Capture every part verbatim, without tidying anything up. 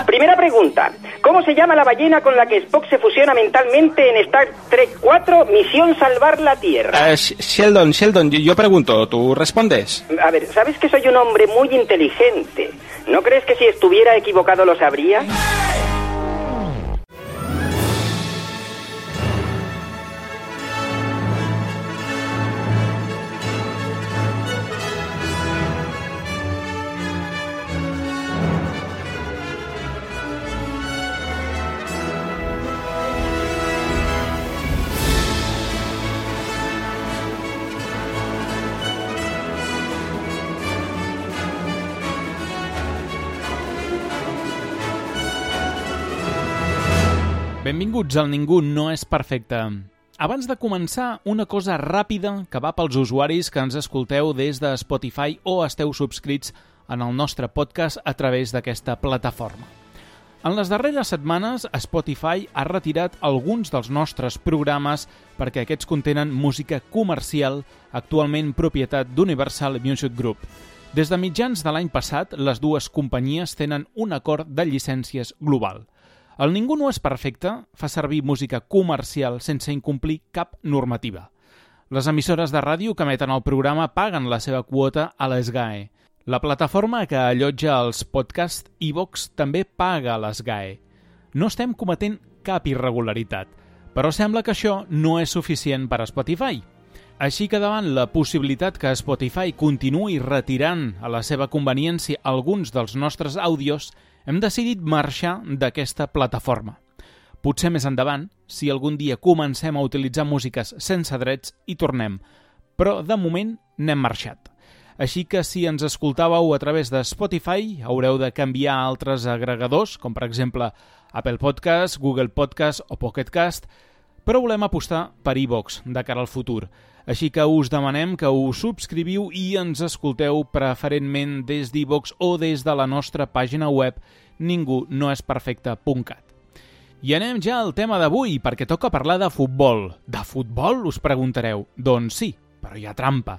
Primera pregunta. ¿Cómo se llama la ballena con la que Spock se fusiona mentalmente en Star Trek cuatro, Misión Salvar la Tierra? Uh, Sheldon, Sheldon, yo pregunto, ¿tú respondes? A ver, ¿sabes que soy un hombre muy inteligente? ¿No crees que si estuviera equivocado lo sabría? Benvinguts al Ningú no és perfecte. Abans de començar, una cosa ràpida que va pels usuaris que ens escolteu des de Spotify o esteu subscrits en el nostre podcast a través d'aquesta plataforma. En les darreres setmanes, Spotify ha retirat alguns dels nostres programes perquè aquests contenen música comercial, actualment propietat d'Universal Music Group. Des de mitjans de l'any passat, les dues companyies tenen un acord de llicències global. El Ningú no és perfecte fa servir música comercial sense incomplir cap normativa. Les emissores de ràdio que emeten el programa paguen la seva quota a l'S G A E. La plataforma que allotja els podcasts iVoox també paga a l'S G A E. No estem cometent cap irregularitat, però sembla que això no és suficient per a Spotify. Així que davant la possibilitat que Spotify continuï retirant a la seva conveniència alguns dels nostres àudios, hem decidit marxar d'aquesta plataforma. Potser més endavant, si algun dia comencem a utilitzar músiques sense drets, hi tornem, però de moment n'hem marxat. Així que si ens escoltàveu a través de Spotify, haureu de canviar a altres agregadors, com per exemple Apple Podcast, Google Podcast o Pocket Cast, però volem apostar per iVoox de cara al futur. Així que us demanem que us subscriviu i ens escolteu preferentment des d'iVoox o des de la nostra pàgina web ningú no és perfecte punt cat. I anem ja al tema d'avui, perquè toca parlar de futbol. De futbol, us preguntareu? Doncs sí, però hi ha trampa.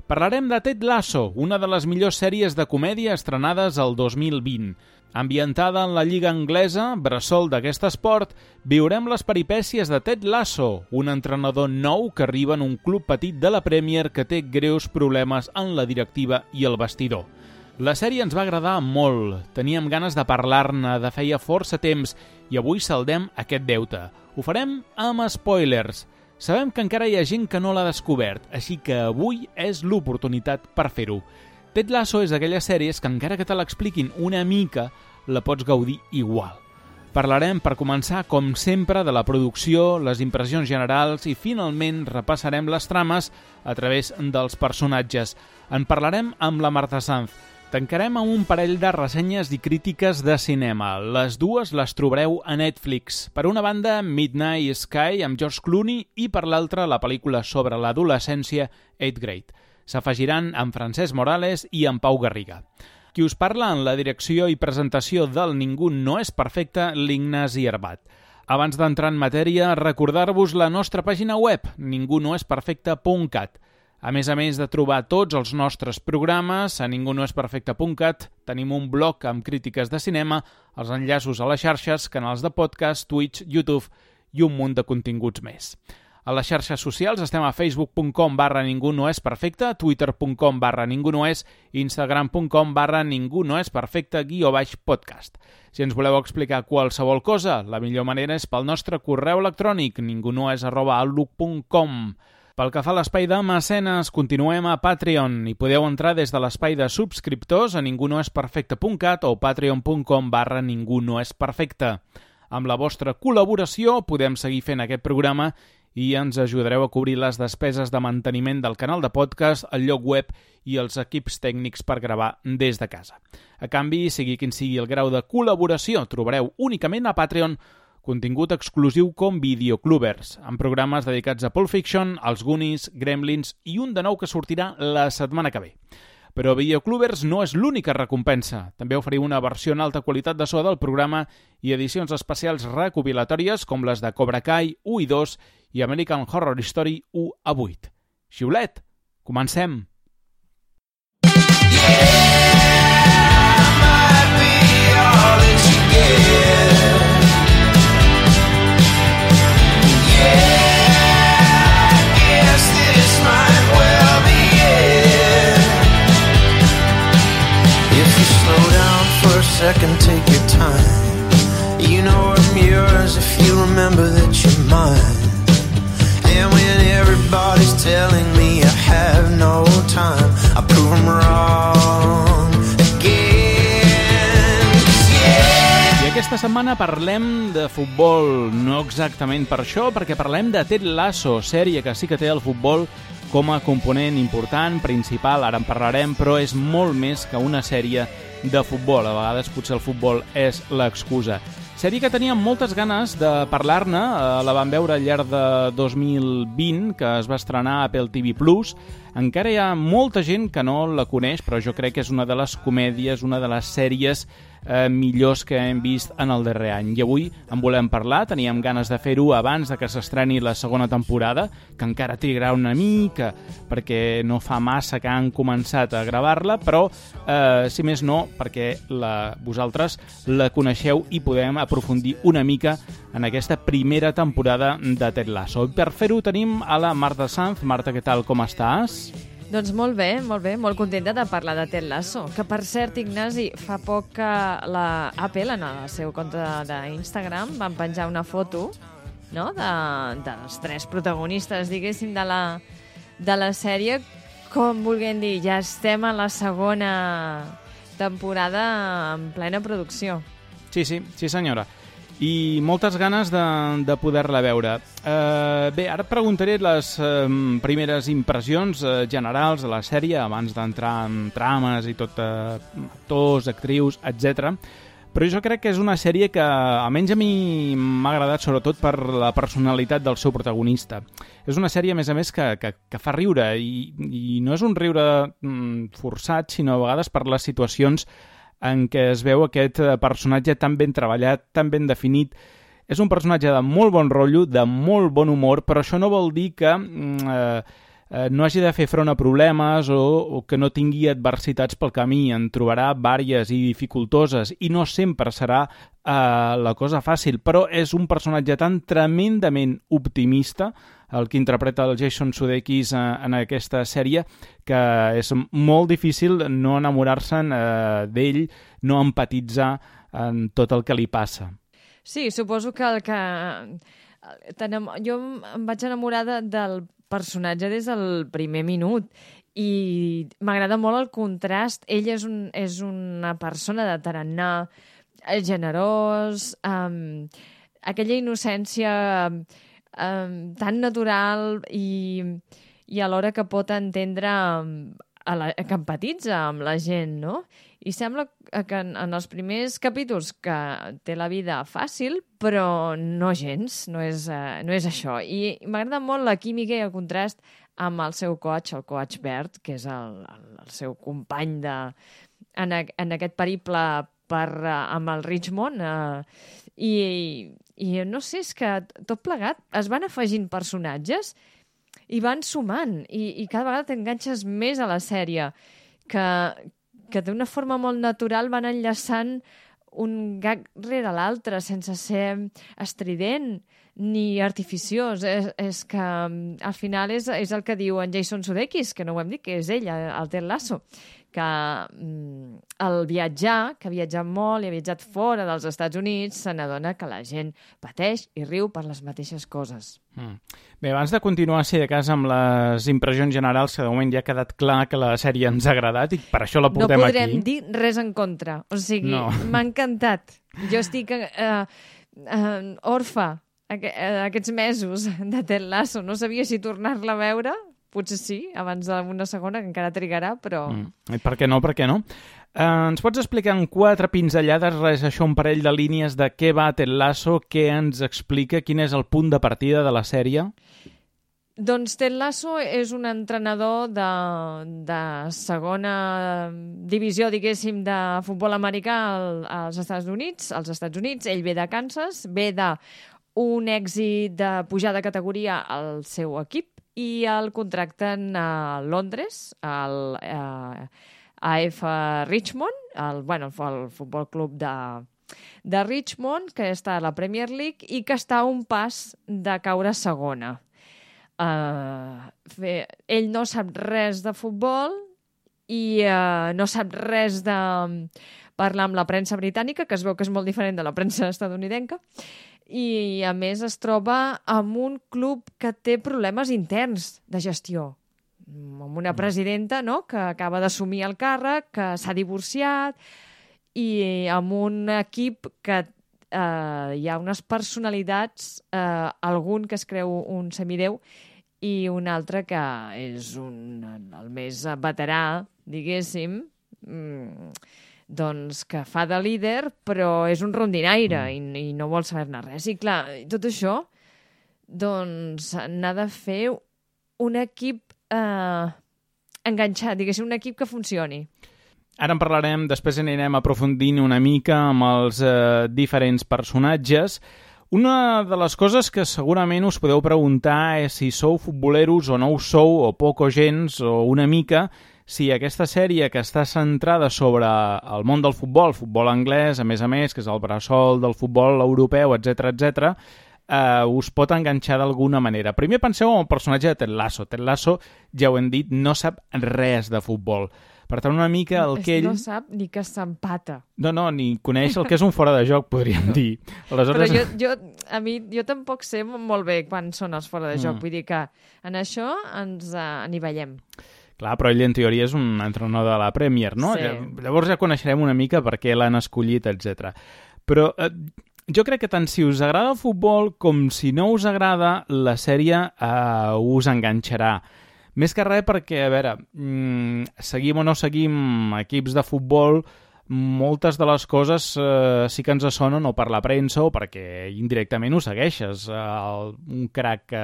Parlarem de Ted Lasso, una de les millors sèries de comèdia estrenades el dos mil vint. Ambientada en la lliga anglesa, bressol d'aquest esport, viurem les peripècies de Ted Lasso, un entrenador nou que arriba en un club petit de la Premier que té greus problemes en la directiva i el vestidor. La sèrie ens va agradar molt, teníem ganes de parlar-ne de feia força temps i avui saldem aquest deute. Ho farem amb spoilers. Sabem que encara hi ha gent que no l'ha descobert, així que avui és l'oportunitat per fer-ho. Ted Lasso és d'aquelles sèries que encara que te l'expliquin una mica, la pots gaudir igual. Parlarem, per començar, com sempre, de la producció, les impressions generals i, finalment, repassarem les trames a través dels personatges. En parlarem amb la Marta Sanz. Tancarem amb un parell de ressenyes i crítiques de cinema. Les dues les trobareu a Netflix. Per una banda, Midnight Sky amb George Clooney i per l'altra la pel·lícula sobre l'adolescència Eighth Grade. S'afegiran amb Francesc Morales i amb Pau Garriga. Qui us parla en la direcció i presentació del Ningú no és perfecte, l'Ignasi Herbat. Abans d'entrar en matèria, recordar-vos la nostra pàgina web, ningú no és perfecte punt cat. A més a més de trobar tots els nostres programes, a ningú no és perfecte punt cat tenim un blog amb crítiques de cinema, els enllaços a les xarxes, canals de podcast, Twitch, YouTube i un munt de continguts més. A les xarxes socials estem a facebook punt com barra ningú no és perfecte, twitter punt com barra ningú no és, instagram punt com barra ningú no és perfecte guió baix podcast. Si ens voleu explicar qualsevol cosa, la millor manera és pel nostre correu electrònic ningunoes arroba outlook punt com. Pel que fa a l'espai de mecenes, continuem a Patreon i podeu entrar des de l'espai de subscriptors a ningú no és perfecte punt cat o patreon punt com barra ningú no és perfecte. Amb la vostra col·laboració podem seguir fent aquest programa i ens ajudareu a cobrir les despeses de manteniment del canal de podcast, el lloc web i els equips tècnics per gravar des de casa. A canvi, sigui quin sigui el grau de col·laboració, trobareu únicament a Patreon contingut exclusiu com Videoclubers, amb programes dedicats a Pulp Fiction, als Goonies, Gremlins i un de nou que sortirà la setmana que ve. Però Videoclubers no és l'única recompensa. També oferim una versió en alta qualitat de so del programa i edicions especials recopilatòries com les de Cobra Kai u i dos i American Horror Story u a vuit. Xiulet, comencem! Yeah, might be all If you slow down for a second, take your time. You know I'm yours if you remember that you're mine. And when everybody's telling me I have no time, I prove them wrong again. Yeah. I aquesta setmana parlem de futbol, no exactament per això, perquè parlem de Ted Lasso, sèrie que sí que té el futbol com a component important, principal, ara en parlarem, però és molt més que una sèrie de futbol. A vegades potser el futbol és l'excusa. Sèrie que teníem moltes ganes de parlar-ne, la vam veure al llarg de dos mil vint, que es va estrenar a Apple T V plus. Encara hi ha molta gent que no la coneix, però jo crec que és una de les comèdies, una de les sèries eh, millors que hem vist en el darrer any. I avui en volem parlar, teníem ganes de fer-ho abans de que s'estreni la segona temporada, que encara trigarà una mica, perquè no fa massa que han començat a gravar-la, però, eh, si més no, perquè la, vosaltres la coneixeu i podem aprofundir una mica en aquesta primera temporada de Ted Lasso. Per fer-ho tenim a la Marta Sanz. Marta, què tal, com estàs? Doncs molt bé, molt bé, molt contenta de parlar de Ted Lasso, que per cert, Ignasi, fa poc que la Apple, en el seu compte d'Instagram, van penjar una foto, no?, de, dels tres protagonistes, diguéssim, de la, de la sèrie, com vulguem dir, ja estem a la segona temporada en plena producció. Sí, sí, sí senyora. I moltes ganes de, de poder-la veure. Uh, bé, ara et preguntaré les uh, primeres impressions uh, generals de la sèrie, abans d'entrar en trames i tot, uh, actors, actrius, etcètera. Però jo crec que és una sèrie que, almenys a mi, m'ha agradat sobretot per la personalitat del seu protagonista. És una sèrie, a més a més, que, que, que fa riure, i, i no és un riure mm, forçat, sinó a vegades per les situacions en què es veu aquest personatge tan ben treballat, tan ben definit. És un personatge de molt bon rotllo, de molt bon humor, però això no vol dir que eh, eh, no hagi de fer front a problemes o, o que no tingui adversitats pel camí. En trobarà vàries i dificultoses i no sempre serà eh, la cosa fàcil, però és un personatge tan tremendament optimista, el que interpreta el Jason Sudeikis en aquesta sèrie, que és molt difícil no enamorar-se'n eh, d'ell, no empatitzar en tot el que li passa. Sí, suposo que el que... Jo em vaig enamorar de, del personatge des del primer minut i m'agrada molt el contrast. Ell és, un, és una persona de tarannà, generós, um, aquella innocència Um, tan natural i, i alhora que pot entendre um, a la, que empatitza amb la gent, no? I sembla que en, en els primers capítols que té la vida fàcil, però no gens, no és, uh, no és això. I m'agrada molt la química i el contrast amb el seu coach, el coach Bert, que és el, el, el seu company de, en, a, en aquest periple per, uh, amb el Richmond, uh, i I no sé, és que tot plegat es van afegint personatges i van sumant, i, i cada vegada t'enganxes més a la sèrie, que, que d'una forma molt natural van enllaçant un gag rere l'altre, sense ser estrident ni artificiós. És, és que al final és, és el que diu en Jason Sudeikis, que no ho hem dit, que és ell, el Ted Lasso, que mm, el viatjar, que ha viatjat molt i ha viatjat fora dels Estats Units, se n'adona que la gent pateix i riu per les mateixes coses. Mm. Bé, abans de continuar, si de cas, amb les impressions generals, que de moment ja ha quedat clar que la sèrie ens ha agradat i per això la portem aquí. No podrem aquí. dir res en contra. O sigui, no. M'ha encantat. Jo estic eh, eh, orfa aqu aquests mesos de Ted Lasso. No sabia si tornar-la a veure. Potser sí, abans d'una segona, que encara trigarà, però... Mm. Per què no, per què no? Eh, ens pots explicar en quatre pinzellades, res, això, un parell de línies de què va Ted Lasso, què ens explica, quin és el punt de partida de la sèrie? Doncs Ted Lasso és un entrenador de, de segona divisió, diguéssim, de futbol americà als Estats Units. Als Estats Units, ell ve de Kansas, ve d'un èxit de pujar de categoria al seu equip, i el contracten a Londres, al a, A F Richmond, el, bueno, el futbol club de, de Richmond, que està a la Premier League i que està a un pas de caure a segona. Uh, fe, ell no sap res de futbol i uh, no sap res de parlar amb la premsa britànica, que es veu que és molt diferent de la premsa estadounidenca, i a més es troba amb un club que té problemes interns de gestió, amb una presidenta, no?, que acaba d'assumir el càrrec, que s'ha divorciat, i amb un equip que eh, hi ha unes personalitats, eh, algun que es creu un semideu i un altre que és un, el més veterà, diguéssim, mm, doncs que fa de líder, però és un rondinaire i, i no vol saber-ne res. I clar, tot això doncs n'ha de fer un equip eh, enganxat, diguéssim, un equip que funcioni. Ara en parlarem, després anirem aprofundint una mica amb els eh, diferents personatges. Una de les coses que segurament us podeu preguntar és si sou futboleros o no ho sou, o poc o gens, o una mica, si aquesta sèrie que està centrada sobre el món del futbol, futbol anglès, a més a més, que és el bressol del futbol europeu, etcètera, etcètera, eh, us pot enganxar d'alguna manera. Primer penseu en el personatge de Ted Lasso. Ted Lasso, ja ho hem dit, no sap res de futbol. Per tant, una mica el que ell... No sap ni que s'empata. No, no, ni coneix el que és un fora de joc, podríem dir. Aleshores... Però jo, jo, a mi, jo tampoc sé molt bé quan són els fora de joc. Mm. Vull dir que en això ens uh, n'hi veiem. Clar, però ell en teoria és un entrenador de la Premier, no? Sí. Llavors ja coneixerem una mica per què l'han escollit, etcètera. Però eh, jo crec que tant si us agrada el futbol com si no us agrada, la sèrie eh, us enganxarà. Més que res perquè, a veure, mmm, seguim o no seguim equips de futbol, moltes de les coses eh, sí que ens sonen o per la premsa o perquè indirectament ho segueixes. El, un crac que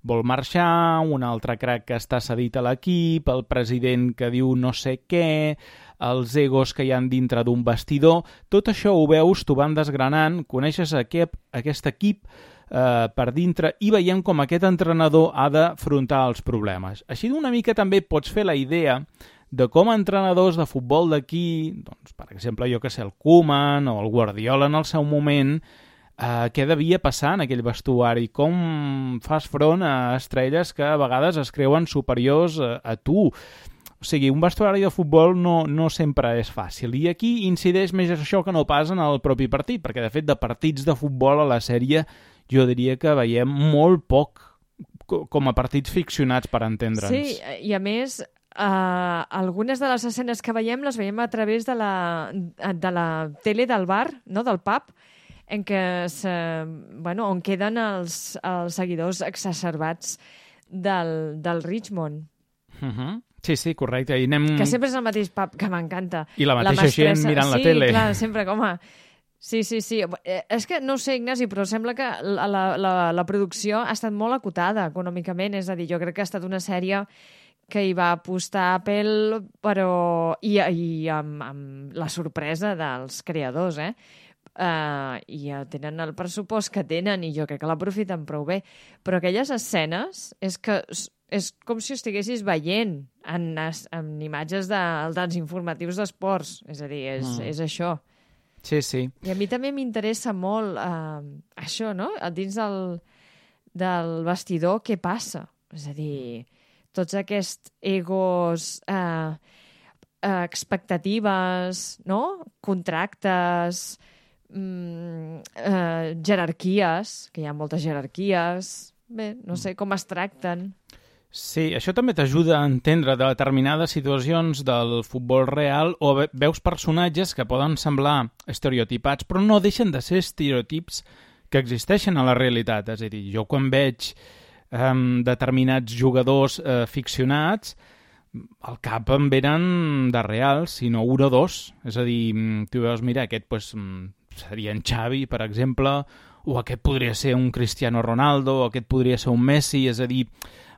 vol marxar, un altre crac que està cedit a l'equip, el president que diu no sé què, els egos que hi han dintre d'un vestidor... Tot això ho veus, t'ho van desgranant, coneixes aquest, aquest equip eh, per dintre i veiem com aquest entrenador ha d'afrontar els problemes. Així d'una mica també pots fer la idea de com entrenadors de futbol d'aquí, doncs, per exemple, jo que sé, el Koeman o el Guardiola en el seu moment, eh, què devia passar en aquell vestuari, com fas front a estrelles que a vegades es creuen superiors a, a tu. O sigui, un vestuari de futbol no, no sempre és fàcil. I aquí incideix més això que no pas en el propi partit, perquè de fet de partits de futbol a la sèrie jo diria que veiem molt poc com a partits ficcionats per entendre'ns. Sí, i a més... Uh, algunes de les escenes que veiem les veiem a través de la, de la tele del bar, no? Del pub, en què se, bueno, on queden els, els seguidors exacerbats del, del Richmond. Uh-huh. Sí, sí, correcte. I anem... Que sempre és el mateix pub, que m'encanta. I la mateixa la gent mirant sí, la tele. Sí, clar, sempre com a... Sí, sí, sí. Eh, és que no ho sé, Ignasi, però sembla que la, la, la, la producció ha estat molt acotada econòmicament. És a dir, jo crec que ha estat una sèrie que hi va apostar Apple, però... I, i amb, amb la sorpresa dels creadors, eh? Uh, I tenen el pressupost que tenen i jo crec que l'aprofiten prou bé. Però aquelles escenes és que és com si ho estiguessis veient en, en imatges de, dels informatius d'esports. És a dir, és, mm. és això. Sí, sí. I a mi també m'interessa molt uh, això, no? Dins del, del vestidor, què passa? És a dir... tots aquests egos, eh, eh, expectatives, no? Contractes, mm, eh, jerarquies, que hi ha moltes jerarquies. Bé, no sé com es tracten. Sí, això també t'ajuda a entendre determinades situacions del futbol real o veus personatges que poden semblar estereotipats, però no deixen de ser estereotips que existeixen a la realitat. És a dir, jo quan veig... Um, determinats jugadors uh, ficcionats, al cap em venen de real, sinó un o dos. És a dir, tu veus, mira, aquest pues, seria en Xavi, per exemple, o aquest podria ser un Cristiano Ronaldo, o aquest podria ser un Messi. És a dir,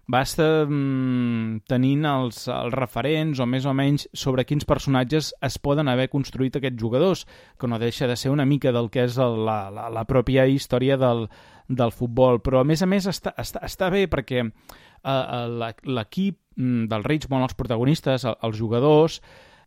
vas um, tenint els, els referents, o més o menys, sobre quins personatges es poden haver construït aquests jugadors, que no deixa de ser una mica del que és el, la, la, la pròpia història del del futbol, però a més a més està, està, està bé perquè uh, l'equip del Richmond, els protagonistes, els jugadors,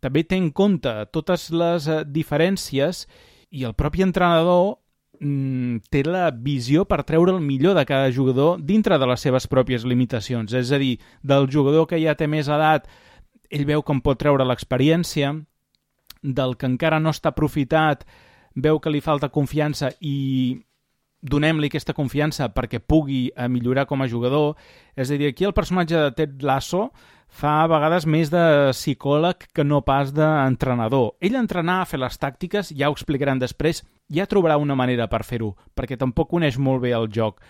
també té en compte totes les uh, diferències i el propi entrenador mm, té la visió per treure el millor de cada jugador dintre de les seves pròpies limitacions. És a dir, del jugador que ja té més edat ell veu que en pot treure l'experiència, del que encara no està aprofitat, veu que li falta confiança i donem-li aquesta confiança perquè pugui millorar com a jugador. És a dir, aquí el personatge de Ted Lasso fa a vegades més de psicòleg que no pas d'entrenador. Ell entrenar, fer les tàctiques, ja ho explicaran després, ja trobarà una manera per fer-ho, perquè tampoc coneix molt bé el joc.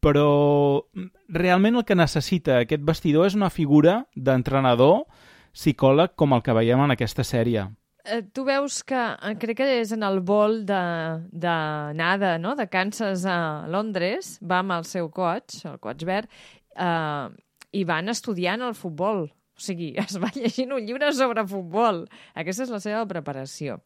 Però realment el que necessita aquest vestidor és una figura d'entrenador psicòleg com el que veiem en aquesta sèrie. Eh, tu veus que, crec que és en el vol de, de nada, no?, de Kansas a Londres, va amb el seu coach, el coach verd, eh, i van estudiant el futbol. O sigui, es va llegint un llibre sobre futbol. Aquesta és la seva preparació.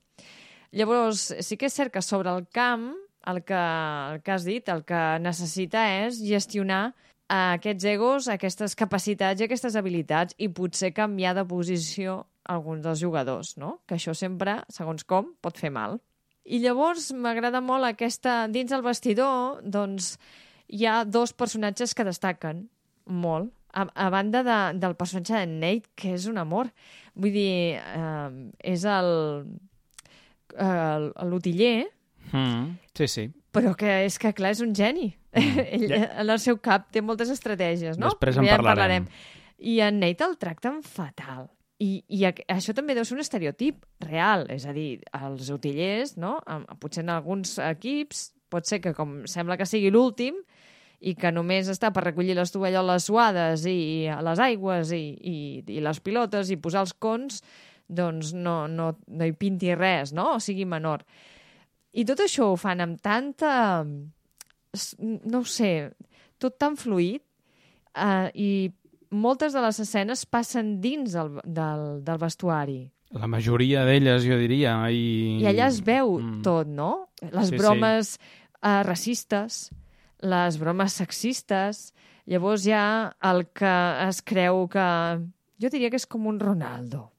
Llavors, sí que és cert que sobre el camp, el que, el que has dit, el que necessita és gestionar aquests egos, aquestes capacitats i aquestes habilitats i potser canviar de posició alguns dels jugadors, no? Que això sempre, segons com, pot fer mal. I llavors m'agrada molt aquesta... Dins el vestidor, doncs, hi ha dos personatges que destaquen molt, a, a banda de, del personatge de Nate, que és un amor. Vull dir, eh, és el... l'utiller, mm, sí, sí. però que és que, clar, és un geni. Mm. Ell, yeah. En el seu cap té moltes estratègies, no? Després en ja parlarem. parlarem. I en Nate el tracten fatal. I, i això també deu ser un estereotip real, és a dir, els utillers, no? Potser en alguns equips pot ser que, com sembla que sigui l'últim, i que només està per recollir les tovalloles suades i les aigües i, i, i les pilotes i posar els cons, doncs no, no, no hi pinti res, no? O sigui menor. I tot això ho fan amb tanta... no ho sé, tot tan fluid, eh, i moltes de les escenes passen dins del, del, del vestuari. La majoria d'elles, jo diria. I, I allà es veu mm. tot, no? Les sí, bromes sí. Eh, racistes, les bromes sexistes, llavors hi ha el que es creu que... Jo diria que és com un Ronaldo.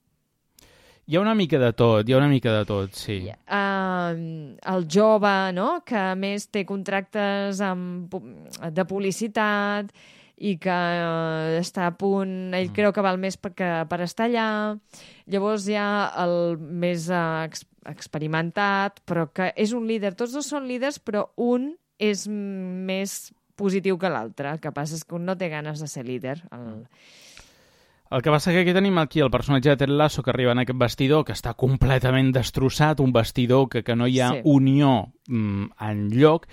Hi ha una mica de tot, hi ha una mica de tot, sí. Uh, el jove, no?, que a més té contractes amb, de publicitat i que uh, està a punt, ell mm. creu que val més per, que, per estar allà. Llavors hi ha el més uh, ex, experimentat, però que és un líder. Tots dos són líders, però un és més positiu que l'altre. El que passa és que un no té ganes de ser líder. El... El que passa que aquí tenim aquí el personatge de Ted Lasso que arriba en aquest vestidor, que està completament destrossat, un vestidor que, que no hi ha sí. unió mm, enlloc,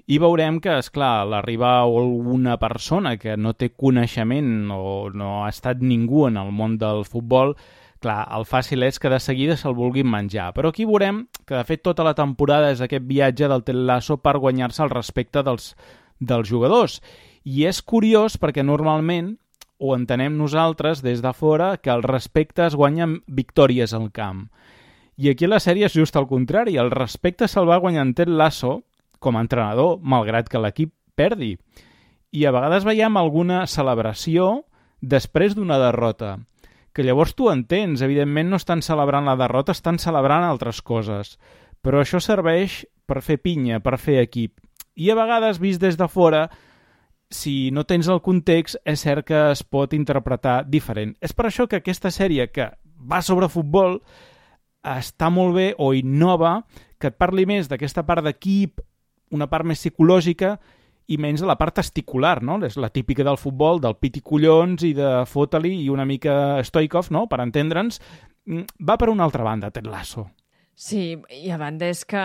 i veurem que, esclar, l'arriba alguna persona que no té coneixement o no ha estat ningú en el món del futbol, clar, el fàcil és que de seguida se'l vulguin menjar. Però aquí veurem que, de fet, tota la temporada és aquest viatge del Ted Lasso per guanyar-se el respecte dels, dels jugadors. I és curiós perquè normalment o entenem nosaltres des de fora que el respecte es guanya amb victòries al camp. I aquí la sèrie és just al contrari. El respecte se'l va guanyar en Ted Lasso com a entrenador, malgrat que l'equip perdi. I a vegades veiem alguna celebració després d'una derrota, que llavors tu entens. Evidentment no estan celebrant la derrota, estan celebrant altres coses. Però això serveix per fer pinya, per fer equip. I a vegades, vist des de fora, si no tens el context, és cert que es pot interpretar diferent. És per això que aquesta sèrie, que va sobre futbol, està molt bé o innova, que et parli més d'aquesta part d'equip, una part més psicològica, i menys de la part testicular, no? És la típica del futbol, del piti collons i de fota-li i una mica Stoikov, no?, per entendre'ns. Va per una altra banda, Ted Lasso. Sí, i a banda és que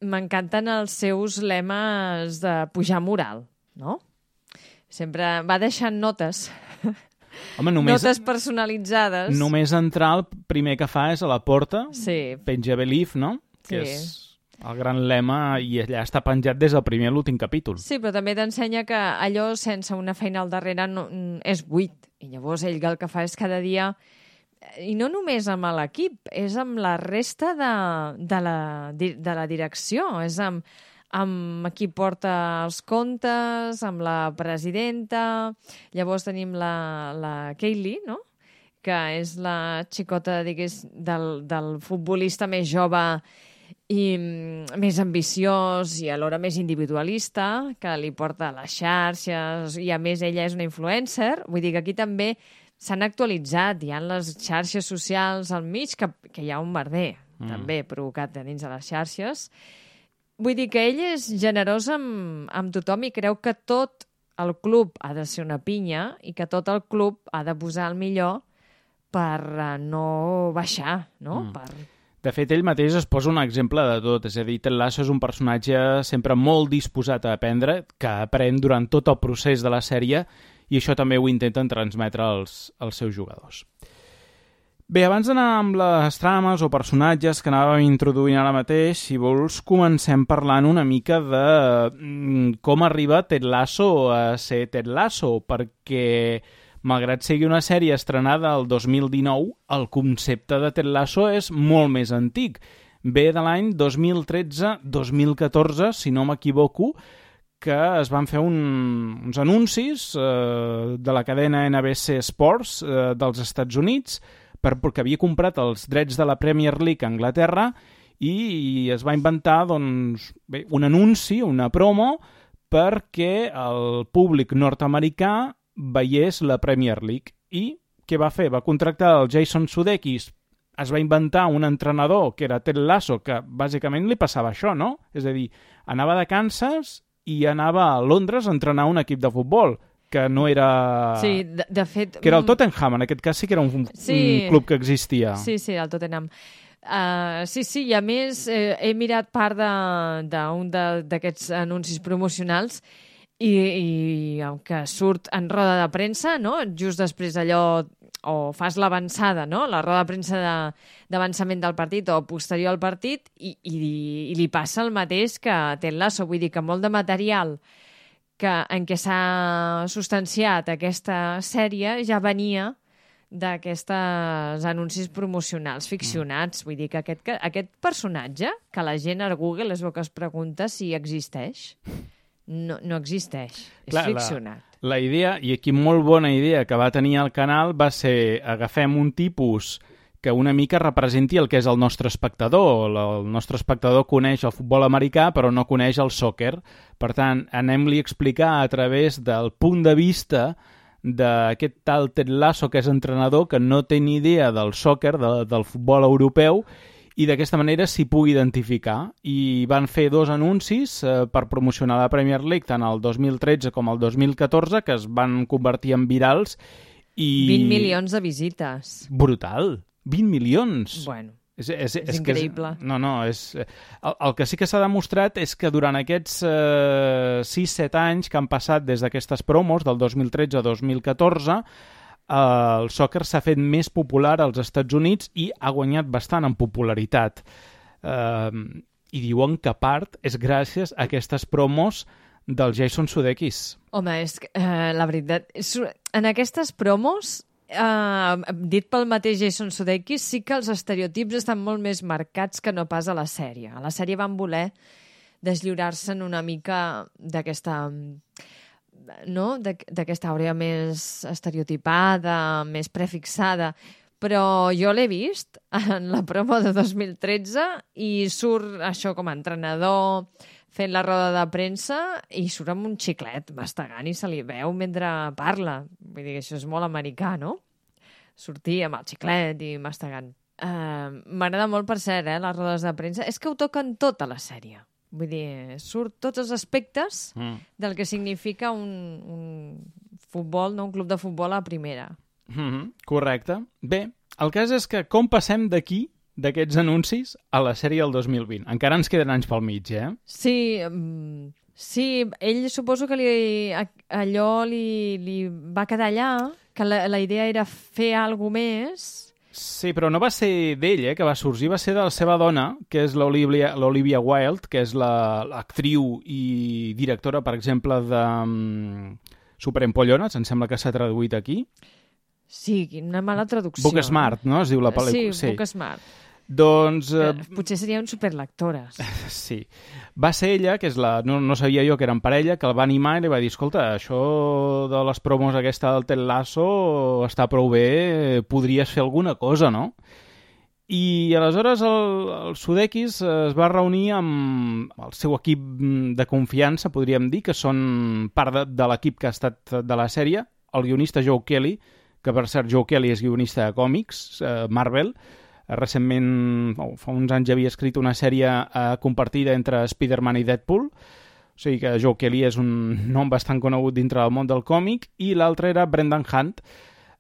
m'encanten els seus lemes de pujar moral, no? Sempre va deixant notes. Home, només, notes personalitzades. Només entrar, el primer que fa és a la porta, sí. penja Belief, no? Que sí. és el gran lema, i allà està penjat des del primer a l'últim capítol. Sí, però també t'ensenya que allò sense una feina al darrere no, és buit. I llavors ell el que fa és cada dia, i no només amb l'equip, és amb la resta de, de, la, de la direcció, és amb amb qui porta els comptes, amb la presidenta. Llavors tenim la, la Kaylee, no?, que és la xicota, digués, del, del futbolista més jove i més ambiciós i alhora més individualista, que li porta les xarxes, i a més ella és una influencer. Vull dir que aquí també s'han actualitzat, hi ha les xarxes socials al mig, que, que hi ha un merder, mm. també, provocat a dins de les xarxes. Vull dir que ell és generós amb, amb tothom i creu que tot el club ha de ser una pinya i que tot el club ha de posar el millor per uh, no baixar, no? Mm. Per... De fet, ell mateix es posa un exemple de tot, és a dir, Ted Lasso és un personatge sempre molt disposat a aprendre, que aprèn durant tot el procés de la sèrie, i això també ho intenten transmetre als, als seus jugadors. Bé, abans d'anar amb les trames o personatges que anàvem introduint ara mateix, si vols, comencem parlant una mica de com arriba Ted Lasso a ser Ted Lasso, perquè malgrat sigui una sèrie estrenada el dos mil dinou, el concepte de Ted Lasso és molt més antic. Ve de l'any dos mil tretze dos mil catorze, si no m'equivoco, que es van fer un, uns anuncis eh, de la cadena N B C Sports eh, dels Estats Units, per, perquè havia comprat els drets de la Premier League a Anglaterra i, i es va inventar doncs, bé, un anunci, una promo, perquè el públic nord-americà veiés la Premier League. I què va fer? Va contractar el Jason Sudeikis, es va inventar un entrenador que era Ted Lasso, que bàsicament li passava això, no? És a dir, anava de Kansas i anava a Londres a entrenar un equip de futbol, que no era... Sí, de, de fet... Que era el Tottenham, en aquest cas sí que era un, sí. un club que existia. Sí, sí, el Tottenham. Uh, sí, sí, i a més eh, he mirat part d'un d'aquests anuncis promocionals i, i el que surt en roda de premsa, no? Just després d'allò, o fas l'avançada, no? La roda de premsa d'avançament de, del partit o posterior al partit i, i, i li passa el mateix que Ted Lasso, vull dir que molt de material que, en què s'ha substanciat aquesta sèrie ja venia d'aquestes anuncis promocionals ficcionats. Vull dir que aquest, que aquest personatge, que la gent a Google és el que es pregunta si existeix, no, no existeix. Clar, és ficcionat. La, la idea, i aquí molt bona idea que va tenir el canal, va ser agafem un tipus que una mica representi el que és el nostre espectador. El nostre espectador coneix el futbol americà, però no coneix el sòquer. Per tant, anem-li a explicar a través del punt de vista d'aquest tal Ted Lasso, que és entrenador, que no té ni idea del sòquer, de, del futbol europeu, i d'aquesta manera s'hi pugui identificar. I van fer dos anuncis eh, per promocionar la Premier League, tant el dos mil tretze com el dos mil catorze, que es van convertir en virals. I... vint milions de visites. Brutal! vint milions! Bueno, és, és, és és increïble. És, no, no, és... El, el que sí que s'ha demostrat és que durant aquests eh, sis set anys que han passat des d'aquestes promos, del dos mil tretze a dos mil catorze, eh, el sòquer s'ha fet més popular als Estats Units i ha guanyat bastant en popularitat. Eh, I diuen que part és gràcies a aquestes promos del Jason Sudeikis. Home, és que, eh, la veritat, és, en aquestes promos... Uh, dit pel mateix Jason Sudeikis, sí que els estereotips estan molt més marcats que no pas a la sèrie. A la sèrie van voler deslliurar-se'n una mica d'aquesta no? d'aquesta àurea més estereotipada, més prefixada, però jo l'he vist en la promo de dos mil tretze i surt això com a entrenador fent la roda de premsa i surt amb un xiclet mastegant i se li veu mentre parla. Vull dir que això és molt americà, no? Sortir amb el xiclet i mastegant. Uh, M'agrada molt, per cert, eh, les rodes de premsa. És que ho toquen tot a la sèrie. Vull dir, surt tots els aspectes mm. del que significa un, un futbol, no? Un club de futbol a primera. Mm-hmm, correcte. Bé, el cas és que com passem d'aquí d'aquests anuncis a la sèrie del dos mil vint. Encara ens queden anys pel mig, eh? Sí, um, sí, ell suposo que li, allò li, li va quedar allà, que la, la idea era fer alguna més. Sí, però no va ser d'ell, eh, que va sorgir, va ser de la seva dona, que és l'Olivia Wilde, que és l'actriu i directora, per exemple, de um, Superempollones, em sembla que s'ha traduït aquí. Sí, una mala traducció. Booksmart, no? Es diu la pel·lícula. Sí, sí. Booksmart. Doncs... Eh... Potser serien superlectores. Sí. Va ser ella, que és la... No, no sabia jo que eren parella, que el va animar i li va dir, escolta, això de les promos aquesta del Ted Lasso està prou bé, podries fer alguna cosa, no? I aleshores el, el Sudeikis es va reunir amb el seu equip de confiança, podríem dir, que són part de, de l'equip que ha estat de la sèrie, el guionista Joe Kelly, que per cert Joe Kelly és guionista de còmics, eh, Marvel. Eh, recentment, oh, fa uns anys havia escrit una sèrie eh, compartida entre Spider-Man i Deadpool, o sigui que Joe Kelly és un nom bastant conegut dintre del món del còmic, i l'altre era Brendan Hunt,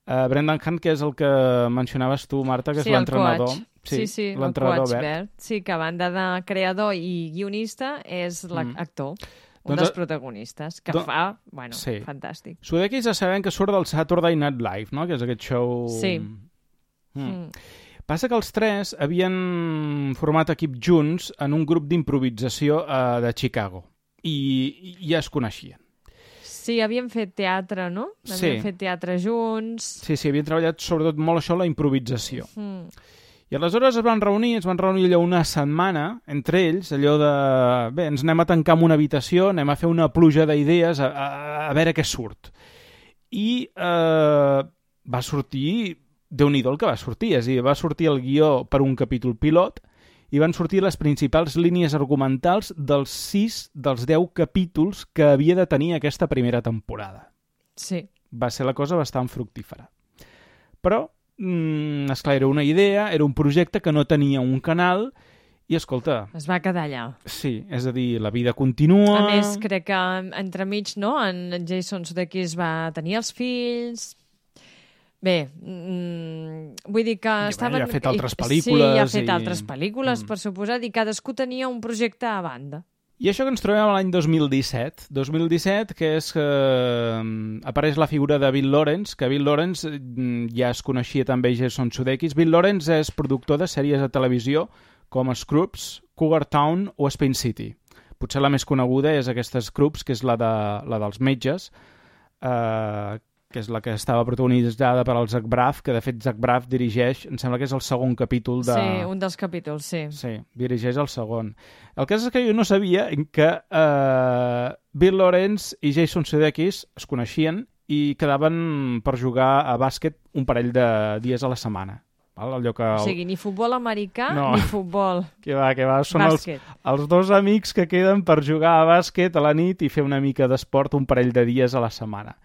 uh, Brendan Hunt, que és el que mencionaves tu, Marta, que és sí, l'entrenador. Sí, sí, sí l'entrenador el coach verd. verd. Sí, que a banda de creador i guionista és l'actor, mm. un doncs, dels protagonistes, que don... fa, bueno, sí. fantàstic. Sudeikis ja sabem que surt del Saturday Night Live, no?, que és aquest show... Sí. Mm. Mm. Passa que els tres havien format equip junts en un grup d'improvisació uh, de Chicago, i, i ja es coneixien. Sí, havien fet teatre, no? Havien sí. fet teatre junts. Sí, sí, havien treballat sobretot molt això, la improvisació. Mm. I aleshores es van reunir, es van reunir allò una setmana, entre ells, allò de... Bé, ens anem a tancar en una habitació, anem a fer una pluja d'idees, a, a, a veure què surt. I eh, va sortir... Déu-n'hi-do el que va sortir, és a dir, va sortir el guió per un capítol pilot i van sortir les principals línies argumentals dels sis dels deu capítols que havia de tenir aquesta primera temporada. Sí. Va ser la cosa bastant fructífera. Però, mm, esclar, era una idea, era un projecte que no tenia un canal i, escolta... Es va quedar allà. Sí, és a dir, la vida continua... A més, crec que entremig, no?, en Jason Sudeikis va tenir els fills... Bé, mm, vull dir que I, estaven... Ja ha fet altres pel·lícules... Sí, ja ha fet i... altres pel·lícules, mm. per suposat, i cadascú tenia un projecte a banda. I això que ens trobem a l'any dos mil disset. dos mil disset, que és que eh, apareix la figura de Bill Lawrence, que Bill Lawrence eh, ja es coneixia també Jason Sudeikis. Bill Lawrence és productor de sèries de televisió com Scrubs, Cougar Town o Spin City. Potser la més coneguda és aquesta Scrubs, que és la, de, la dels metges, eh, que és la que estava protagonitzada per al Zach Braff, que de fet Zach Braff dirigeix, em sembla que és el segon capítol de... Sí, un dels capítols, sí. Sí, dirigeix el segon. El cas és que jo no sabia que eh, Bill Lawrence i Jason Sudeikis es coneixien i quedaven per jugar a bàsquet un parell de dies a la setmana. Val? Allò que el... O sigui, ni futbol americà no. ni futbol que va, que va. Són els, els dos amics que queden per jugar a bàsquet a la nit i fer una mica d'esport un parell de dies a la setmana.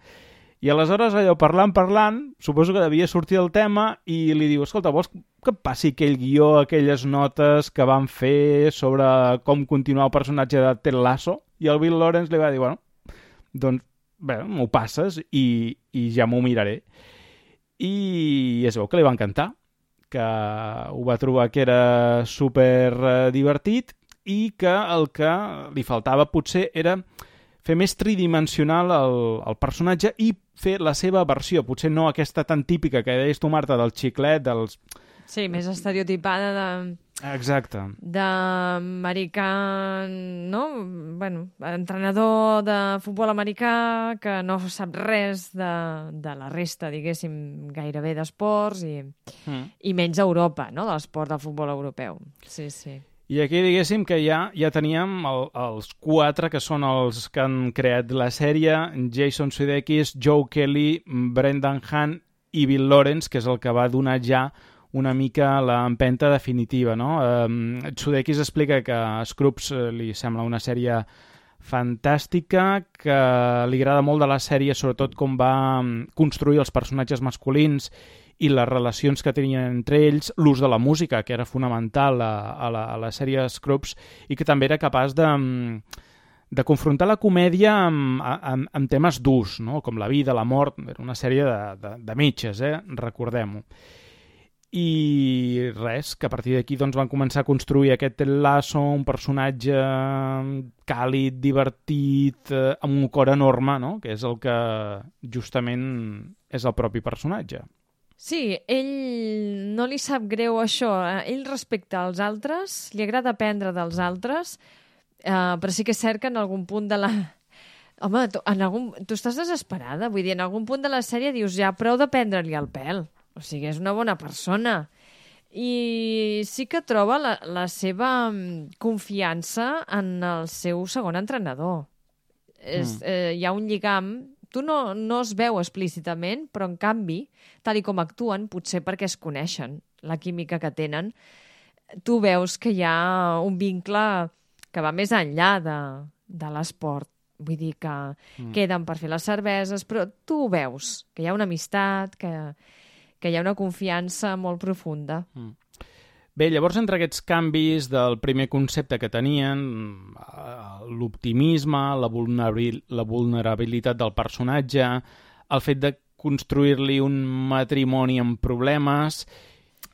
I aleshores, allò, parlant, parlant, suposo que devia sortir el tema i li diu, escolta, vols que passi aquell guió, aquelles notes que van fer sobre com continuar el personatge de Ted Lasso? I el Bill Lawrence li va dir, bueno, doncs, bé, m'ho passes i, i ja m'ho miraré. I es veu que li va encantar, que ho va trobar que era super divertit i que el que li faltava potser era fer més tridimensional el, el personatge i fer la seva versió, potser no aquesta tan típica que deies tu, Marta, del xiclet, dels... Sí, més estereotipada de... Exacte. D'americà, no? Bueno, entrenador de futbol americà que no sap res de, de la resta, diguéssim, gairebé d'esports i, mm. i menys Europa, no?, de l'esport del futbol europeu. Sí, sí. I aquí diguéssim que ja ja teníem el, els quatre que són els que han creat la sèrie, Jason Sudeikis, Joe Kelly, Brendan Hunt i Bill Lawrence, que és el que va donar ja una mica l'empenta definitiva, no? Um, Sudeikis explica que Scrubs li sembla una sèrie fantàstica, que li agrada molt de la sèrie, sobretot com va construir els personatges masculins i les relacions que tenien entre ells, l'ús de la música, que era fonamental a, a, la, a la sèrie Scrubs, i que també era capaç de, de confrontar la comèdia amb, amb, amb temes durs, no? Com la vida, la mort. Era una sèrie de, de, de metges, eh? Recordem-ho. I res, que a partir d'aquí doncs, van començar a construir aquest Ted Lasso, un personatge càlid, divertit, eh, amb un cor enorme, no? Que és el que justament és el propi personatge. Sí, ell no li sap greu això. Ell respecta els altres, li agrada aprendre dels altres, eh, però sí que és cert que en algun punt de la... Home, tu, en algun... tu estàs desesperada, vull dir, en algun punt de la sèrie dius ja prou de prendre-li el pèl. O sigui, és una bona persona. I sí que troba la, la seva confiança en el seu segon entrenador. Mm. És, eh, hi ha un lligam... Tu no, no es veu explícitament, però en canvi, tal i com actuen, potser perquè es coneixen, la química que tenen, tu veus que hi ha un vincle que va més enllà de, de l'esport. vull dir que mm. queden per fer les cerveses, però tu ho veus, que hi ha una amistat, que, que hi ha una confiança molt profunda. Mm. Bé, llavors, entre aquests canvis del primer concepte que tenien, l'optimisme, la, vulnerabil, la vulnerabilitat del personatge, el fet de construir-li un matrimoni amb problemes...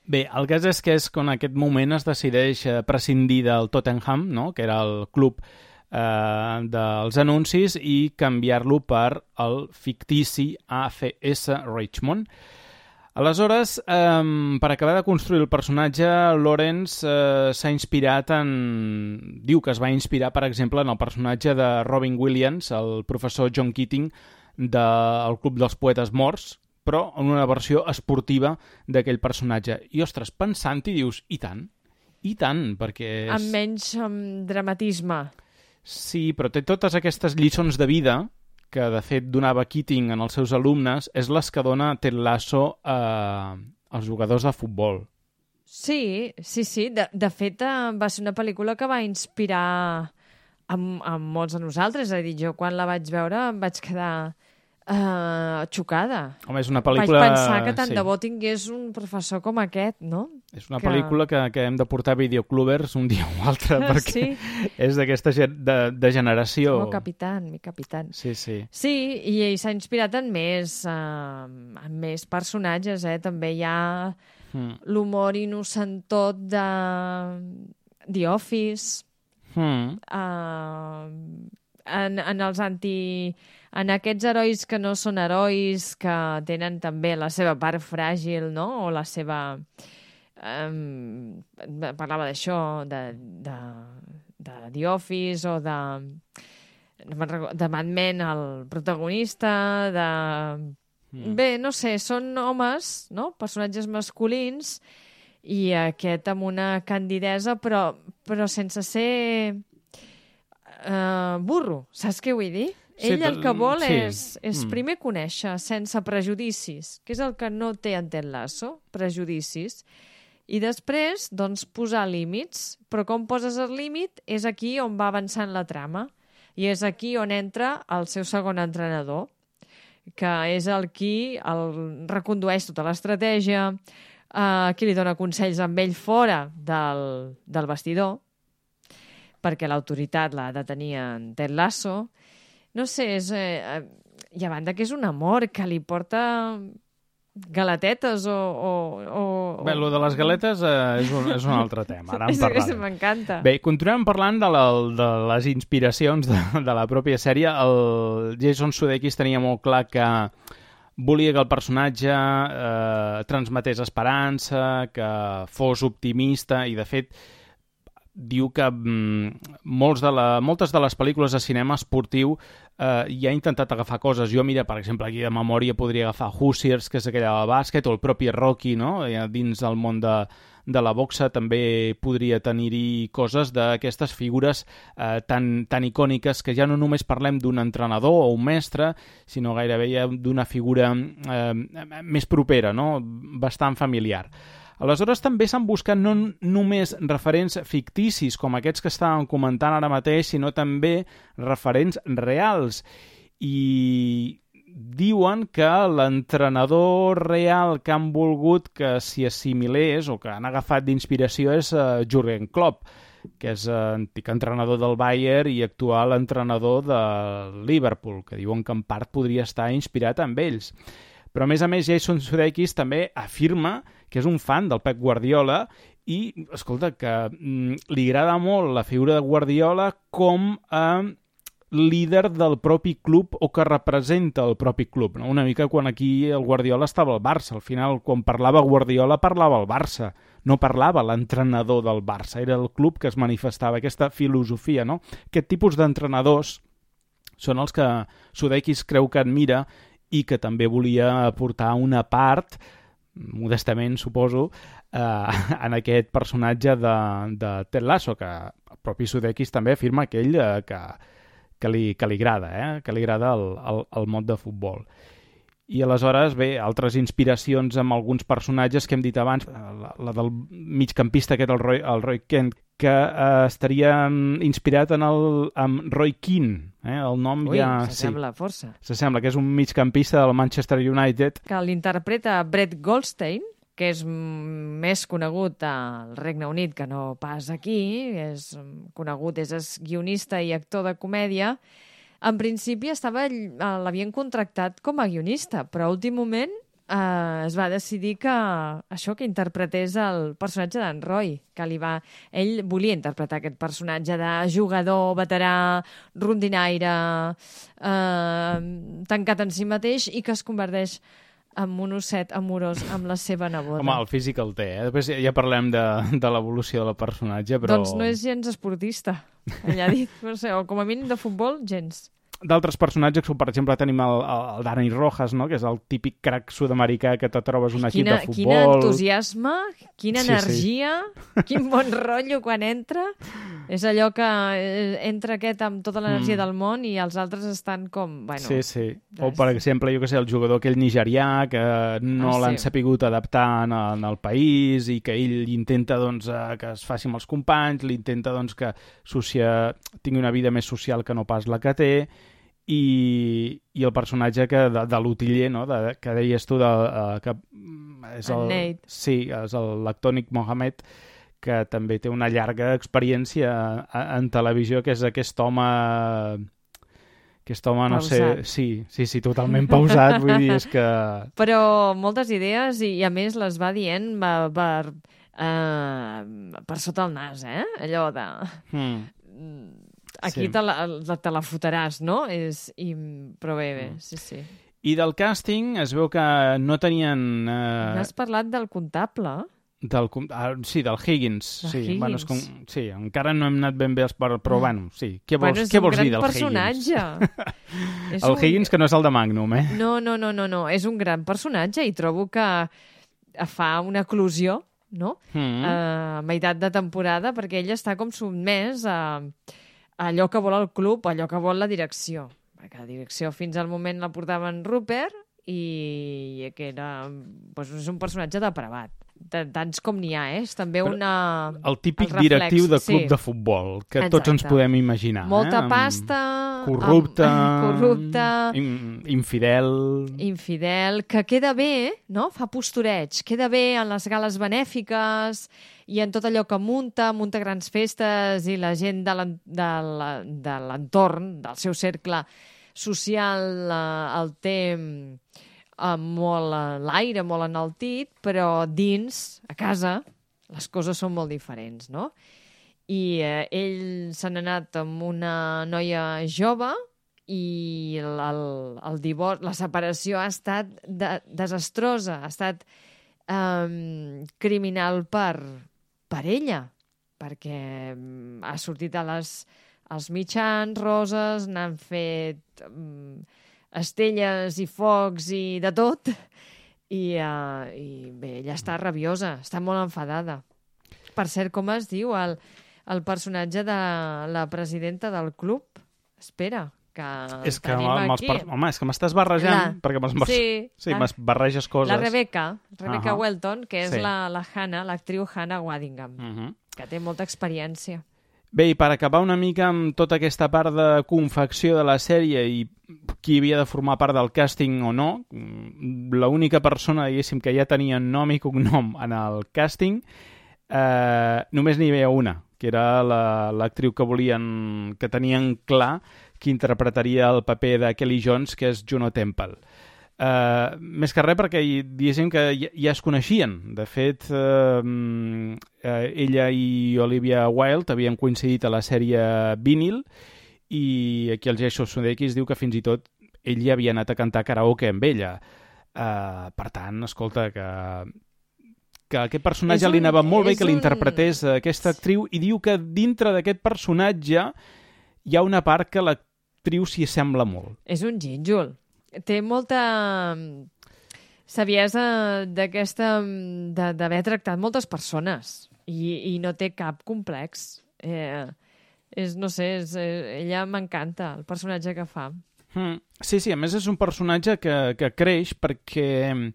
Bé, el cas és que és quan en aquest moment es decideix prescindir del Tottenham, no?, que era el club eh, dels anuncis, i canviar-lo per el fictici A C S Richmond. Aleshores, eh, per acabar de construir el personatge, Lawrence eh, s'ha inspirat en... Diu que es va inspirar, per exemple, en el personatge de Robin Williams, el professor John Keating del Club dels Poetes Morts, però en una versió esportiva d'aquell personatge. I, ostres, pensant-hi dius, i tant, i tant, perquè... És... Amb menys um, dramatisme. Sí, però té totes aquestes lliçons de vida que, de fet, donava Keating en els seus alumnes, és les que dona Ted Lasso eh, als jugadors de futbol. Sí, sí, sí. De, de fet, eh, va ser una pel·lícula que va inspirar a, a molts de nosaltres. És a dir, jo quan la vaig veure em vaig quedar uh, xocada. Home, és una pel·lícula... Vaig pensar que tant sí. de bo tingués un professor com aquest, no? És una que... pel·lícula que, que hem de portar a videoclubers un dia o altre, perquè sí. és d'aquesta de, de generació. Oh, capitán, mi capitán. Sí, sí. Sí, i ell s'ha inspirat en més, uh, en més personatges, eh? També hi ha mm. l'humor innocentot de The Office, mm. uh, en, en els anti... En aquests herois que no són herois, que tenen també la seva part fràgil, no?, o la seva... Um, parlava d'això, de, de, de The Office o de, de Mad Men, el protagonista, de... Mm. Bé, no sé, són homes, no?, personatges masculins, i aquest amb una candidesa, però, però sense ser uh, burro, saps què vull dir? Sí, Ell el que vol sí. és, és mm. primer conèixer sense prejudicis, que és el que no té en Ted Lasso, prejudicis, i després, doncs, posar límits. Però com poses el límit és aquí on va avançant la trama, i és aquí on entra el seu segon entrenador, que és el qui el recondueix tota l'estratègia, eh, qui li dona consells amb ell fora del, del vestidor, perquè l'autoritat l'ha de tenir en Ted Lasso. No sé, és, eh, i a banda que és un amor que li porta galetetes o... o, o Bé, el de les galetes eh, és, un, és un altre tema, ara en parlarem. M'encanta. Bé, continuem parlant de, la, de les inspiracions de, de la pròpia sèrie. El Jason Sudeikis tenia molt clar que volia que el personatge eh, transmetés esperança, que fos optimista, i de fet diu que mm, molts de la, moltes de les pel·lícules de cinema esportiu eh, ja ha intentat agafar coses. Jo, mira, per exemple, aquí de memòria podria agafar Hoosiers, que és aquella de bàsquet, o el propi Rocky, no?, dins del món de, de la boxa també podria tenir-hi coses d'aquestes figures eh, tan, tan icòniques, que ja no només parlem d'un entrenador o un mestre, sinó gairebé ja d'una figura eh, més propera, no?, bastant familiar. Aleshores, també s'han buscat no només referents ficticis, com aquests que estàvem comentant ara mateix, sinó també referents reals. I diuen que l'entrenador real que han volgut que s'hi assimilés o que han agafat d'inspiració és uh, Jürgen Klopp, que és uh, antic entrenador del Bayern i actual entrenador de Liverpool, que diuen que en part podria estar inspirat amb ells. Però, a més a més, Jason Sudeikis també afirma que és un fan del Pep Guardiola i, escolta, que mm, li agrada molt la figura de Guardiola com a líder del propi club o que representa el propi club, no? Una mica quan aquí el Guardiola estava al Barça. Al final, quan parlava Guardiola, parlava el Barça. No parlava l'entrenador del Barça. Era el club que es manifestava, aquesta filosofia, no? Aquest tipus d'entrenadors són els que Sudeikis creu que admira i que també volia aportar una part, modestament, suposo, eh, en aquest personatge de, de Ted Lasso, que el propi Sudeikis també afirma que ell eh, que, que, li, que li agrada, eh, que li agrada el, el, el món de futbol. I aleshores, bé, altres inspiracions amb alguns personatges que hem dit abans, la, la del migcampista aquest, el Roy, el Roy Kent, que eh, estaria inspirat en el, amb Roy Keane. Eh? El nom Ui, ja... s'assembla sí, força. s'assembla, que és un migcampista del Manchester United. Que l'interpreta Brett Goldstein, que és més conegut al Regne Unit que no pas aquí, és conegut, és guionista i actor de comèdia. En principi estava, l'havien contractat com a guionista, però a últim moment eh, es va decidir que això, que interpretés el personatge d'en Roy, que li va... Ell volia interpretar aquest personatge de jugador, veterà, rondinaire, eh, tancat en si mateix i que es converteix amb un osset amorós amb la seva neboda. Home, el físic el té, eh? Després ja parlem de, de l'evolució del personatge, però... Doncs no és gens esportista, allà dit. No sé, o com a mínim de futbol, gens. D'altres personatges, com per exemple tenim el, el Dani Rojas, no? Que és el típic crac sud-americà que te trobes un equip quina, de futbol... Quin entusiasme, quina sí, energia, sí. Quin bon rotllo quan entra. És allò que entra aquest amb tota l'energia mm. del món i els altres estan com... Bueno, sí, sí. O, per exemple, jo que sé, el jugador aquell nigerià que no ah, l'han sí. sapigut adaptar en el, en el país i que ell intenta doncs, que es faci amb els companys, l'intenta doncs, que socia... tingui una vida més social que no pas la que té, i, i el personatge que, de, de l'utiller, no? de, que deies tu, de, uh, que és el, Nate. sí, és l'actor Nick Mohammed, que també té una llarga experiència en televisió, que és aquest home... Aquest home, no pausat. sé... Sí, sí, sí, totalment pausat, vull dir, és que... Però moltes idees i, i a més les va dient va, per, uh, per sota el nas, eh? Allò de... Hmm. Aquí sí. te, la, te la fotràs, no? És, i, però bé, bé, sí, sí. I del càsting es veu que no tenien... Eh... N'has parlat del comptable? Del, ah, sí, del Higgins. De sí, Higgins. Bueno, és com, sí, encara no hem anat ben bé, però, però bueno, sí. Què vols, bueno, què vols dir del personatge. Higgins? El un... Higgins, que no és el de Magnum, eh? No, no, no, no, no. És un gran personatge i trobo que fa una eclosió, no? Mm. A meitat de temporada, perquè ell està com sotmès a... allò que vol el club, allò que vol la direcció. Perquè la direcció fins al moment la portaven Rupert i que era, doncs, és un personatge depravat. Tants com n'hi ha, eh? És també una... El típic el directiu de club sí. de futbol, que Exacte. tots ens podem imaginar. Molta eh? pasta... Corrupte... Amb... Corrupte... In, infidel... Infidel, que queda bé, no? Fa postureig. Queda bé en les gales benèfiques i en tot allò que munta, munta grans festes i la gent de l'entorn, del seu cercle social, el té... molt a l'aire, molt enaltit, però dins, a casa, les coses són molt diferents, no? I eh, ell se n'ha anat amb una noia jove i el, el, el divorci, la separació ha estat de, desastrosa, ha estat eh, criminal per, per ella, perquè ha sortit a les, als mitjans roses, n'han fet... Eh, estelles i focs i de tot, i, uh, i bé, ella està rabiosa, està molt enfadada. Per cert, com es diu el, el personatge de la presidenta del club? Espera, que és que tenim amb els aquí. Per... Home, és que m'estàs barrejant, la... perquè me'ls sí, sí, la... barreges coses. La Rebecca, Rebecca uh -huh. Welton, que és sí. la, la Hannah, l'actriu Hannah Waddingham, uh -huh. que té molta experiència. Bé, i per acabar una mica amb tota aquesta part de confecció de la sèrie i qui havia de formar part del càsting o no, l'única persona, diguéssim, que ja tenia nom i cognom en el càsting, eh, només n'hi havia una, que era l'actriu que volien, que tenien clar que interpretaria el paper de Kelly Jones, que és Juno Temple. Uh, més que res perquè diguéssim que ja, ja es coneixien. De fet, uh, uh, ella i Olivia Wilde havien coincidit a la sèrie Vinyl i aquí el Jason Sudeikis diu que fins i tot ell ja havia anat a cantar karaoke amb ella. Uh, per tant, escolta, que, que aquest personatge un, li anava molt bé que un... l'interpretés aquesta actriu i diu que dintre d'aquest personatge hi ha una part que l'actriu s'hi sembla molt. És un gínjol. Té molta saviesa d'aquesta d'haver tractat moltes persones i, i no té cap complex. Eh, és, no sé, és, eh, ella m'encanta, el personatge que fa. Mm, sí, sí, a més és un personatge que, que creix perquè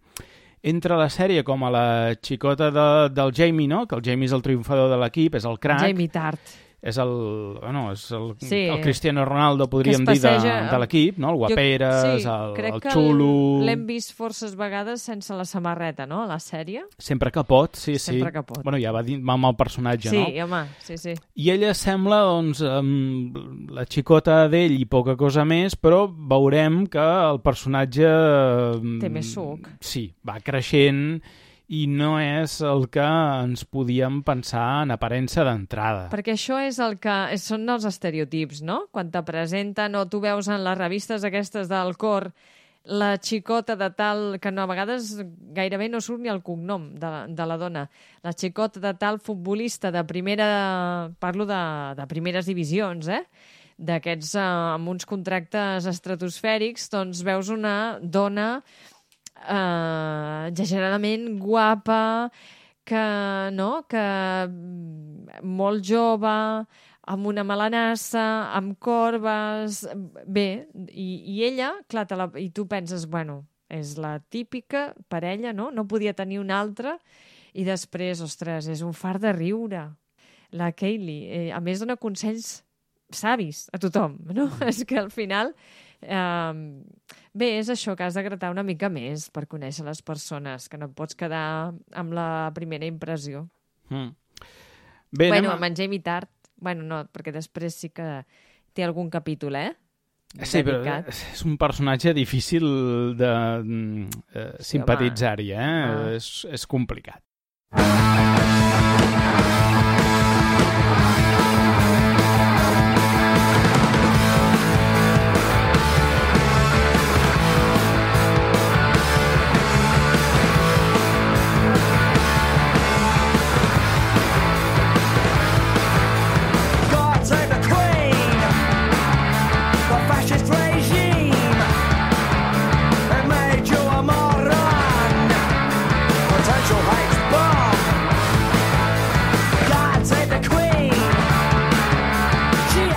entra a la sèrie com a la xicota de, del Jamie, no? Que el Jamie és el triomfador de l'equip, és el crack. Jamie Tart. És el, bueno, és el, sí. el Cristiano Ronaldo, podríem dir, de, de l'equip, no? El guaperes, jo, sí, el, crec el que xulo... l'hem vist forces vegades sense la samarreta, no?, a la sèrie. Sempre que pot, sí, sí. Sempre que pot. Bueno, ja va dir amb el personatge, sí, no? Sí, home, sí, sí. I ella sembla, doncs, amb la xicota d'ell i poca cosa més, però veurem que el personatge... Té més suc. Sí, va creixent... i no és el que ens podíem pensar en aparença d'entrada. Perquè això és el que són els estereotips, no? Quan te presenten o tu veus en les revistes aquestes del cor la xicota de tal, que no, a vegades gairebé no surt ni el cognom de, de la dona, la xicota de tal futbolista de primera, parlo de, de primeres divisions, eh? D'aquests eh, amb uns contractes estratosfèrics, doncs veus una dona Uh, exageradament guapa, que, no? que molt jove, amb una melanassa, amb corbes... Bé, i, i ella, clar, la, i tu penses, bueno, és la típica parella, no? No podia tenir una altra, i després, ostres, és un far de riure, la Kaylee. Eh, a més, dona consells savis a tothom, no? És que al final... Uh, bé, és això, que has de gratar una mica més per conèixer les persones, que no et pots quedar amb la primera impressió. Mm. Bé, bueno, a... amb en Jamie Tart, bueno, no, perquè després sí que té algun capítol, eh? Sí, dedicat. Però és un personatge difícil de eh, sí, simpatitzar-hi, eh? Ah. És, és complicat.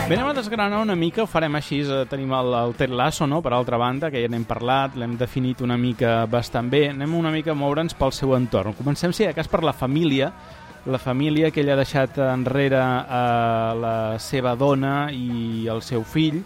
Bé, anem a desgranar una mica, ho farem així, tenim el, el Ted Lasso, no?, per altra banda, que ja n'hem parlat, l'hem definit una mica bastant bé, anem una mica a moure'ns pel seu entorn. Comencem, si de cas, per la família, la família que ell ha deixat enrere a la seva dona i el seu fill,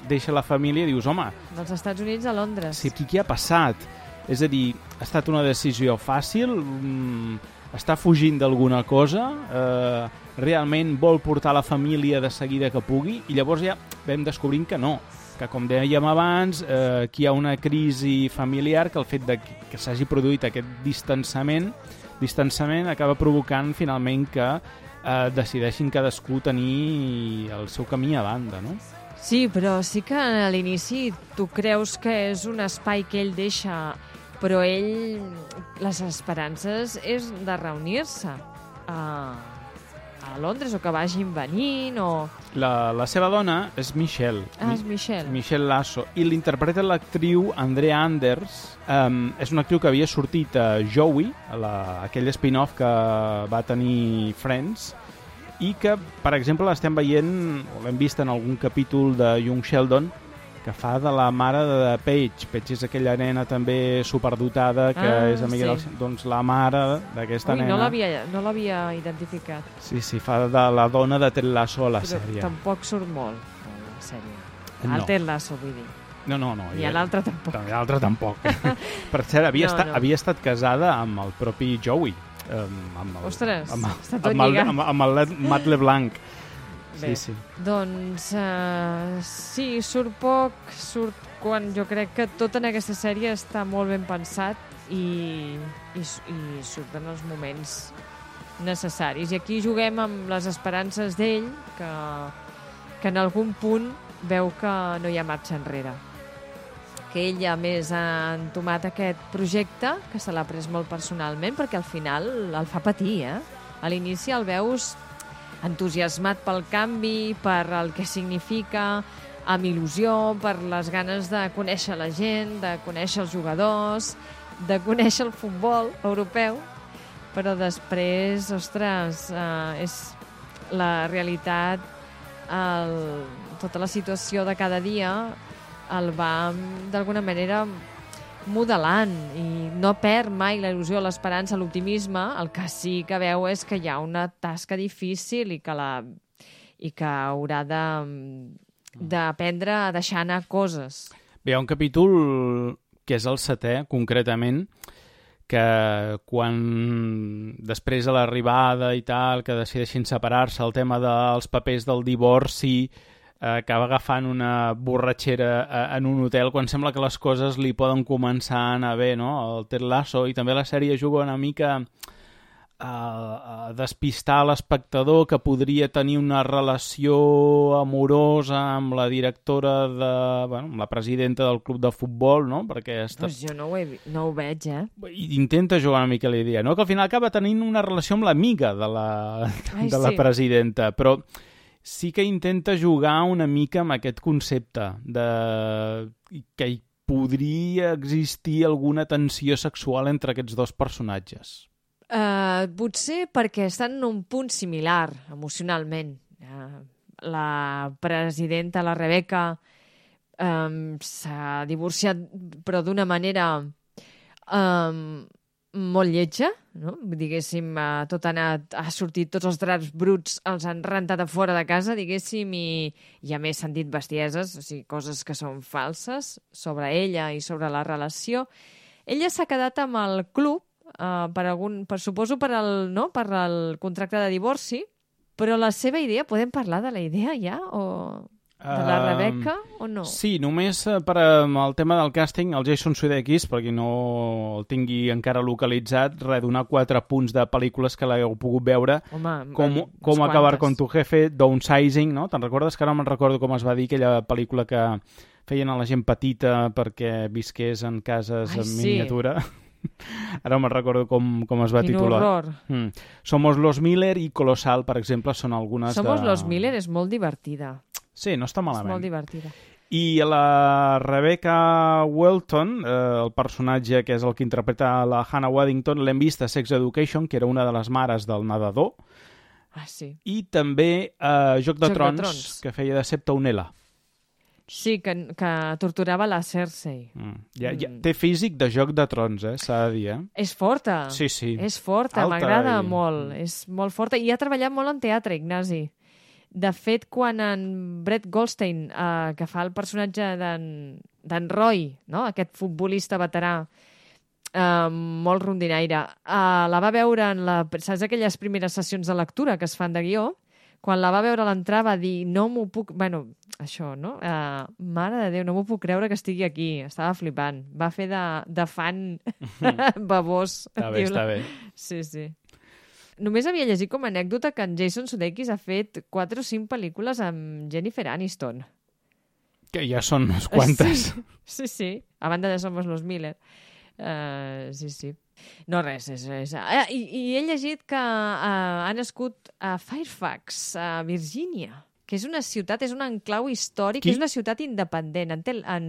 deixa la família i dius, home... Dels Estats Units a Londres. Sí, què ha passat? És a dir, ha estat una decisió fàcil? Mm, està fugint d'alguna cosa? Eh... realment vol portar la família de seguida que pugui, i llavors ja vam descobrint que no, que com dèiem abans, eh, aquí hi ha una crisi familiar, que el fet de que s'hagi produït aquest distanciament, distanciament acaba provocant finalment que eh, decideixin cadascú tenir el seu camí a banda, no? Sí, però sí que a l'inici tu creus que és un espai que ell deixa, però ell, les esperances és de reunir-se a... a Londres, o que vagin venint, o... La, la seva dona és Michelle. Ah, és Michelle. Michelle Lasso. I l'interpreta l'actriu Andrea Anders. Um, és una actriu que havia sortit a Joey, a la, aquell spin-off que va tenir Friends, i que, per exemple, l'estem veient, o l'hem vist en algun capítol de Young Sheldon, que fa de la mare de Paige. Paige és aquella nena també superdotada que ah, és amiga sí. del... Doncs la mare d'aquesta nena... No l'havia no l'havia identificat. Sí, sí, fa de la dona de Ted Lasso a la Però sèrie. Tampoc surt molt a la sèrie. No. El Ted Lasso, vull dir. No, no, no. I l'altre tampoc. L'altre tampoc. Per cert, havia, no, estat, no. havia estat casada amb el propi Joey. Amb, amb el, Ostres, amb, està tot amb el, lligat. amb, amb el Matt LeBlanc. Bé, sí, sí. Doncs uh, sí, surt poc, surt quan jo crec que tot en aquesta sèrie està molt ben pensat i, i, i surten els moments necessaris. I aquí juguem amb les esperances d'ell, que, que en algun punt veu que no hi ha marxa enrere. Que ell ja més ha entomat aquest projecte, que se l'ha pres molt personalment, perquè al final el fa patir, eh? A l'inici el veus entusiasmat pel canvi, per el que significa, amb il·lusió, per les ganes de conèixer la gent, de conèixer els jugadors, de conèixer el futbol europeu, però després, ostres, eh, és la realitat, el, tota la situació de cada dia el va, d'alguna manera, modelant i no perd mai la il·lusió, l'esperança, l'optimisme. El que sí que veu és que hi ha una tasca difícil i que, la, i que haurà de, d'aprendre a deixar anar coses. Bé, hi ha un capítol que és el setè, concretament, que quan després de l'arribada i tal, que decideixin separar-se, el tema dels papers del divorci, eh, acaba agafant una borratxera eh, en un hotel, quan sembla que les coses li poden començar a anar bé, no? El Ted Lasso, i també la sèrie juga una mica a despistar l'espectador, que podria tenir una relació amorosa amb la directora de... Bueno, amb la presidenta del club de futbol, no? Perquè està... Pues jo no ho, he, no ho veig, eh? I intenta jugar una mica la idea, no? Que al final acaba tenint una relació amb l'amiga de la, Ai, de la sí. presidenta, però sí que intenta jugar una mica amb aquest concepte de que hi podria existir alguna tensió sexual entre aquests dos personatges. Uh, potser perquè estan en un punt similar emocionalment. Uh, la presidenta, la Rebecca, um, s'ha divorciat, però d'una manera um, molt lletja, no? Diguéssim, uh, tot ha anat, ha sortit, tots els draps bruts els han rentat a fora de casa, diguéssim, i, i a més s'han dit bestieses, o sigui, coses que són falses sobre ella i sobre la relació. Ella s'ha quedat amb el club, Uh, per algun, per, suposo per el, no? per el contracte de divorci, però la seva idea, podem parlar de la idea ja? O de la Rebecca uh, o no? Sí, només per um, el tema del càsting, el Jason Sudeikis, perquè no el tingui encara localitzat, res, donar quatre punts de pel·lícules que l'heu pogut veure. Home, com, com acabar con tu jefe, Downsizing, no? Te'n recordes? Que ara no me'n recordo com es va dir aquella pel·lícula que feien a la gent petita perquè visqués en cases Ai, en sí. miniatura. Ara no me'n recordo com, com es va Quin titular. horror. Mm. Somos los Miller i Colossal, per exemple, són algunes Somos de... los Miller és molt divertida. Sí, no està malament. És molt divertida. I la Rebecca Welton, eh, el personatge que és el que interpreta la Hannah Waddington, l'hem vist a Sex Education, que era una de les mares del nedador, Ah, sí. i també a eh, Joc de, Joc de Trons, Trons, que feia de Septa-Unela. Sí, que, que torturava la Cersei. Mm. Ja, ja, té físic de Joc de Trons, eh, s'ha de dir, eh? És forta. Sí, sí. És forta, Alta m'agrada i- molt. És molt forta. I ha treballat molt en teatre, Ignasi. De fet, quan en Brett Goldstein, eh, que fa el personatge d'en Roy, no? Aquest futbolista veterà, eh, molt rondinaire, eh, la va veure en la, saps aquelles primeres sessions de lectura que es fan de guió? Quan la va veure a l'entrar va dir, no m'ho puc... Bueno, això, no? Uh, mare de Déu, no m'ho puc creure que estigui aquí. Estava flipant. Va fer de, de fan babós. Està bé, Diu la- està bé. Sí, sí. Només havia llegit com a anècdota que en Jason Sudeikis ha fet quatre o cinc pel·lícules amb Jennifer Aniston. Que ja són unes quantes. Sí, sí, sí. A banda de Somos los Miller. Uh, sí, sí. No, res. És, és... Ah, i, I he llegit que uh, ha nascut a Fairfax, a Virgínia, que és una ciutat, és un enclau històric, Qui? és una ciutat independent, en, tel, en,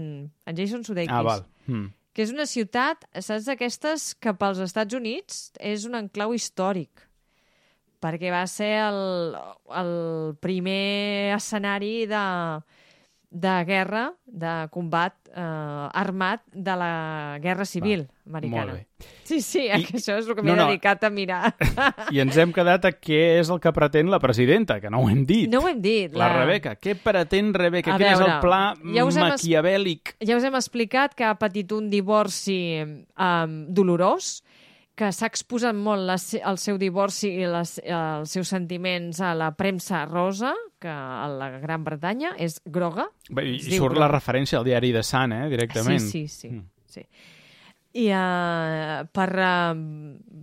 en Jason Sudeikis. Ah, val. Mm. Que és una ciutat, saps, d'aquestes que pels Estats Units és un enclau històric, perquè va ser el, el primer escenari de, de guerra, de combat eh, armat de la Guerra Civil Va, americana. molt bé. Sí, sí, I- I, això és el que m'he no, no. dedicat a mirar. I ens hem quedat a què és el que pretén la presidenta, que no ho hem dit. No ho hem dit. La Rebecca. Què pretén Rebecca? A Quin és veure, el pla ja us hem es- maquiavèlic? Ja us hem explicat que ha patit un divorci um, dolorós, que s'ha exposat molt la, se- el seu divorci i les, els seus sentiments a la premsa rosa, que a la Gran Bretanya és groga. Bé, I, Es i diu surt groga. la referència al diari de Sun, eh, directament. Sí, sí, sí. Mm. sí. I uh, per uh,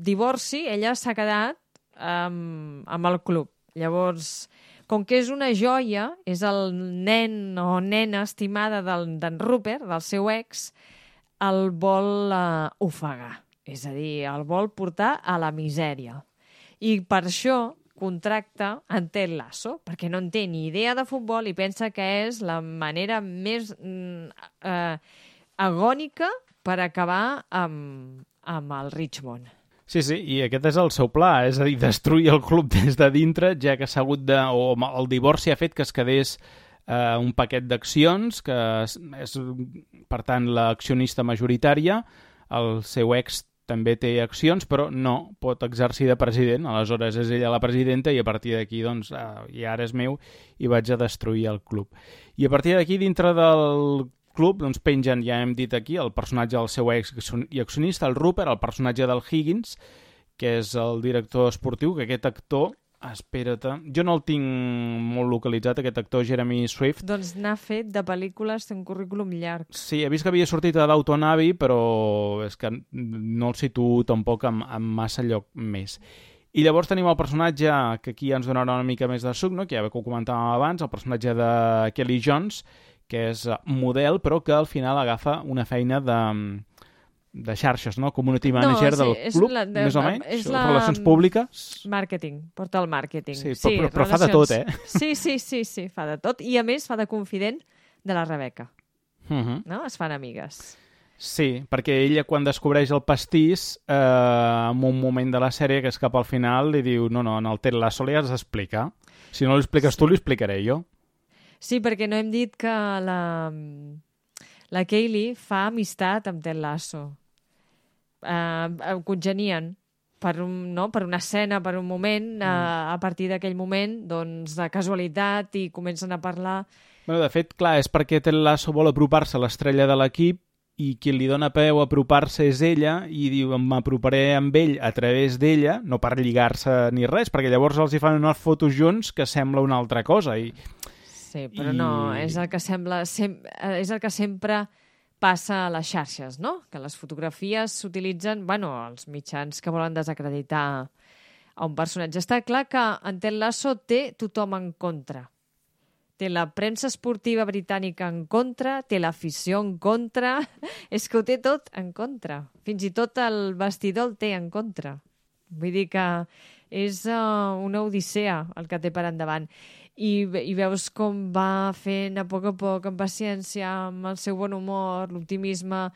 divorci ella s'ha quedat um, amb el club. Llavors, com que és una joia, és el nen o nena estimada del- d'en Rupert, del seu ex, el vol uh, ofegar. És a dir, el vol portar a la misèria. I per això contracta en Ted Lasso, perquè no en té ni idea de futbol i pensa que és la manera més mm, eh, agònica per acabar amb, amb el Richmond. Sí, sí, i aquest és el seu pla, és a dir, destruir el club des de dintre, ja que s'ha hagut de... o el divorci ha fet que es quedés eh, un paquet d'accions, que és, és, per tant, l'accionista majoritària. El seu ex també té accions, però no pot exercir de president. Aleshores és ella la presidenta i a partir d'aquí, doncs, eh, i ara és meu i vaig a destruir el club. I a partir d'aquí, dintre del club, doncs pengen, ja hem dit aquí, el personatge del seu ex i accionista, el Rupert, el personatge del Higgins, que és el director esportiu, que aquest actor, espera't, jo no el tinc molt localitzat, aquest actor Jeremy Swift. Doncs n'ha fet de pel·lícules, té un currículum llarg. Sí, he vist que havia sortit a Downton Abbey, però és que no el situo tampoc en, en massa lloc més. I llavors tenim el personatge, que aquí ens donarà una mica més de suc, no? Que ja ho comentàvem abans, el personatge de Kelly Jones, que és model, però que al final agafa una feina de... de xarxes, no? Community manager no, sí, del club, la, de, més o menys, és la... relacions públiques. Màrqueting, porta el màrqueting. Sí, però, sí, però, però fa de tot, eh? Sí, sí, sí, sí, fa de tot. I a més fa de confident de la Rebecca. Uh -huh. No? Es fan amigues. Sí, perquè ella quan descobreix el pastís, eh, en un moment de la sèrie, que és cap al final, li diu, no, no, en el Ted Lasso li has d'explicar. Si no l'expliques sí. tu, l'explicaré jo. Sí, perquè no hem dit que la, la Kaylee fa amistat amb Ted Lasso. Uh, congenien per, un, no? per una escena, per un moment, mm. uh, a partir d'aquell moment, doncs, de casualitat, i comencen a parlar. Bueno, de fet, clar, és perquè Ted Lasso vol apropar-se a l'estrella de l'equip i qui li dona peu a apropar-se és ella i diu, m'aproparé amb ell a través d'ella, no per lligar-se ni res, perquè llavors els hi fan unes fotos junts que sembla una altra cosa. I, sí, però i... no, és el que sembla... Sem és el que sempre... passa a les xarxes, no? Que les fotografies s'utilitzen, bueno, els mitjans que volen desacreditar a un personatge. Està clar que en Ted Lasso té tothom en contra. Té la premsa esportiva britànica en contra, té l'afició en contra, és que ho té tot en contra. Fins i tot el vestidor el té en contra. Vull dir que és uh, una odissea el que té per endavant. I, i veus com va fent a poc a poc, amb paciència, amb el seu bon humor, l'optimisme,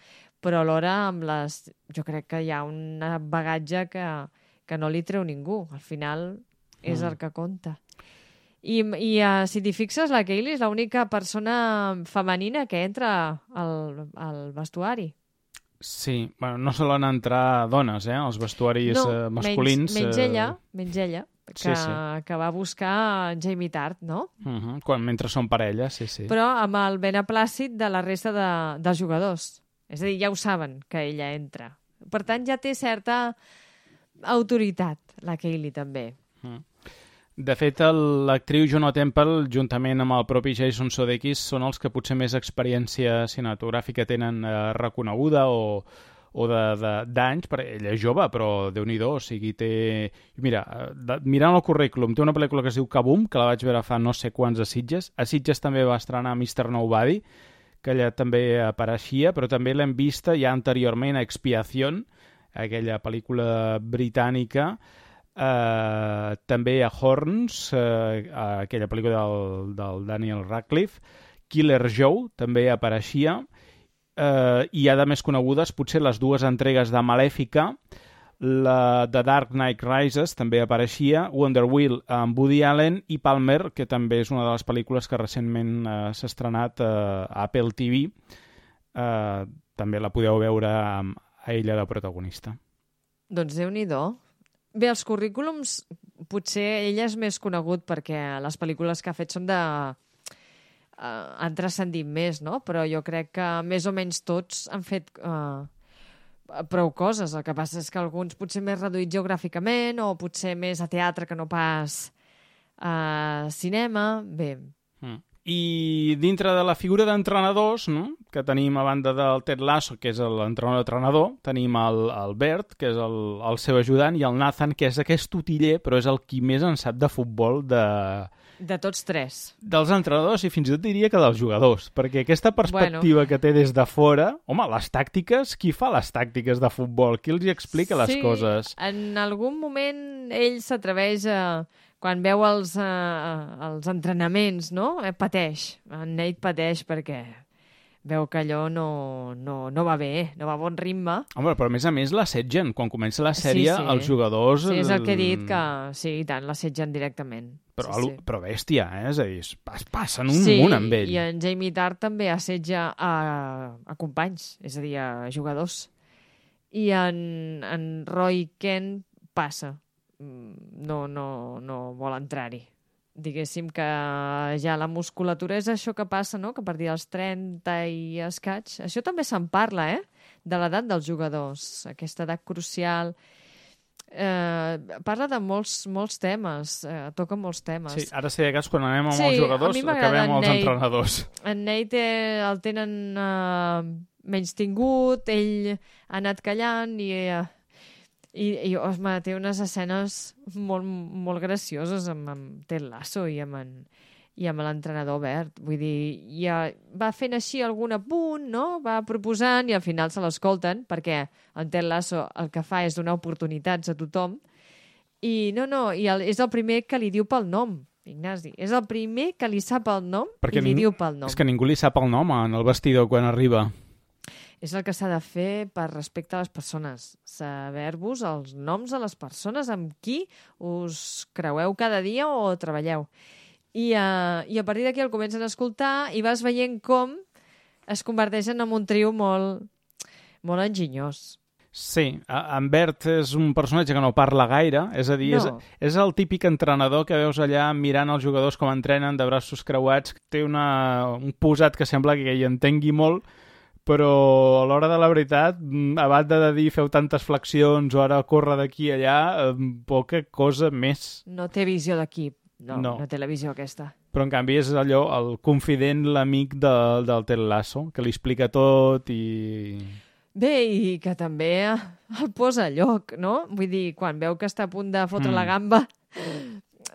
però alhora amb les... Jo crec que hi ha un bagatge que, que no li treu ningú. Al final és mm. el que compta. I, i uh, si t'hi fixes, la Kaylee és l'única persona femenina que entra al, al vestuari. Sí, bueno, no solen entrar dones, eh, als vestuaris no, eh, masculins. Menys, menys eh... ella, menys ella. Que, sí, sí. que va buscar Jamie Tart, no? Uh -huh. Quan, mentre són parella, sí, sí. Però amb el beneplàcit de la resta de, dels jugadors. És a dir, ja ho saben, que ella entra. Per tant, ja té certa autoritat, la Kaylee, també. Uh -huh. De fet, l'actriu Juno Temple, juntament amb el propi Jason Sudeikis, són els que potser més experiència cinematogràfica tenen eh, reconeguda o... o d'anys, perquè ella és jove, però Déu-n'hi-do, o sigui, té... Mira, de, mirant el currículum, té una pel·lícula que es diu Kaboom, que la vaig veure fa no sé quants a Sitges. A Sitges també va estrenar mister Nobody, que allà també apareixia, però també l'hem vista ja anteriorment a Expiación, aquella pel·lícula britànica, eh, també a Horns, eh, aquella pel·lícula del, del Daniel Radcliffe, Killer Joe també apareixia, Uh, i ha de més conegudes potser les dues entregues de Malèfica, la de Dark Knight Rises també apareixia, Wonder Wheel amb Woody Allen i Palmer, que també és una de les pel·lícules que recentment uh, s'ha estrenat uh, a Apple T V. Uh, també la podeu veure amb a ella de protagonista. Doncs Déu-n'hi-do. Bé, els currículums, potser ella és més conegut perquè les pel·lícules que ha fet són de... Uh, han transcendit més, no? Però jo crec que més o menys tots han fet uh, prou coses. El que passa és que alguns potser més reduïts geogràficament o potser més a teatre que no pas a cinema. Bé. Mm. I dintre de la figura d'entrenadors, no? Que tenim a banda del Ted Lasso, que és l'entrenador-entrenador, tenim el, el Bert, que és el, el seu ajudant, i el Nathan, que és aquest utiller, però és el qui més en sap de futbol de... De tots tres. Dels entrenadors i fins i tot diria que dels jugadors, perquè aquesta perspectiva bueno. que té des de fora... Home, les tàctiques, qui fa les tàctiques de futbol? Qui els hi explica les sí, coses? Sí, en algun moment ell s'atreveix a... Quan veu els, uh, els entrenaments, no? Eh, pateix. En Nate pateix perquè veu que allò no, no, no va bé, no va a bon ritme. Home, però a més a més l'assetgen. Quan comença la sèrie, sí, sí. els jugadors... Sí, és el que he dit, que sí, i tant, l'assetgen directament. Però, sí, sí. sí. però bèstia, eh? És a dir, es passen un sí, munt amb ell. Sí, i en Jamie Tart també assetja a, a companys, és a dir, a jugadors. I en, en Roy Kent passa. No, no, no vol entrar-hi. Diguéssim que ja la musculatura és això que passa, no? Que a partir dels trenta i escaig... Això també se'n parla, eh? De l'edat dels jugadors, aquesta edat crucial... Eh, parla de molts, molts temes, eh, toca molts temes. Sí, ara sé que quan anem amb sí, els jugadors acabem amb els Nate. entrenadors. En Nate eh, el tenen eh, menys tingut, ell ha anat callant i, eh, i, i osma, té unes escenes molt, molt gracioses amb, amb Ted Lasso i amb en, i amb l'entrenador Bert. Vull dir, ja va fent així algun apunt, no? Va proposant i al final se l'escolten, perquè en Ted Lasso el que fa és donar oportunitats a tothom. I no, no, i el, és el primer que li diu pel nom, Ignasi. És el primer que li sap el nom perquè i li diu pel nom. És que ningú li sap el nom en el vestidor quan arriba. És el que s'ha de fer per respecte a les persones. Saber-vos els noms de les persones amb qui us creueu cada dia o treballeu. I, uh, i a partir d'aquí el comencen a escoltar i vas veient com es converteixen en un trio molt, molt enginyós. Sí, en Bert és un personatge que no parla gaire, és a dir, no. és, és el típic entrenador que veus allà mirant els jugadors com entrenen de braços creuats, té una, un posat que sembla que hi entengui molt, però a l'hora de la veritat, a banda de dir feu tantes flexions o ara córrer d'aquí a allà, poca cosa més. No té visió d'equip. No, no, no té la visió aquesta. Però, en canvi, és allò, el confident, l'amic de, del Ted Lasso, que li explica tot i... Bé, i que també el posa a lloc, no? Vull dir, quan veu que està a punt de fotre mm. la gamba,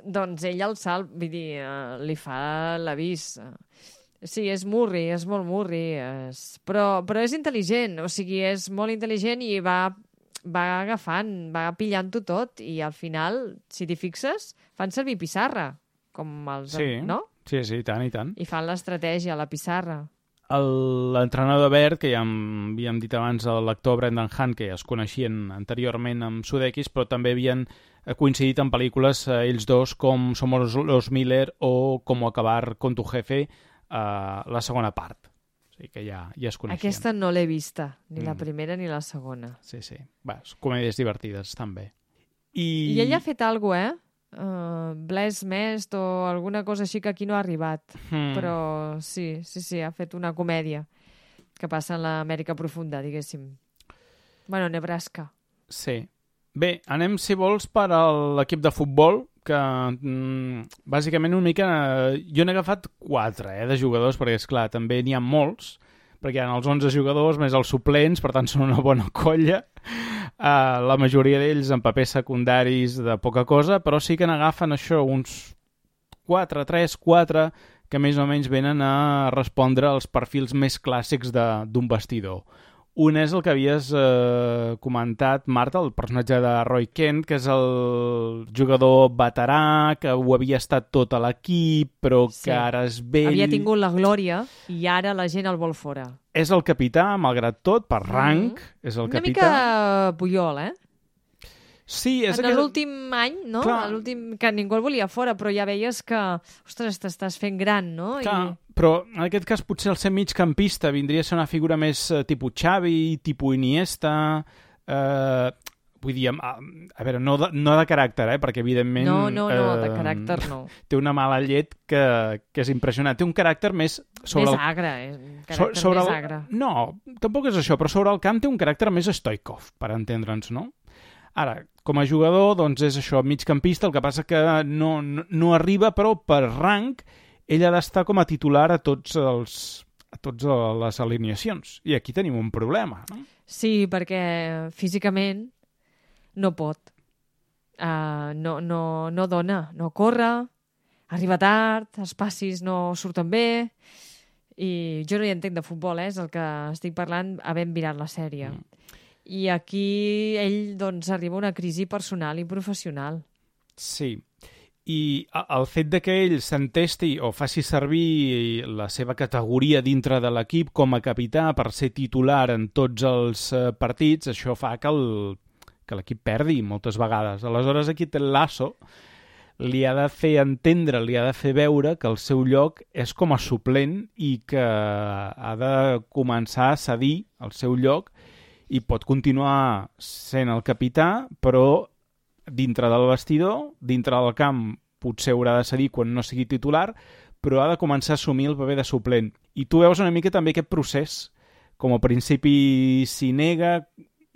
doncs ell el salt, vull dir, uh, li fa l'avís. Sí, és murri, és molt murri, és... Però, però és intel·ligent, o sigui, és molt intel·ligent i va... va agafant, va pillant-ho tot i al final, si t'hi fixes, fan servir pissarra, com els... Sí, no? sí, sí, i tant, i tant. I fan l'estratègia, la pissarra. L'entrenador Bert, que ja havíem dit abans, l'actor Brendan Hunt, que ja es coneixien anteriorment amb Sudeikis, però també havien coincidit en pel·lícules eh, ells dos, com Somos los Miller o Cómo acabar con tu jefe, eh, la segona part. O sigui que ja, ja es coneixien. Aquesta no l'he vista, ni mm. la primera ni la segona. Sí, sí. Va, comèdies divertides, també. I, I ell ha fet alguna cosa, eh? Uh, Bless Mest o alguna cosa així que aquí no ha arribat. Mm. Però sí, sí, sí, ha fet una comèdia que passa en l'Amèrica profunda, diguéssim. Bueno, Nebraska. Sí. Bé, anem, si vols, per a l'equip de futbol, que mm, bàsicament una mica... Jo n'he agafat quatre, eh, de jugadors, perquè, esclar, també n'hi ha molts, perquè hi ha els onze jugadors més els suplents, per tant són una bona colla. Uh, la majoria d'ells en papers secundaris de poca cosa, però sí que n'agafen això, uns quatre, tres, quatre, que més o menys venen a respondre als perfils més clàssics d'un vestidor. Un és el que havies eh, comentat, Marta, el personatge de Roy Kent, que és el jugador veterà, que ho havia estat tot a l'equip, però sí. que ara és vell. Havia tingut la glòria i ara la gent el vol fora. És el capità, malgrat tot, per rang, mm. és el Una capità. Una mica Puyol, eh? Sí, és en aquest... l'últim any, no? L'últim que ningú el volia fora, però ja veies que, ostres, t'estàs fent gran, no? Clar, I... però en aquest cas potser el ser migcampista vindria a ser una figura més eh, tipus Xavi, tipus Iniesta... Eh, vull dir, a, a veure, no de, no de caràcter, eh, perquè evidentment... No, no, no, eh, de caràcter no. Té una mala llet que, que és impressionant. Té un caràcter més... Sobre més el... agre, eh? Un caràcter so, sobre més el... agre. No, tampoc és això, però sobre el camp té un caràcter més Stoikov, per entendre'ns, no? Ara, com a jugador, doncs és això, migcampista, el que passa que no, no, no arriba, però per rang ell ha d'estar com a titular a tots els a totes les alineacions. I aquí tenim un problema, no? Sí, perquè físicament no pot. Uh, no, no, no dona, no corre, arriba tard, els passis no surten bé, i jo no hi entenc de futbol, eh? És el que estic parlant havent mirat la sèrie. Mm. I aquí ell doncs, arriba a una crisi personal i professional. Sí. I el fet de que ell s'entesti o faci servir la seva categoria dintre de l'equip com a capità per ser titular en tots els partits, això fa que el, que l'equip perdi moltes vegades. Aleshores, aquí Ted Lasso li ha de fer entendre, li ha de fer veure que el seu lloc és com a suplent i que ha de començar a cedir el seu lloc i pot continuar sent el capità, però dintre del vestidor, dintre del camp, potser haurà de cedir quan no sigui titular, però ha de començar a assumir el paper de suplent. I tu veus una mica també aquest procés, com a principi s'hi nega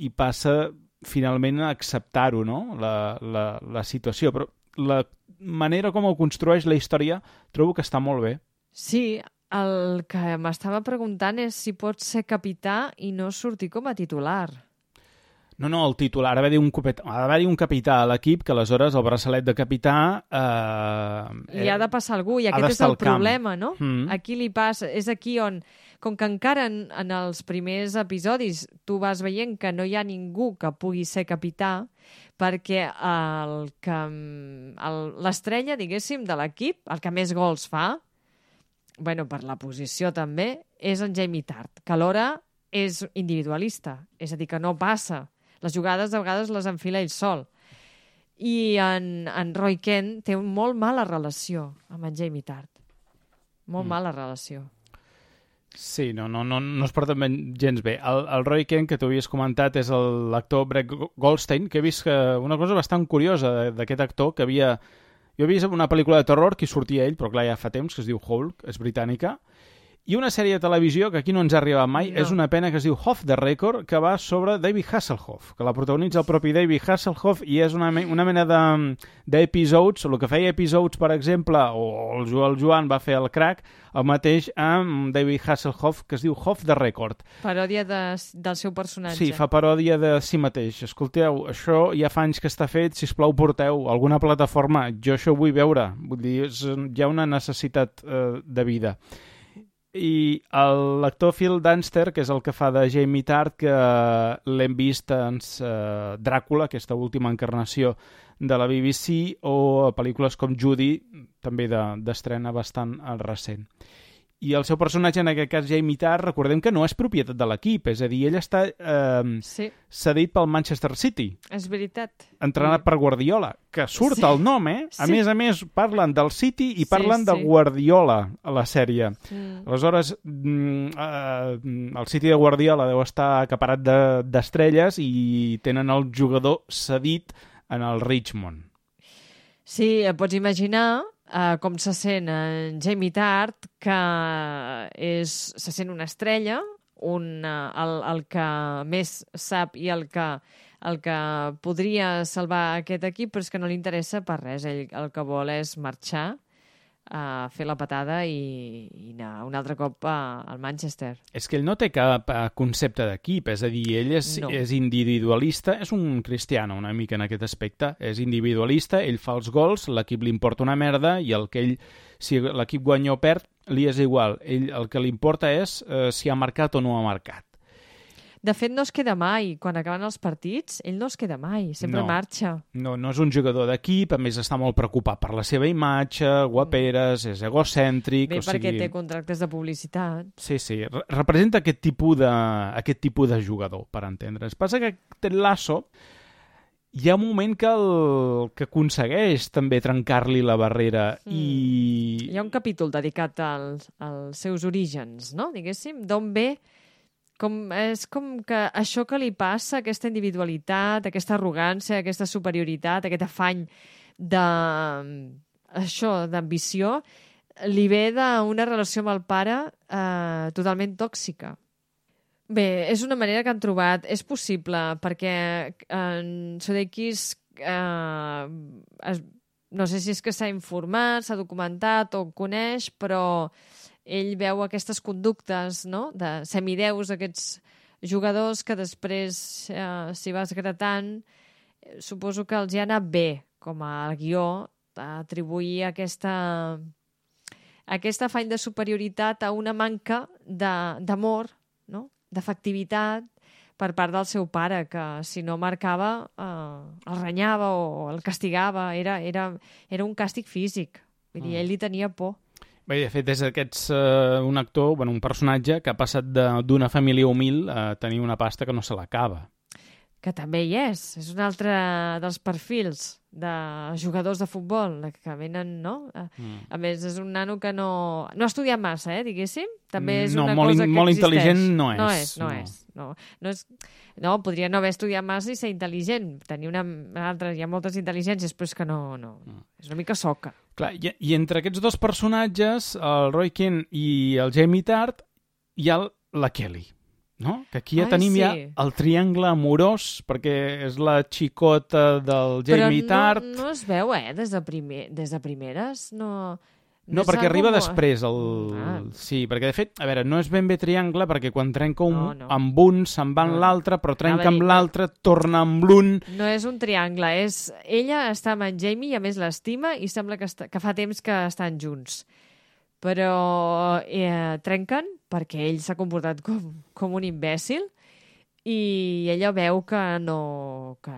i passa finalment a acceptar-ho, no? La, la, la situació. Però la manera com ho construeix la història trobo que està molt bé. Sí, el que m'estava preguntant és si pot ser capità i no sortir com a titular. No, no, el titular, ha d'haver un, ha un capità a l'equip que aleshores el braçalet de capità... Eh, I ha de passar algú, i aquest és el problema, no? Mm. Aquí li passa, és aquí on, com que encara en, en els primers episodis tu vas veient que no hi ha ningú que pugui ser capità, perquè el que l'estrella, diguéssim, de l'equip, el que més gols fa, bueno, per la posició també, és en Jamie Tart, que alhora és individualista, és a dir, que no passa. Les jugades de vegades les enfila ell sol. I en, en Roy Kent té una molt mala relació amb en Jamie Tart. Molt mm. mala relació. Sí, no, no, no, no es porten gens bé. El, el Roy Kent, que tu havies comentat, és l'actor Brett Goldstein, que he vist que una cosa bastant curiosa d'aquest actor, que havia... Jo he vist una pel·lícula de terror que sortia ell, però clar, ja fa temps, que es diu Hulk, és britànica, i una sèrie de televisió que aquí no ens ha arribat mai, no. És una pena que es diu Off the Record, que va sobre David Hasselhoff, que la protagonitza el propi David Hasselhoff, i és una, una mena d'episodes, de, el que feia episodes, per exemple, o el, el Joan va fer el crack, el mateix amb David Hasselhoff, que es diu Off the Record. Paròdia de, del seu personatge. Sí, fa paròdia de si mateix. Escolteu, això ja fa anys que està fet, sisplau porteu alguna plataforma, jo això ho vull veure, vull dir, és, hi ha una necessitat eh, de vida. I l'actor Phil Dunster, que és el que fa de Jamie Tart, que l'hem vist en uh, Dràcula, aquesta última encarnació de la B B C, o a pel·lícules com Judy, també d'estrena bastant recent. I el seu personatge, en aquest cas Jamie Tart, recordem que no és propietat de l'equip, és a dir, ell està eh, sí. cedit pel Manchester City. És veritat. Entrenat sí. per Guardiola, que surt sí. el nom, eh? A sí. més a més, parlen del City i parlen sí, sí. de Guardiola a la sèrie. Mm. Aleshores, mm, eh, el City de Guardiola deu estar acaparat d'estrelles de, i tenen el jugador cedit en el Richmond. Sí, pots imaginar... Uh, com se sent en Jamie Tart, que és, se sent una estrella, un, uh, el, el que més sap i el que, el que podria salvar aquest equip, però és que no li interessa per res. Ell el que vol és marxar, a fer la patada i, i anar un altre cop a, al Manchester. És que ell no té cap concepte d'equip, és a dir, ell és, no. és individualista, és un cristiano una mica en aquest aspecte, és individualista, ell fa els gols, l'equip li importa una merda i el que ell, si l'equip guanya o perd, li és igual. Ell el que li importa és eh, si ha marcat o no ha marcat. De fet, no es queda mai. Quan acaben els partits, ell no es queda mai, sempre no, marxa. No, no és un jugador d'equip, a més està molt preocupat per la seva imatge, guaperes, és egocèntric... Bé, o perquè sigui... té contractes de publicitat. Sí, sí, Re representa aquest tipus, de, aquest tipus de jugador, per entendre's. Passa que Ted Lasso hi ha un moment que, el, que aconsegueix també trencar-li la barrera mm. i... Hi ha un capítol dedicat als, als seus orígens, no? Diguéssim, d'on ve... Com, és com que això que li passa, aquesta individualitat, aquesta arrogància, aquesta superioritat, aquest afany de, això, d'ambició, li ve d'una relació amb el pare eh, totalment tòxica. Bé, és una manera que han trobat. És possible, perquè en Sudeikis eh, es, no sé si és que s'ha informat, s'ha documentat o coneix, però... ell veu aquestes conductes, no?, de semideus, aquests jugadors que després, eh, si vas gratant, suposo que els hi ha anat bé, com a guió, atribuir aquesta, aquest afany de superioritat a una manca d'amor, no?, d'efectivitat, per part del seu pare, que si no marcava eh, el renyava o el castigava. Era, era, era un càstig físic. Vull dir, ell li tenia por. Bé, de fet, és aquests, uh, un actor, bueno, un personatge que ha passat d'una família humil a tenir una pasta que no se l'acaba. Que també hi és. És un altre dels perfils de jugadors de futbol que venen, no? Mm. A més, és un nano que no... No ha estudiat massa, eh, diguéssim. També és no, una molt, cosa que molt existeix. intel·ligent no és. No és, no, no. és. No, no, és, no, podria no haver estudiat massa i ser intel·ligent. Tenir una, una altra... Hi ha moltes intel·ligències, però és que no... no. Mm. És una mica soca. Clar, i, i entre aquests dos personatges, el Roy Kent i el Jamie Tart, hi ha la Kelly. No? Que aquí ja Ai, tenim sí. ja el triangle amorós, perquè és la xicota del Jamie Però Tart. no, no es veu, eh, des de, primer, des de primeres. No, no, no perquè arriba molt... després. El... Ah. Sí, perquè de fet, a veure, no és ben bé triangle, perquè quan trenca un No, no. amb un se'n va amb No. l'altre, però trenca Anava a amb dir, l'altre, torna amb l'un. No és un triangle, és... Ella està amb en Jamie i a més l'estima i sembla que, està... que fa temps que estan junts. Però eh, trenquen perquè ell s'ha comportat com, com un imbècil i ella veu que, no, que,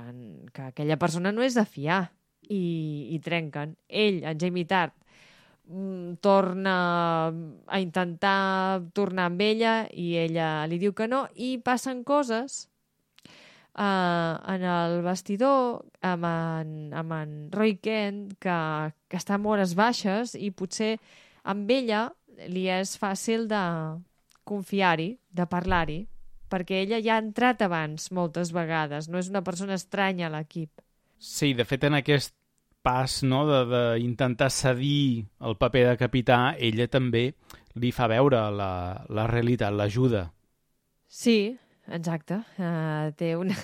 que aquella persona no és de fiar i, i trenquen. Ell, en Jamie Tart, torna a intentar tornar amb ella i ella li diu que no i passen coses uh, en el vestidor amb en, amb en Roy Kent que, que està amb hores baixes i potser amb ella li és fàcil de confiar-hi, de parlar-hi, perquè ella ja ha entrat abans moltes vegades, no és una persona estranya a l'equip. Sí, de fet, en aquest pas, no, d'intentar cedir el paper de capità, ella també li fa veure la, la realitat, l'ajuda. Sí, exacte. Uh, té, una,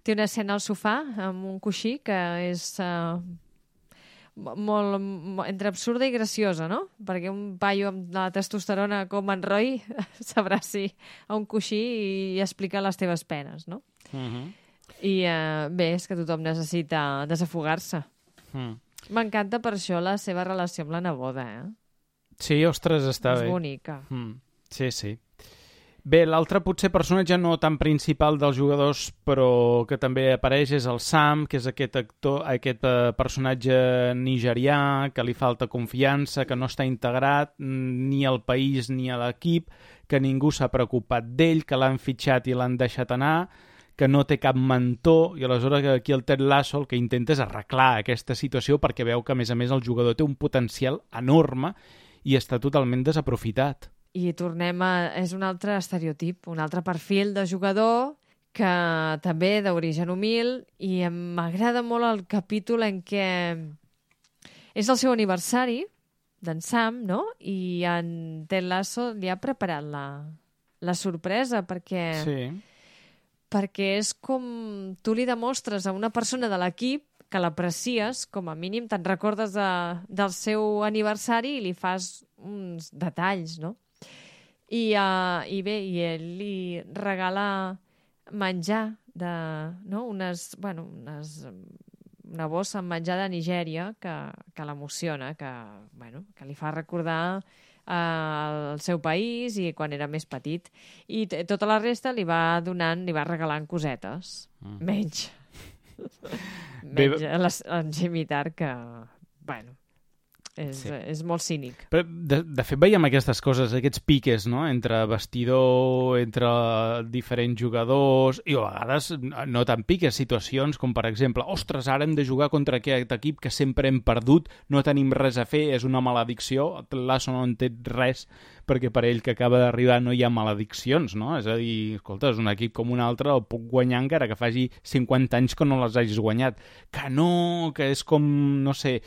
té una escena al sofà amb un coixí que és uh, molt, molt entre absurda i graciosa, no? Perquè un paio amb la testosterona com en Roy s'abraci a un coixí i explica les teves penes, no? Uh-huh. I uh, bé, és que tothom necessita desafogar-se. Mm. M'encanta per això la seva relació amb la neboda, eh? Sí, ostres, està és bé. És bonica. Mm. Sí, sí. Bé, l'altre potser personatge no tan principal dels jugadors, però que també apareix és el Sam, que és aquest actor, aquest uh, personatge nigerià, que li falta confiança, que no està integrat ni al país ni a l'equip, que ningú s'ha preocupat d'ell, que l'han fitxat i l'han deixat anar, que no té cap mentor, i aleshores aquí el Ted Lasso el que intenta és arreglar aquesta situació perquè veu que, a més a més, el jugador té un potencial enorme i està totalment desaprofitat. I tornem a... És un altre estereotip, un altre perfil de jugador que també d'origen humil i m'agrada molt el capítol en què és el seu aniversari d'en Sam, no? I en Ted Lasso li ha preparat la, la sorpresa perquè... Sí. perquè és com tu li demostres a una persona de l'equip que l'aprecies, com a mínim te'n recordes de, del seu aniversari i li fas uns detalls, no? I, uh, i bé, i ell li regala menjar de, no? unes, bueno, unes, una bossa amb menjar de Nigèria que, que l'emociona, que, bueno, que li fa recordar al seu país i quan era més petit. I tota la resta li va donant, li va regalant cosetes. Mm. Menys. Menys Bé, les, en Jamie Tart, que, bueno, és, sí. és molt cínic. Però, de, de fet, veiem aquestes coses, aquests piques, no?, entre vestidor, entre diferents jugadors, i a vegades no tan piques, situacions com, per exemple, ostres, ara hem de jugar contra aquest equip que sempre hem perdut, no tenim res a fer, és una maledicció. Lasso no entén res, perquè per ell que acaba d'arribar no hi ha malediccions, no? És a dir, escolta, és un equip com un altre, el puc guanyar encara que faci cinquanta anys que no les hagis guanyat. Que no, que és com, no sé...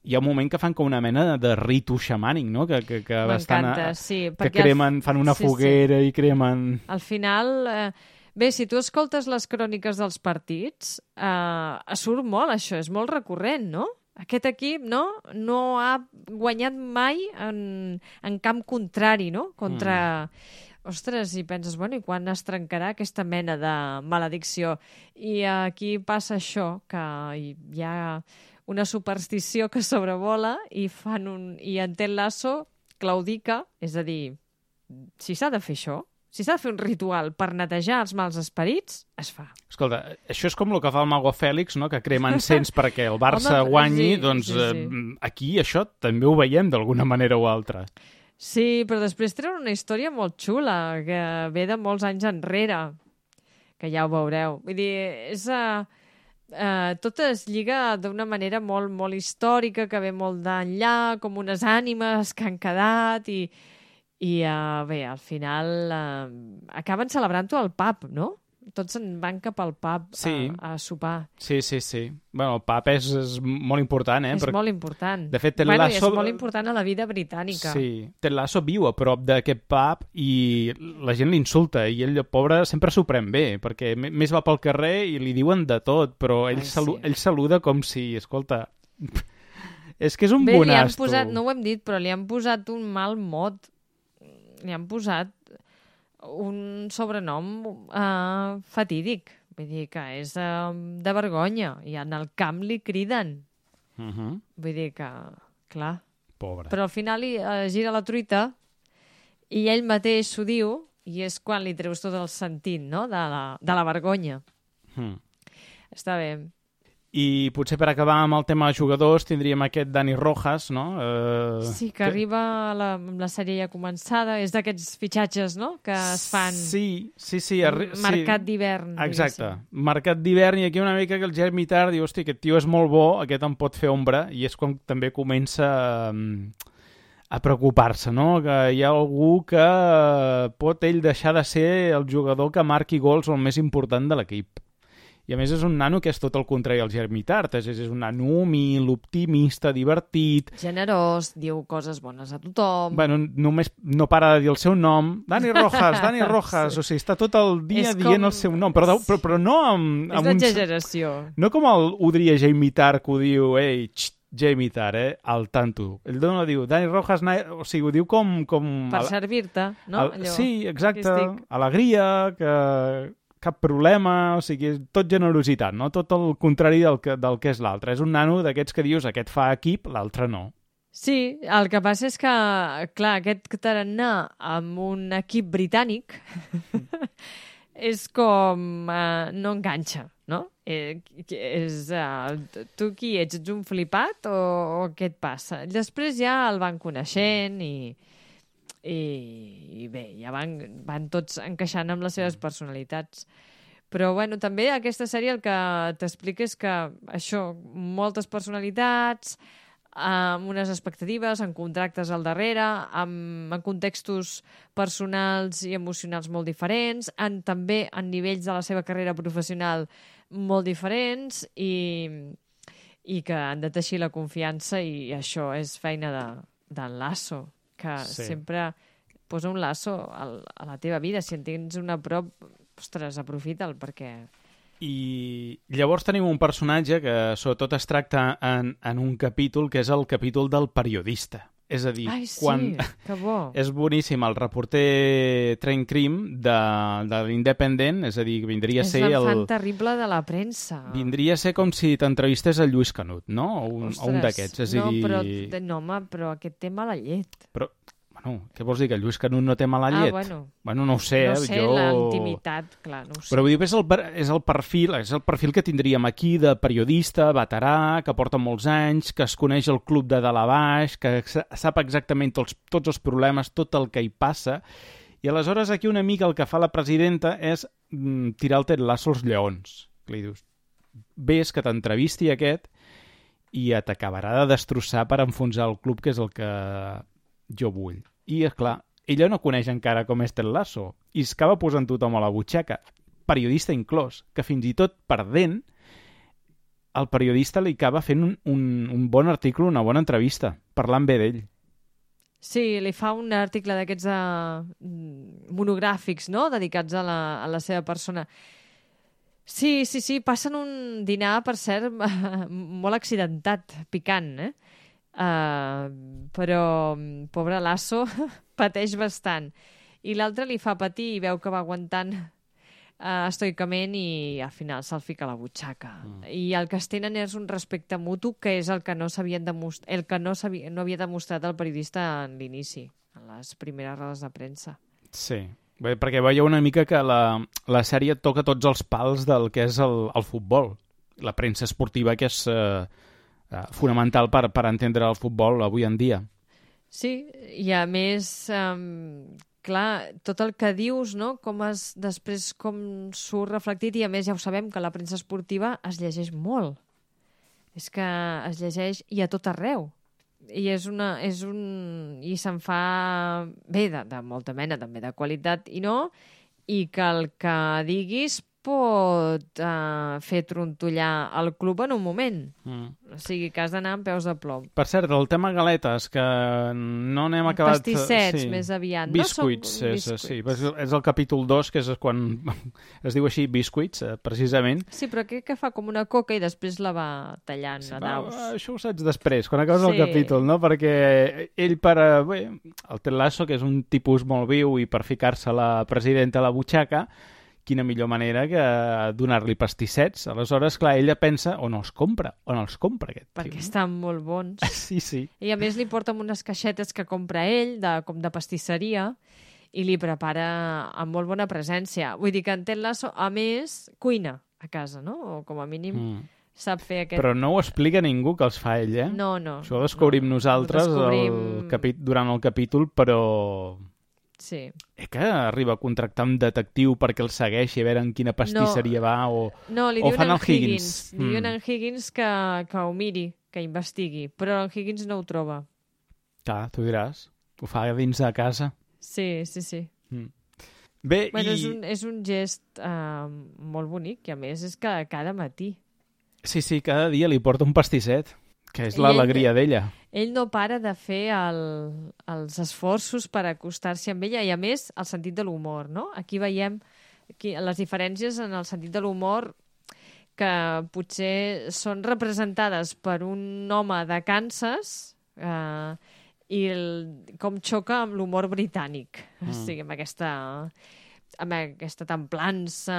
Hi ha un moment que fan com una mena de ritu xamànic, no? Que, que, que bastant... M'encanta, sí. Que cremen, fan una sí, foguera sí. i cremen... Al final... Eh, bé, si tu escoltes les cròniques dels partits, eh, surt molt això, és molt recurrent, no? Aquest equip no, no ha guanyat mai en, en camp contrari, no? Contra... Mm. Ostres, i penses, bueno, i quan es trencarà aquesta mena de maledicció? I aquí passa això, que hi ha una superstició que sobrevola i fan un... I en Ted Lasso claudica, és a dir, si s'ha de fer això, si s'ha de fer un ritual per netejar els mals esperits, es fa. Escolta, això és com el que fa el Mago Fèlix, no? Que crema encens perquè el Barça Home, guanyi, sí, doncs sí, sí. Eh, aquí això també ho veiem d'alguna manera o altra. Sí, però després tenen una història molt xula, que ve de molts anys enrere, que ja ho veureu. Vull dir, és... Uh, uh, tot es lliga d'una manera molt, molt històrica, que ve molt d'enllà, com unes ànimes que han quedat, i, i uh, bé, al final uh, acaben celebrant-ho al pub, no? Tots se'n van cap al pub Sí. a, a sopar. Sí, sí, sí. Bueno, el pub és, és molt important, eh? És Perquè, molt important. de fet, Ted bueno, Lasso- és molt important a la vida britànica. sí, Ted Lasso viu a prop d'aquest pub i la gent l'insulta i ell, pobre, sempre s'ho pren bé, perquè m- més va pel carrer i li diuen de tot, però ell, Ai, sí. salu ell saluda com si, escolta, és que és un Bé, li han bonasto. posat, no ho hem dit, però li han posat un mal mot. Li han posat un sobrenom uh, fatídic. Vull dir que és uh, de vergonya. I en el camp li criden. Uh -huh. Vull dir que, clar... Pobre. Però al final li uh, gira la truita i ell mateix s'ho diu i és quan li treus tot el sentit, no?, de la, de la vergonya. Mm. Està bé. I potser per acabar amb el tema de jugadors tindríem aquest Dani Rojas, no? Eh, Sí, que arriba la, amb la sèrie ja començada. És d'aquests fitxatges, no?, que es fan... Sí, sí, sí. Arri... Mercat sí. d'hivern. Exacte. diguéssim. Mercat d'hivern i aquí una mica que el Jeremy Tart diu, hosti, aquest tio és molt bo, aquest em pot fer ombra, i és quan també comença um, a preocupar-se, no? Que hi ha algú que uh, pot ell deixar de ser el jugador que marqui gols o el més important de l'equip. I a més és un nano que és tot el contrari al Jeremy Tart, és, és un nano humil, optimista, divertit. Generós, diu coses bones a tothom. Bueno, només no para de dir el seu nom. Dani Rojas, Dani Rojas. Sí. O sigui, està tot el dia És dient com- el seu nom, però, però, però no amb, és amb un... l'exageració. No com el, ho diria Jamie Tart, que ho diu, ei, xt, Jamie Tart, eh, al tanto. Ell no diu, Dani Rojas, na... o sigui, ho diu com... com Per a- servir-te, no? al- sí, exacte. Aquí estic. Alegria, que cap problema, o sigui, tot generositat, no? Tot el contrari del que, del que és l'altre. És un nano d'aquests que dius, aquest fa equip, l'altre no. Sí, el que passa és que, clar, aquest tarannà amb un equip britànic és com... Uh, no enganxa, no? Eh, és, uh, tu qui ets? Ets un flipat o, o què et passa? Després ja el van coneixent i, i, i bé, ja van, van tots encaixant amb les seves personalitats. Però, bueno, també aquesta sèrie el que t'explica és que això, moltes personalitats, amb unes expectatives, amb contractes al darrere, amb, amb contextos personals i emocionals molt diferents, en, també en nivells de la seva carrera professional molt diferents i, i que han de teixir la confiança i això és feina de, d'en Lasso, que Sí. sí. sempre posa un laço al, a la teva vida. Si en tens una prop, ostres, aprofita'l perquè... I llavors tenim un personatge que sobretot es tracta en, en un capítol, que és el capítol del periodista. És a dir, Ai, sí, quan... que bo. És boníssim, el reporter Trent Cream de, de l'Independent, és a dir, vindria a És ser l'enfant el... terrible de la premsa. Vindria a ser com si t'entrevistés a Lluís Canut, no? O un, o un d'aquests. És a no, dir... però, de- no, home, però aquest tema la llet. Però, bueno, què vols dir, que Lluís Canut no té mala llet? Ah, bueno. Bueno, no ho sé, no eh? sé, jo... la intimitat, clar, no ho sé. Però vull dir, és el, per- és el perfil és el perfil que tindríem aquí de periodista, veterà, que porta molts anys, que es coneix el club de dalt a baix, que sa- sap exactament tots, tots els problemes, tot el que hi passa, i aleshores aquí una mica el que fa la presidenta és mm, tirar el Ted Lasso als lleons. Li dius, ves que t'entrevisti aquest i t'acabarà de destrossar per enfonsar el club, que és el que jo vull. I, és clar, ella no coneix encara com és Ted Lasso i es acaba posant tothom a la butxaca, periodista inclòs, que fins i tot perdent, el periodista li acaba fent un, un, un bon article, una bona entrevista, parlant bé d'ell. Sí, li fa un article d'aquests uh, monogràfics, no?, dedicats a la, a la seva persona. Sí, sí, sí, passen un dinar, per cert, molt accidentat, picant, eh? Uh, però, pobre Lasso, pateix bastant. I l'altre li fa patir i veu que va aguantant uh, estoicament i al final se'l fica a la butxaca. Mm. I el que es tenen és un respecte mutu, que és el que no s'havien demostrat, el que no, no havia demostrat el periodista en l'inici, en les primeres rodes de premsa. Sí. Bé, perquè veieu una mica que la, la sèrie toca tots els pals del que és el, el futbol. La premsa esportiva, que és eh, eh, fonamental per, per entendre el futbol avui en dia. Sí, i a més, um, clar, tot el que dius, no? Com es, després com surt reflectit, i a més ja ho sabem, que la premsa esportiva es llegeix molt. És que es llegeix i a tot arreu. I és una, és un, i se'n fa bé, de, de molta mena, també de qualitat i no, i que el que diguis pot uh, fer trontollar el club en un moment. Mm. O sigui, que has d'anar amb peus de plom. Per cert, el tema galetes, que no n'hem acabat... Pastissets, sí. Més aviat. Biscuits, no és, sí, és el capítol dos, que és quan es diu així biscuits, precisament. Sí, però crec que fa com una coca i després la va tallant sí, a daus. Va, això ho saps després, quan acabes sí. el capítol, no? Perquè ell, per... Bé, el Ted Lasso, que és un tipus molt viu, i per ficar-se la presidenta a la butxaca, quina millor manera que donar-li pastissets. Aleshores, clar, ella pensa on els compra, on els compra aquest Perquè tio. Estan molt bons. Sí, sí. I a més li porta amb unes caixetes que compra ell, de, com de pastisseria, i li prepara amb molt bona presència. Vull dir que en Ted Lasso, a més, cuina a casa, no? O com a mínim mm. sap fer aquest... Però no ho explica ningú que els fa ell, eh? No, no. Això ho descobrim no, nosaltres ho descobrim... El capi... durant el capítol, però... Sí. Eh que arriba a contractar un detectiu perquè el segueixi a veure en quina pastisseria no, va o, no, li o fan el el Higgins. Higgins. Li diuen mm. en Higgins que, que ho miri, que investigui, però en Higgins no ho troba. Clar, tu diràs. Ho fa dins de casa. Sí, sí, sí. Mm. Bé, bueno, i... és, un, és un gest uh, molt bonic, i a més és que cada matí. Sí, sí, cada dia li porta un pastisset, que és l'alegria d'ella. Ell no para de fer el, els esforços per acostar-se amb ella, i a més el sentit de l'humor, no? Aquí veiem aquí, les diferències en el sentit de l'humor que potser són representades per un home de Kansas eh, i el, com xoca amb l'humor britànic. Mm. O sigui, amb aquesta... amb aquesta templança,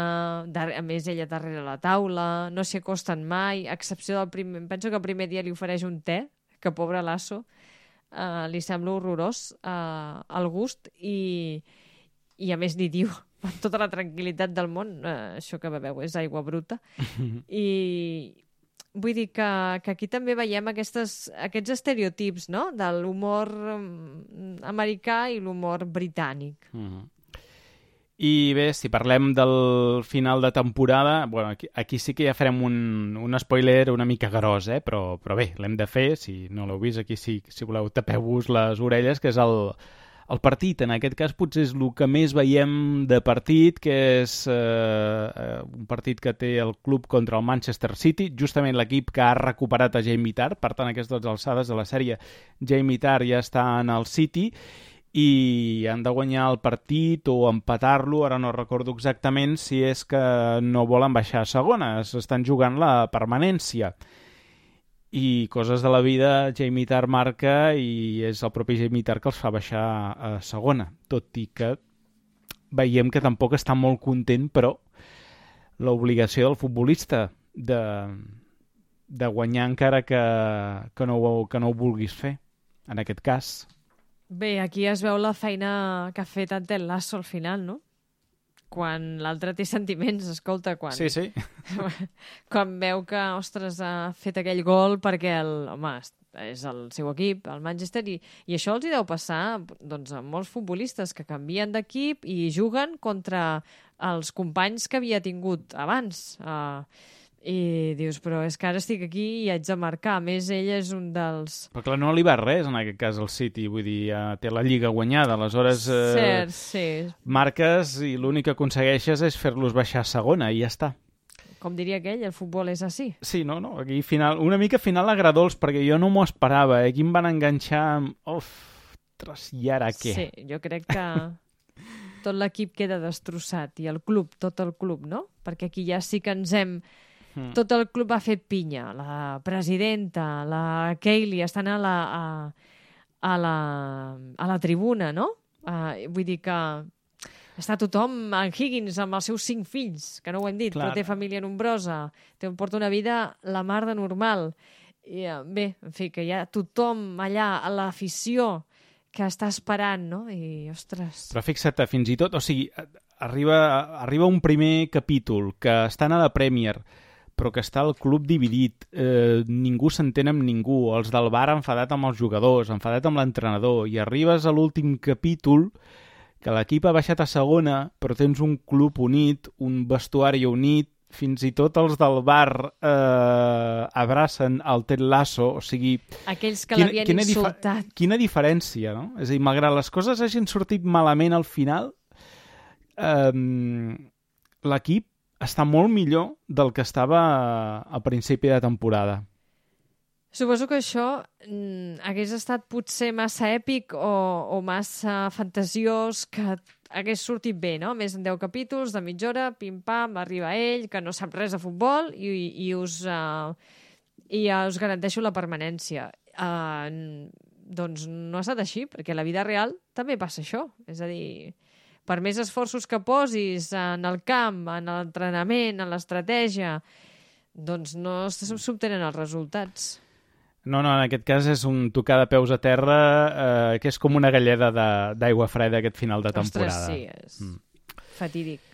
a més ella darrere la taula, no s'hi acosten mai, a excepció del primer... Penso que el primer dia li ofereix un te, que pobre Lasso, uh, li sembla horrorós uh, el gust, i, i a més li diu, amb tota la tranquil·litat del món, uh, això que beveu és aigua bruta, i vull dir que, que aquí també veiem aquestes, aquests estereotips, no?, de l'humor americà i l'humor britànic. Mm-hmm. I bé, si parlem del final de temporada, bueno, aquí, aquí sí que ja farem un, un spoiler una mica gros, eh? però, però bé, l'hem de fer, si no l'heu vist, aquí sí, si voleu tapeu-vos les orelles, que és el, el partit. En aquest cas potser és el que més veiem de partit, que és eh, un partit que té el club contra el Manchester City, justament l'equip que ha recuperat a Jamie Tarr, per tant, a aquestes alçades de la sèrie, Jamie Tarr ja està en el City, i han de guanyar el partit o empatar-lo, ara no recordo exactament si és que no volen baixar a segona, estan jugant la permanència. I coses de la vida, Jamie Tarr marca i és el propi Jamie Tarr que els fa baixar a segona, tot i que veiem que tampoc està molt content, però l'obligació del futbolista de, de guanyar encara que, que, no, que no ho vulguis fer, en aquest cas. Bé, aquí es veu la feina que ha fet en Ted Lasso al final, no? Quan l'altre té sentiments, escolta, quan... Sí, sí. Quan veu que, ostres, ha fet aquell gol perquè, el, home, és el seu equip, el Manchester, i, i això els hi deu passar doncs, a molts futbolistes que canvien d'equip i juguen contra els companys que havia tingut abans. Uh, I dius, però és que ara estic aquí i haig de marcar. A més, ell és un dels... Però clar, no li va res, en aquest cas, al City. Vull dir, ja té la Lliga guanyada. Aleshores, eh, Cert, sí. marques i l'únic que aconsegueixes és fer-los baixar a segona i ja està. Com diria aquell, el futbol és així. Sí, no, no, aquí final, una mica final agradolç, perquè jo no m'ho esperava. Eh? Aquí em van enganxar amb... Ostres, i ara què? Sí, jo crec que tot l'equip queda destrossat, i el club, tot el club, no? Perquè aquí ja sí que ens hem... Mm. Tot el club ha fet pinya. La presidenta, la Kaylee, estan a la, a, a la, a la tribuna, no? Uh, vull dir que està tothom, en Higgins, amb els seus cinc fills, que no ho hem dit, Clar. Però té família nombrosa, té, porta una vida la mar de normal. I, uh, bé, en fi, que hi ha tothom allà, a l'afició, que està esperant, no? I, ostres... Però fixa't, fins i tot, o sigui, arriba, arriba un primer capítol que estan a la Premier, però que està el club dividit, eh, ningú s'entén amb ningú, els del bar enfadat amb els jugadors, enfadat amb l'entrenador, i arribes a l'últim capítol que l'equip ha baixat a segona, però tens un club unit, un vestuari unit, fins i tot els del bar eh, abracen el Ted Lasso, o sigui... Aquells que l'havien quina insultat. Difa quina diferència, no? És a dir, malgrat les coses hagin sortit malament al final, eh, l'equip està molt millor del que estava al principi de temporada. Suposo que això mm, hagués estat potser massa èpic o, o massa fantasiós, que hagués sortit bé, no? Més en deu capítols, de mitja hora, pim-pam, arriba ell, que no sap res de futbol i, i, us, uh, i uh, us garanteixo la permanència. Uh, doncs no ha estat així, perquè a la vida real també passa això. És a dir, per més esforços que posis en el camp, en l'entrenament, en l'estratègia, doncs no s'obtenen els resultats. No, no, en aquest cas és un tocar de peus a terra eh, que és com una galleda d'aigua freda aquest final de temporada. Ostres, sí, és mm. fatídic.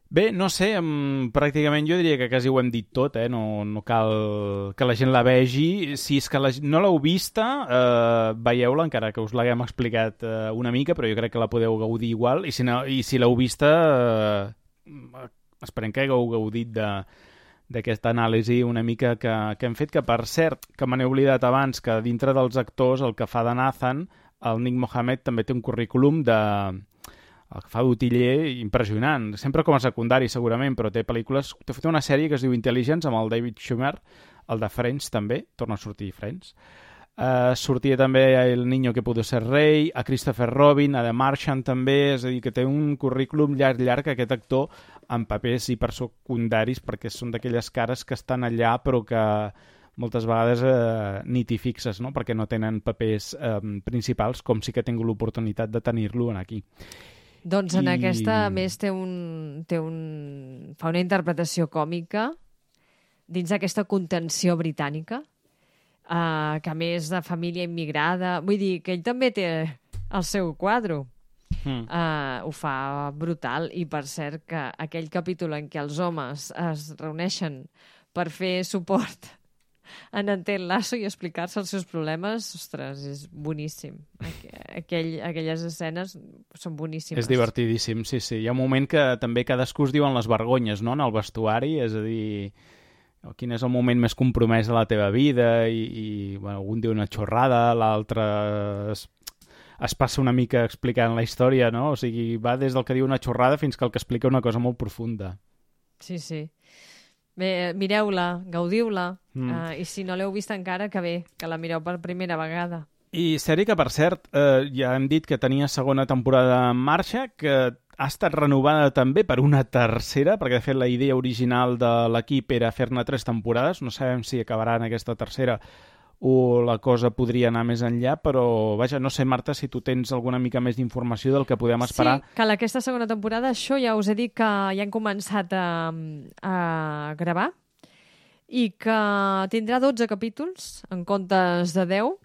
Bé, no sé, um, pràcticament jo diria que quasi ho hem dit tot, eh? No, no cal que la gent la vegi. Si és que la, no l'heu vista, eh, veieu-la, encara que us l'haguem explicat eh, una mica, però jo crec que la podeu gaudir igual. I si, no, i si l'heu vista, eh, esperem que hagueu gaudit de... d'aquesta anàlisi una mica que, que hem fet, que per cert, que me n'he oblidat abans, que dintre dels actors el que fa de Nathan, el Nick Mohammed també té un currículum de... el que fa d'utiller impressionant, sempre com a secundari segurament, però té pel·lícules... Té fet una sèrie que es diu Intelligence amb el David Schwimmer, el de Friends també, torna a sortir Friends. Uh, sortia també El niño que pudo ser rei, a Christopher Robin, a The Martian també, és a dir, que té un currículum llarg, llarg, aquest actor, amb papers hipersecundaris, perquè són d'aquelles cares que estan allà, però que moltes vegades eh, ni t'hi fixes, no? Perquè no tenen papers eh, principals, com sí que he tingut l'oportunitat de tenir-lo aquí. Doncs en I... aquesta, a més, té un, té un... fa una interpretació còmica dins d'aquesta contenció britànica, Uh, que a més de família immigrada, vull dir que ell també té el seu quadro. Mm. Uh, ho fa brutal, i per cert que aquell capítol en què els homes es reuneixen per fer suport en Ted Lasso i explicar-se els seus problemes, ostres, és boníssim. Aquell, aquelles escenes són boníssimes. És divertidíssim, sí, sí. Hi ha un moment que també cadascú es diuen les vergonyes, no?, en el vestuari, és a dir... quin és el moment més compromès de la teva vida i, i bueno, algun diu una xorrada, l'altre es, es passa una mica explicant la història, no? O sigui, va des del que diu una xorrada fins que el que explica una cosa molt profunda. Sí, sí. Bé, mireu-la, gaudiu-la, mm. uh, i si no l'heu vist encara, que bé, que la mireu per primera vegada. I sèrie que, per cert, eh, ja hem dit que tenia segona temporada en marxa, que ha estat renovada també per una tercera, perquè de fet la idea original de l'equip era fer-ne tres temporades. No sabem si acabarà en aquesta tercera o la cosa podria anar més enllà, però vaja, no sé, Marta, si tu tens alguna mica més d'informació del que podem esperar. Sí, que aquesta segona temporada, això ja us he dit que ja han començat a, a gravar i que tindrà dotze capítols en comptes de deu,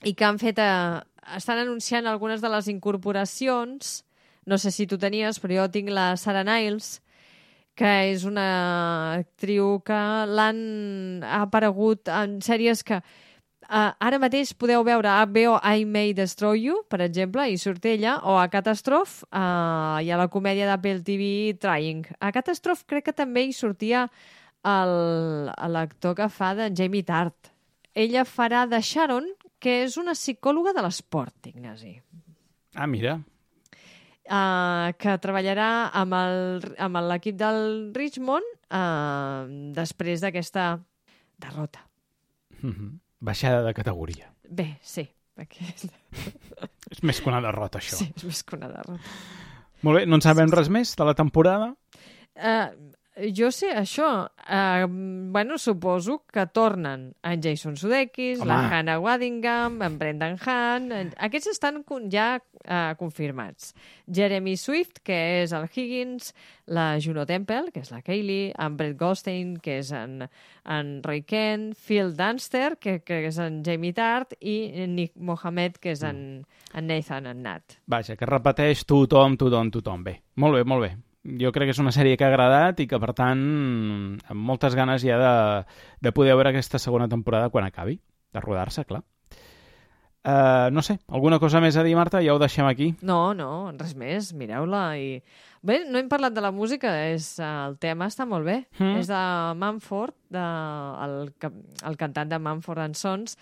i que han fet a, estan anunciant algunes de les incorporacions. No sé si tu tenies, però jo tinc la Sarah Niles, que és una actriu que l'han ha aparegut en sèries que uh, ara mateix podeu veure a H B O I May Destroy You, per exemple, i surt ella, o a Catastrophe, uh, i a la comèdia d'Apple T V Trying. A Catastrophe crec que també hi sortia l'actor que fa de Jamie Tart. Ella farà de Sharon, que és una psicòloga de l'esport, Ignasi. Ah, mira. Uh, que treballarà amb l'equip del Richmond uh, després d'aquesta derrota. Mm-hmm. Baixada de categoria. Bé, sí. Aquest... és més que una derrota, això. Sí, és més que una derrota. Molt bé, no en sabem res més de la temporada? Uh, jo sé això. Uh, bueno, suposo que tornen en Jason Sudeikis, Home. la Hannah Waddingham, en Brendan Hahn... En... Aquests estan con- ja uh, confirmats. Jeremy Swift, que és el Higgins, la Juno Temple, que és la Kaylee, en Brett Goldstein, que és en, en Roy Kent, Phil Dunster, que, que és en Jamie Tart, i Nick Mohammed, que és en, en Nathan, en Nat. Vaja, que repeteix tothom, tothom, tothom. Bé, molt bé, molt bé. Jo crec que és una sèrie que ha agradat i que, per tant, amb moltes ganes ja de, de poder veure aquesta segona temporada quan acabi, de rodar-se, clar. Uh, no sé, alguna cosa més a dir, Marta? Ja ho deixem aquí. No, no, res més, mireu-la i... Bé, no hem parlat de la música, és, el tema està molt bé. Mm. És de Mumford, de, el, ca- el cantant de Mumford and Sons,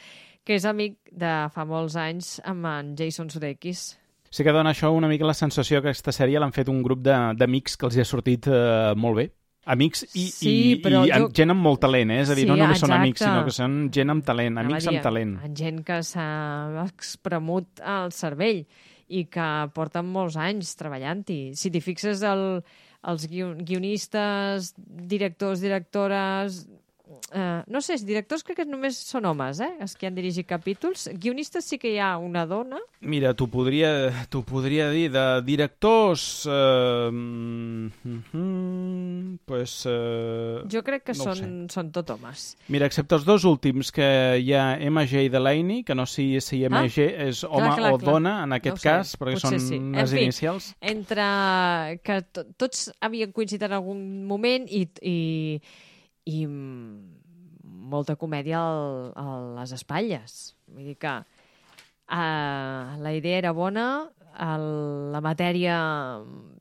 que és amic de fa molts anys amb en Jason Sudeikis. Sí que dona això una mica la sensació que aquesta sèrie l'han fet un grup de- d'amics que els hi ha sortit uh, molt bé. Amics i, Sí, i, però i jo- gent amb molt talent, eh? És a dir, Sí, no només són amics, exacte. sinó que són gent amb talent, Anava amics a dir, amb talent. en gent que s'ha espremut el cervell i que porten molts anys treballant-hi. Si t'hi fixes, el, els guion, guionistes, directors, directores... Eh, no sé, directors crec que només són homes, eh? Els que han dirigit capítols. Guionistes sí que hi ha una dona. Mira, t'ho podria, t'ho podria dir de directors... Eh, mm, mm, pues, eh, Jo crec que no ho són, són tot homes. mira, excepte els dos últims, que hi ha M J Delaney, que no sé si M J Ah, és home clar, clar, o clar. dona, en aquest No ho sé, cas, perquè potser són sí. En les fi, inicials. Entre que to tots havien coincidit en algun moment i, i, i molta comèdia al, a les espatlles. Vull dir que uh, la idea era bona, el, la matèria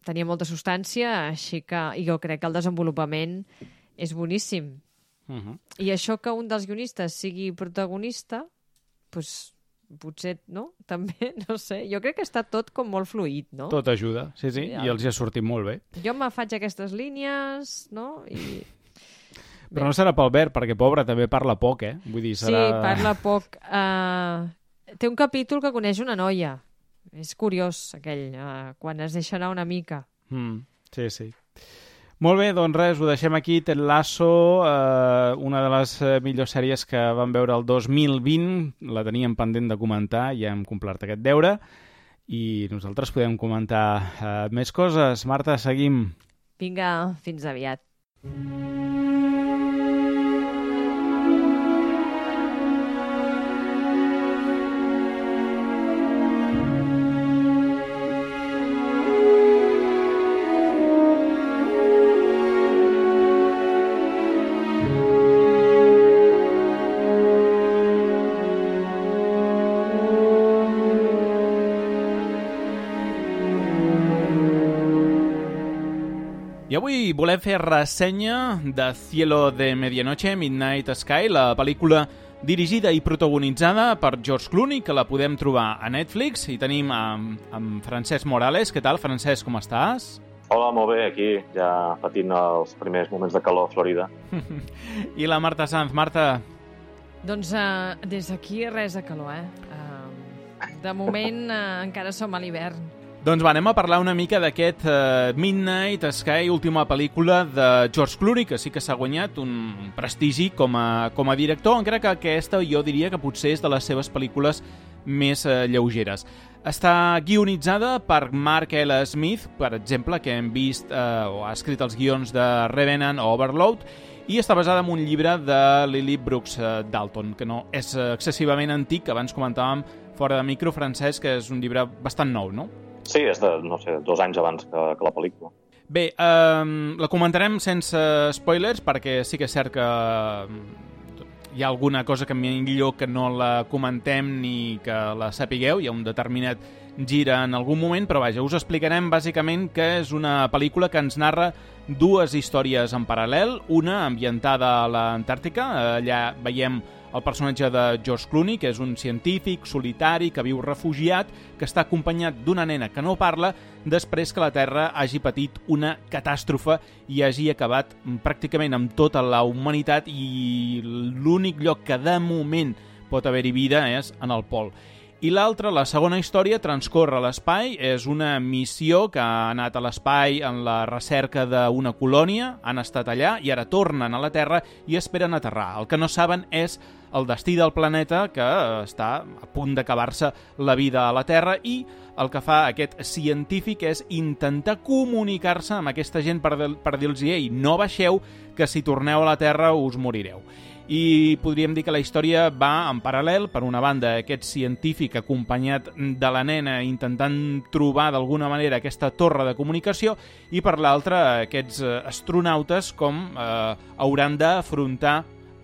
tenia molta substància, així que i jo crec que el desenvolupament és boníssim. Uh -huh. I això que un dels guionistes sigui protagonista, doncs potser, no? També, no sé. Jo crec que està tot com molt fluid, no? Tot ajuda, sí, sí, Ja. i els hi ha sortit molt bé. Jo me faig aquestes línies, no? I... Però no serà pel Bert, perquè, pobre, també parla poc, eh? Vull dir, serà... Sí, parla poc. Uh, té un capítol que coneix una noia. És curiós, aquell, uh, quan es deixa anar una mica. Mm, sí, sí. Molt bé, doncs res, ho deixem aquí. Ted Lasso, eh, una de les eh, millors sèries que vam veure el dos mil vint, la teníem pendent de comentar, ja hem complert aquest deure, i nosaltres podem comentar eh, més coses. Marta, seguim. Vinga, fins aviat. I avui volem fer ressenya de Cielo de Medianoche, Midnight Sky, la pel·lícula dirigida i protagonitzada per George Clooney, que la podem trobar a Netflix, i tenim amb, amb Francesc Morales. Què tal, Francesc, com estàs? Hola, molt bé, aquí, ja patint els primers moments de calor a Florida. I la Marta Sanz. Marta, Doncs uh, des d'aquí res de calor, eh? Uh, de moment uh, encara som a l'hivern. doncs va, anem a parlar una mica d'aquest uh, Midnight Sky, última pel·lícula de George Clooney, que sí que s'ha guanyat un prestigi com a, com a director, encara que aquesta jo diria que potser és de les seves pel·lícules més uh, lleugeres. Està guionitzada per Mark L. Smith, per exemple, que hem vist uh, o ha escrit els guions de Revenant o Overload, i està basada en un llibre de Lily Brooks uh, Dalton, que no és uh, excessivament antic, que abans comentàvem fora de micro, Francesc, que és un llibre bastant nou, no? Sí, és de, no sé, dos anys abans que, que la pel·lícula. Bé, eh, la comentarem sense spoilers, perquè sí que és cert que hi ha alguna cosa que millor que no la comentem ni que la sapigueu, hi ha un determinat gir en algun moment, però vaja, us explicarem bàsicament que és una pel·lícula que ens narra dues històries en paral·lel, una ambientada a l'Antàrtica, allà veiem el personatge de George Clooney, que és un científic solitari que viu refugiat, que està acompanyat d'una nena que no parla després que la Terra hagi patit una catàstrofe i hagi acabat pràcticament amb tota la humanitat, i l'únic lloc que de moment pot haver-hi vida és en el pol. I l'altra, la segona història, transcorre a l'espai, és una missió que ha anat a l'espai en la recerca d'una colònia, han estat allà i ara tornen a la Terra i esperen aterrar. El que no saben és el destí del planeta, que està a punt d'acabar-se la vida a la Terra, i el que fa aquest científic és intentar comunicar-se amb aquesta gent per, per dir-los «Ei, no baixeu, que si torneu a la Terra us morireu». I podríem dir que la història va en paral·lel, per una banda aquest científic acompanyat de la nena intentant trobar d'alguna manera aquesta torre de comunicació, i per l'altra aquests astronautes com eh, hauran d'afrontar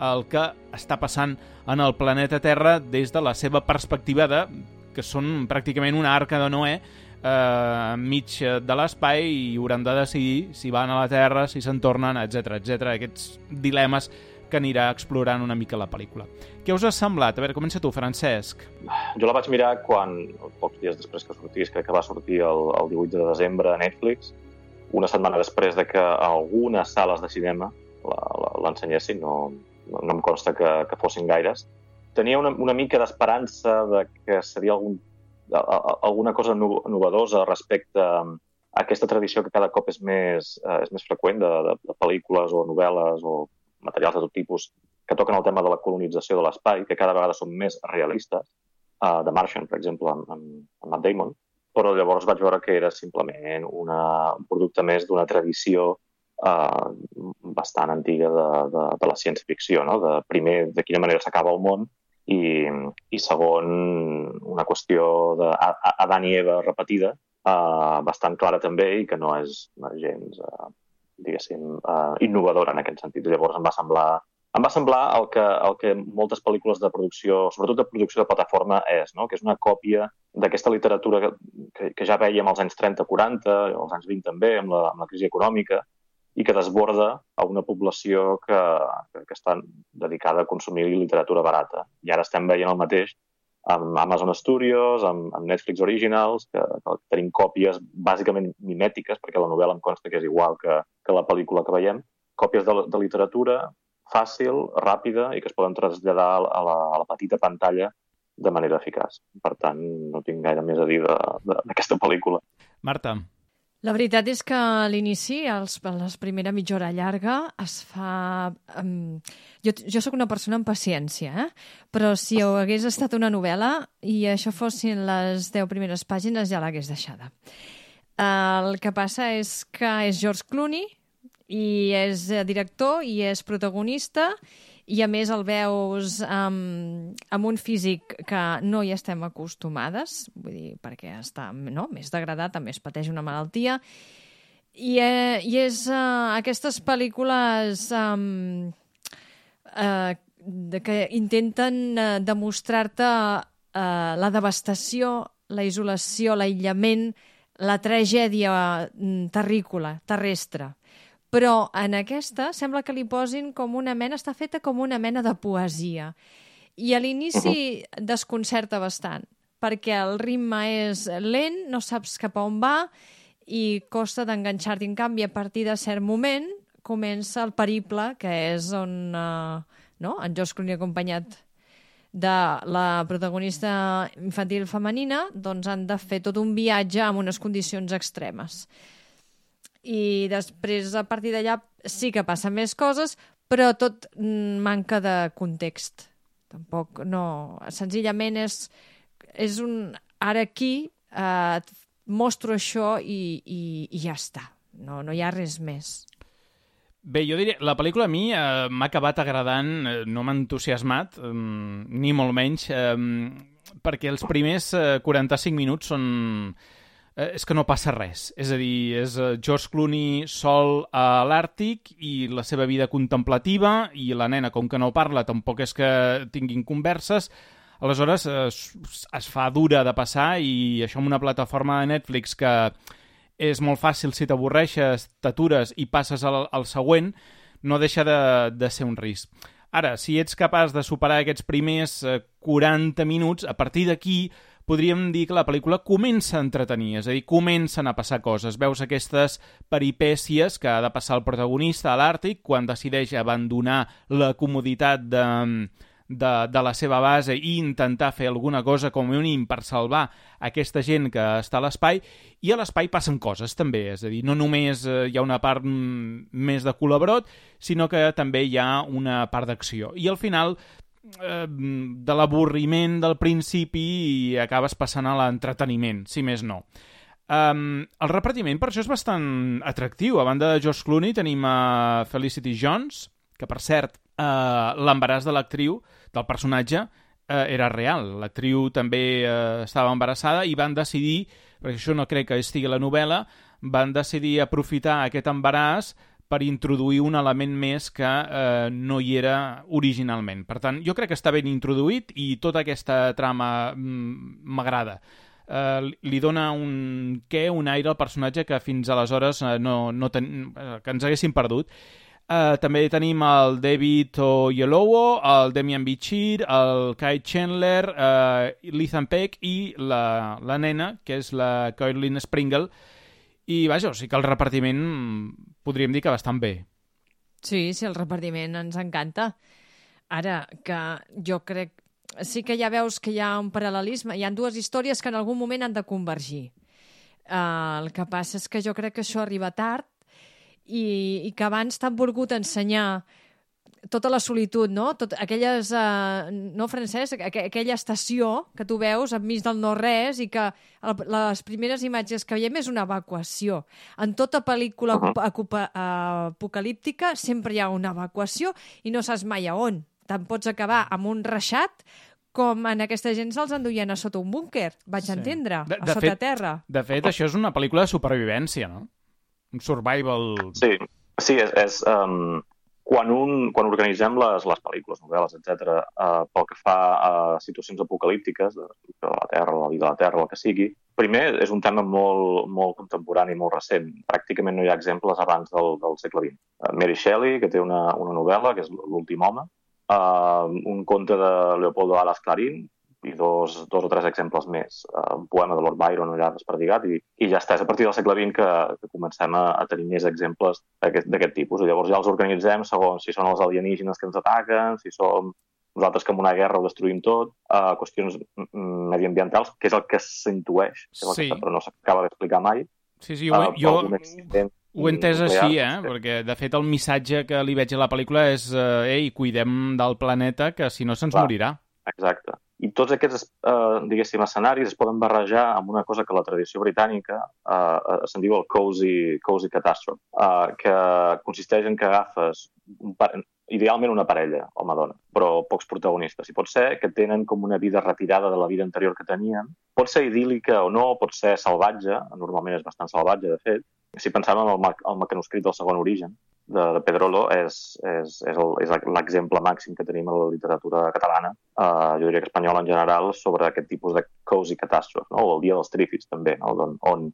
el que està passant en el planeta Terra des de la seva perspectiva de que són pràcticament una arca de Noè eh, enmig de l'espai i hauran de decidir si van a la Terra, si se'n tornen, etcètera, etcètera. Aquests dilemes que anirà explorant una mica la pel·lícula. Què us ha semblat? A veure, comença tu, Francesc. Jo la vaig mirar quan, pocs dies després que sortís, crec que va sortir el, el divuit de desembre a Netflix, una setmana després de que algunes sales de cinema l'ensenyessin, no, no, no em consta que, que fossin gaires. Tenia una, una mica d'esperança de que seria algun, alguna cosa novedosa respecte a aquesta tradició que cada cop és més, és més freqüent de, de, de pel·lícules o novel·les o materials de tot tipus que toquen el tema de la colonització de l'espai, que cada vegada són més realistes, uh, The Martian, per exemple, amb, amb Matt Damon, però llavors vaig veure que era simplement una, un producte més d'una tradició uh, bastant antiga de, de, de la ciència-ficció, no? De, primer, de quina manera s'acaba el món, i, i segon, una qüestió d'Adam i Eva repetida, uh, bastant clara també, i que no és gens... Uh, diguéssim, uh, innovadora en aquest sentit. Llavors em va semblar, em va semblar el, que, el que moltes pel·lícules de producció, sobretot de producció de plataforma, és, no? Que és una còpia d'aquesta literatura que, que, que ja veiem als anys trenta quaranta, als anys vint també, amb la, amb la crisi econòmica, i que desborda a una població que, que, que està dedicada a consumir literatura barata. I ara estem veient el mateix amb Amazon Studios, amb, amb Netflix Originals, que, que tenim còpies bàsicament mimètiques, perquè la novel·la em consta que és igual que, que la pel·lícula que veiem, còpies de, de literatura fàcil, ràpida i que es poden traslladar a la, a la petita pantalla de manera eficaç. Per tant, no tinc gaire més a dir d'aquesta pel·lícula. Marta. La veritat és que a l'inici, els, la primera mitja hora llarga, es fa... Um, jo, jo sóc una persona amb paciència, eh? Però si hagués estat una novel·la i això fossin les deu primeres pàgines, ja l'hagués deixada. Uh, el que passa és que és George Clooney i és director i és protagonista, i a més el veus um, amb un físic que no hi estem acostumades, vull dir, perquè està no, més degradat, també es pateix una malaltia, i, eh, i és uh, aquestes pel·lícules um, uh, de, que intenten uh, demostrar-te uh, la devastació, la isolació, l'aïllament, la tragèdia terrícola, terrestre. Però en aquesta sembla que li posin com una mena, està feta com una mena de poesia. I a l'inici desconcerta bastant, perquè el ritme és lent, no saps cap a on va i costa d'enganxar-t'hi. En canvi, a partir de cert moment, comença el periple, que és on uh, no? en George Clooney acompanyat de la protagonista infantil femenina, doncs han de fer tot un viatge amb unes condicions extremes. I després, a partir d'allà, sí que passen més coses, però tot manca de context. Tampoc, no... Senzillament és, és un... Ara aquí eh, et mostro això i, i, i ja està. No, no hi ha res més. Bé, jo diria, la pel·lícula a mi eh, m'ha acabat agradant, eh, no m'ha entusiasmat, eh, ni molt menys, eh, perquè els primers eh, quaranta-cinc minuts són... Eh, és que no passa res. És a dir, és George Clooney sol a l'Àrtic i la seva vida contemplativa, i la nena, com que no parla, tampoc és que tinguin converses. Aleshores, eh, es fa dura de passar, i això amb una plataforma de Netflix que és molt fàcil, si t'avorreixes, t'atures i passes al, al següent, no deixa de, de ser un risc. Ara, si ets capaç de superar aquests primers eh, quaranta minuts, a partir d'aquí podríem dir que la pel·lícula comença a entretenir, és a dir, comencen a passar coses. Veus aquestes peripècies que ha de passar el protagonista a l'Àrtic quan decideix abandonar la comoditat de, de, de la seva base i intentar fer alguna cosa com a mínim per salvar aquesta gent que està a l'espai, i a l'espai passen coses també, és a dir, no només hi ha una part més de col·laborot, sinó que també hi ha una part d'acció. I al final, eh, de l'avorriment del principi, i acabes passant a l'entreteniment, si més no. Um, el repartiment per això és bastant atractiu. A banda de George Clooney tenim a Felicity Jones, que per cert, uh, l'embaràs de l'actriu, del personatge, uh, era real. L'actriu també uh, estava embarassada i van decidir, perquè això no crec que estigui a la novel·la, van decidir aprofitar aquest embaràs per introduir un element més que eh, no hi era originalment. Per tant, jo crec que està ben introduït i tota aquesta trama m'agrada. Uh, li dona un què, un aire al personatge que fins aleshores uh, no, no ten... uh, que ens haguessin perdut. Uh, també tenim el David Oyelowo, el Demian Bichir, el Kai Chandler, uh, l'Ethan Peck i la, la nena, que és la Courtney Springle. I vaja, o sigui que el repartiment podríem dir que bastant bé. Sí, sí, el repartiment ens encanta. Ara, que jo crec sí que ja veus que hi ha un paral·lelisme, hi ha dues històries que en algun moment han de convergir. Uh, el que passa és que jo crec que això arriba tard i, i que abans t'han volgut ensenyar tota la solitud, no? Tot, aquelles, uh, no, Francesc? Aqu aquella estació que tu veus enmig del no-res i que el, les primeres imatges que veiem és una evacuació. En tota pel·lícula uh -huh. apocalíptica sempre hi ha una evacuació i no saps mai a on. Te'n pots acabar amb un reixat com en aquesta gent se'ls enduien a sota un búnquer, vaig sí. entendre, de, a de sota fet, terra. De fet, això és una pel·lícula de supervivència, no? Un survival... Sí, sí és... és um, quan, un, quan organitzem les, les pel·lícules, novel·les, etcètera, uh, pel que fa a situacions apocalíptiques, de la Terra, la vida de la Terra, el que sigui, primer és un tema molt, molt contemporani, molt recent. Pràcticament no hi ha exemples abans del, del segle vint. Uh, Mary Shelley, que té una, una novel·la, que és L'últim home, Uh, un conte de Leopoldo Alas Clarín i dos, dos o tres exemples més. Uh, un poema de Lord Byron allà desperdigat i, i ja està. És a partir del segle vint que, que comencem a, a tenir més exemples d'aquest tipus. I llavors ja els organitzem segons si són els alienígenes que ens ataquen, si som nosaltres que en una guerra ho destruïm tot, uh, qüestions mediambientals, que és el que s'intueix, sí. però no s'acaba d'explicar mai. Sí, sí, jo... Uh, jo... Ho he entès així, eh? Sí. Perquè, de fet, el missatge que li veig a la pel·lícula és eh, ei, cuidem del planeta, que si no se'ns morirà. Exacte. I tots aquests, eh, diguéssim, escenaris es poden barrejar amb una cosa que la tradició britànica eh, se'n diu el cozy, cozy catastrophe, eh, que consisteix en que agafes un idealment una parella, home-dona, però pocs protagonistes. I pot ser que tenen com una vida retirada de la vida anterior que tenien. Pot ser idíl·lica o no, pot ser salvatge, normalment és bastant salvatge, de fet. Si pensem en el, el mecanoscrit del segon origen, de, de Pedrolo, és, és, és l'exemple màxim que tenim a la literatura catalana, uh, jo diria que espanyola en general, sobre aquest tipus de cozy catàstrofe, no? O el dia dels trífids, també, no? on, on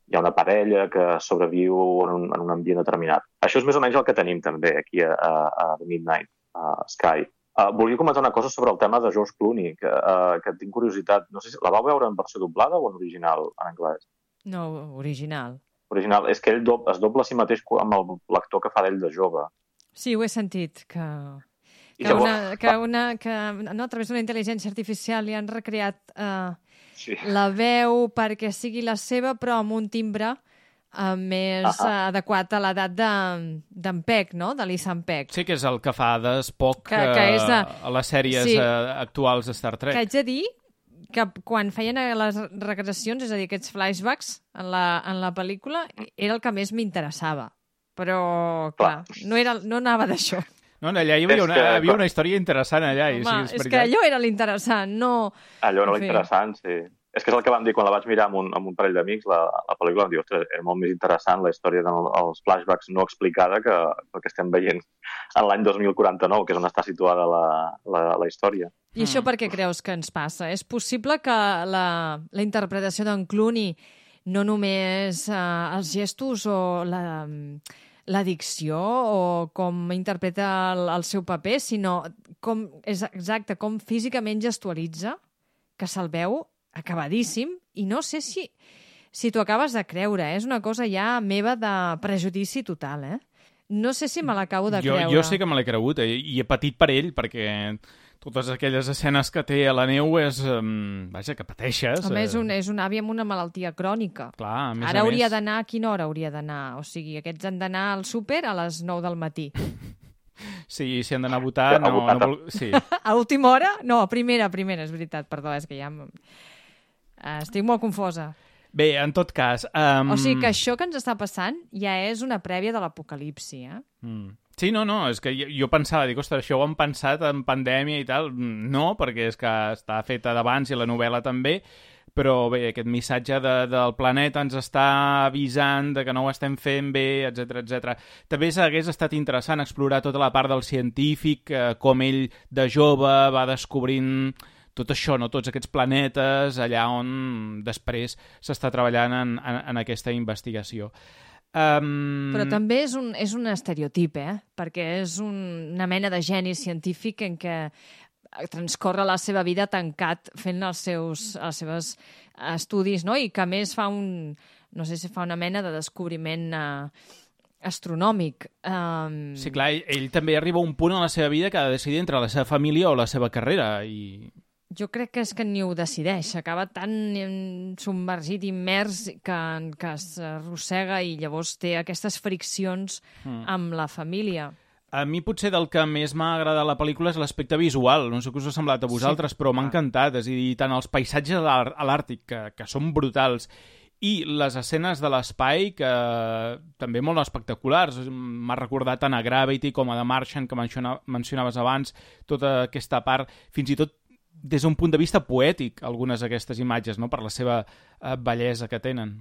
hi ha una parella que sobreviu en un, en un ambient determinat. Això és més o menys el que tenim també aquí a, a, a The Midnight a Sky. Uh, volia comentar una cosa sobre el tema de George Clooney, que, uh, que tinc curiositat. No sé si la vau veure en versió doblada o en original, en anglès? No, original. Original. És que ell do es dobla a si mateix amb l'actor que fa d'ell de jove. Sí, ho he sentit, que, que, llavors... una, que, una, que no, a través d'una intel·ligència artificial li han recreat uh, sí. la veu perquè sigui la seva, però amb un timbre uh, més uh -huh. adequat a l'edat d'en Peck, no? De l'Ethan Peck. Sí, que és el que fa d'Spock que, que és de... a les sèries sí. uh, actuals de Star Trek. Que haig de dir que quan feien les regressions, és a dir, aquests flashbacks en la, en la pel·lícula, era el que més m'interessava. Però, clar, no, era, no anava d'això. No, allà hi havia una, hi havia una història interessant allà. Home, i sí, és, és que allò era l'interessant, no... Allò era l'interessant, sí. És que és el que vam dir quan la vaig mirar amb un, amb un parell d'amics, la, la pel·lícula, vam dir, ostres, era molt més interessant la història dels flashbacks no explicada que el que estem veient en l'any dos mil quaranta-nou, que és on està situada la, la, la història. I això per què creus que ens passa? És possible que la, la interpretació d'en Clooney, no només eh, els gestos o la, la dicció o com interpreta el, el seu paper, sinó com, és exacte, com físicament gestualitza, que se'l veu acabadíssim, i no sé si, si t'ho acabes de creure, eh? És una cosa ja meva de prejudici total, eh? No sé si me l'acabo de jo, creure. Jo sé que me l'he cregut, eh? I he patit per ell, perquè totes aquelles escenes que té a la neu és... Um, vaja, que pateixes. Home, és eh. un, és un avi amb una malaltia crònica. Clar, a més Ara a hauria més... d'anar... A quina hora hauria d'anar? O sigui, aquests han d'anar al súper a les nou del matí. Sí, si han d'anar a votar... A No, votar. no vol... Sí. A última hora? No, a primera, a primera, és veritat. Perdó, és que ja... em- Estic molt confosa. Bé, en tot cas... Um... O sigui que això que ens està passant ja és una prèvia de l'apocalipsi, eh? Mm. Sí, no, no, és que jo, jo pensava, dic, ostres, això ho han pensat en pandèmia i tal. No, perquè és que està feta d'abans i la novel·la també, però bé, aquest missatge de, del planeta ens està avisant de que no ho estem fent bé, etcètera, etcètera. També hagués estat interessant explorar tota la part del científic, eh, com ell de jove va descobrint tot això, no? Tots aquests planetes, allà on després s'està treballant en, en, en aquesta investigació. Um... Però també és un, és un estereotip, eh? Perquè és un, una mena de geni científic en què transcorre la seva vida tancat fent els seus els seus estudis, no? I que a més fa un, no sé si fa una mena de descobriment eh, astronòmic. Um... Sí, clar, ell, ell també arriba a un punt a la seva vida que ha de decidir entre la seva família o la seva carrera i... Jo crec que és que ni ho decideix, s'acaba tan submergit, immers, que, que s'arrossega i llavors té aquestes friccions mm. amb la família. A mi potser del que més m'ha agradat la pel·lícula és l'aspecte visual, no sé què us ha semblat a vosaltres, sí. Però m'ha encantat, és a dir, tant els paisatges a l'Àrtic, que, que són brutals, i les escenes de l'espai, que també molt espectaculars. M'ha recordat tant a Gravity com a The Martian, que mencionaves abans, tota aquesta part, fins i tot des d'un punt de vista poètic, algunes d'aquestes imatges, no? Per la seva eh, bellesa que tenen.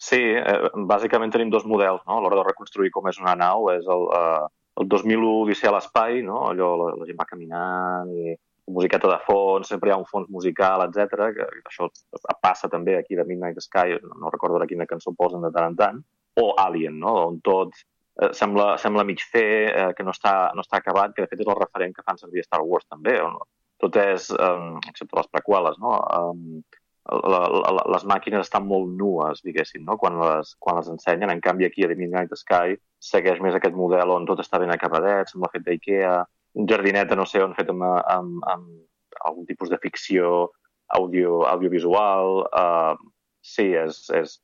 Sí, eh, bàsicament tenim dos models, no? A l'hora de reconstruir com és una nau, és el, eh, el dos mil u Odissea a l'espai, no? Allò la, la gent va caminant i musiqueta de fons, sempre hi ha un fons musical, etcètera. Que això passa també aquí de Midnight Sky, no recordo ara quina cançó posen de tant en tant, o Alien, no? On tot eh, sembla, sembla mig fer, eh, que no està, no està acabat, que de fet és el referent que fan servir a Star Wars també, on tot és, um, excepte les preqüeles, no? Um, la, la, les màquines estan molt nues, diguéssim, no? Quan les, quan les ensenyen. En canvi, aquí a The Midnight Sky segueix més aquest model on tot està ben acabadet, sembla fet d'Ikea, un jardineta, no sé on, fet amb, amb, amb algun tipus de ficció audio, audiovisual. Uh, sí, és, és,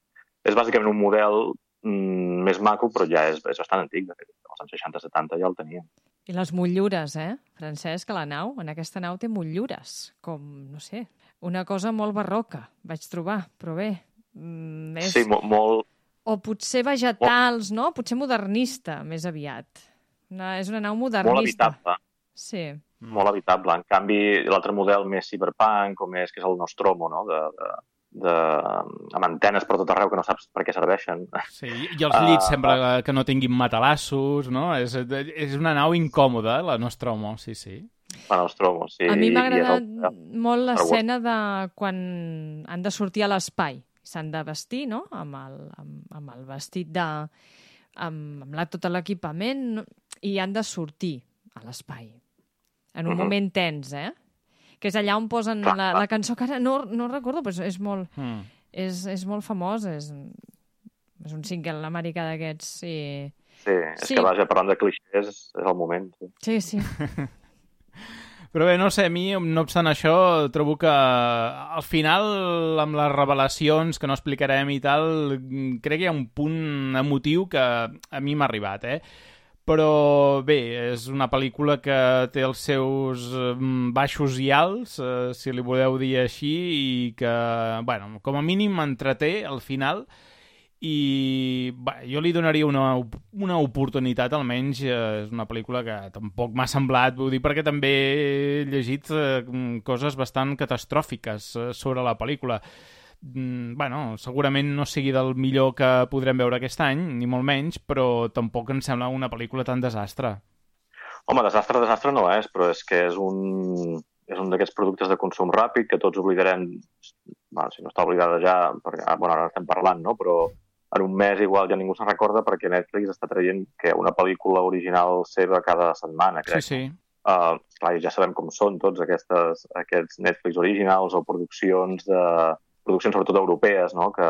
és bàsicament un model mm, més maco, però ja és, és bastant antic, de fet. Als anys seixanta setanta ja el teníem. I les motllures, eh, Francesc, la nau, en aquesta nau té motllures, com, no sé, una cosa molt barroca, vaig trobar, però bé... Mm, és... Sí, molt, molt... O potser vegetals, no? Potser modernista, més aviat. Una, és una nau modernista. Molt habitable. Sí. Molt habitable. En canvi, l'altre model més cyberpunk, com és, que és el Nostromo, no?, de... de... De, amb antenes per tot arreu que no saps per què serveixen. Sí, i els llits uh, sembla que no tinguin matalassos, no? És, és una nau incòmoda, la Nostromo, sí, sí. La Nostromo, sí. A mi m'ha agradat el... molt l'escena de quan han de sortir a l'espai. S'han de vestir, no?, amb el, amb, amb el vestit de... amb, amb la, tot l'equipament, i han de sortir a l'espai. En un uh-huh. moment tens, eh? Que és allà on posen la, la cançó que ara no, no recordo, però és molt, mm. és, és molt famós, és, és un single americà d'aquests. Sí. Sí, és sí. Que vaja, parlant de clixés, és el moment. Sí, sí. sí. Però bé, no sé, a mi, no obstant això, trobo que al final, amb les revelacions que no explicarem i tal, crec que hi ha un punt emotiu que a mi m'ha arribat, eh? Però bé, és una pel·lícula que té els seus baixos i alts, eh, si li voleu dir així, i que, bueno, com a mínim entreté al final, i bé, jo li donaria una, una oportunitat, almenys. Eh, és una pel·lícula que tampoc m'ha semblat, vull dir, perquè també he llegit eh, coses bastant catastròfiques eh, sobre la pel·lícula. Mm, bueno, segurament no sigui del millor que podrem veure aquest any, ni molt menys, però tampoc em sembla una pel·lícula tan desastre. Home, desastre, desastre no és, però és que és un, és un d'aquests productes de consum ràpid que tots oblidarem, bueno, si no està oblidada ja, perquè, bueno, ara estem parlant, no?, però en un mes igual ja ningú se'n recorda perquè Netflix està traient que una pel·lícula original seva cada setmana, crec. Sí, sí. Uh, clar, ja sabem com són tots aquestes, aquests Netflix originals o produccions de... produccions sobretot europees, no?, que,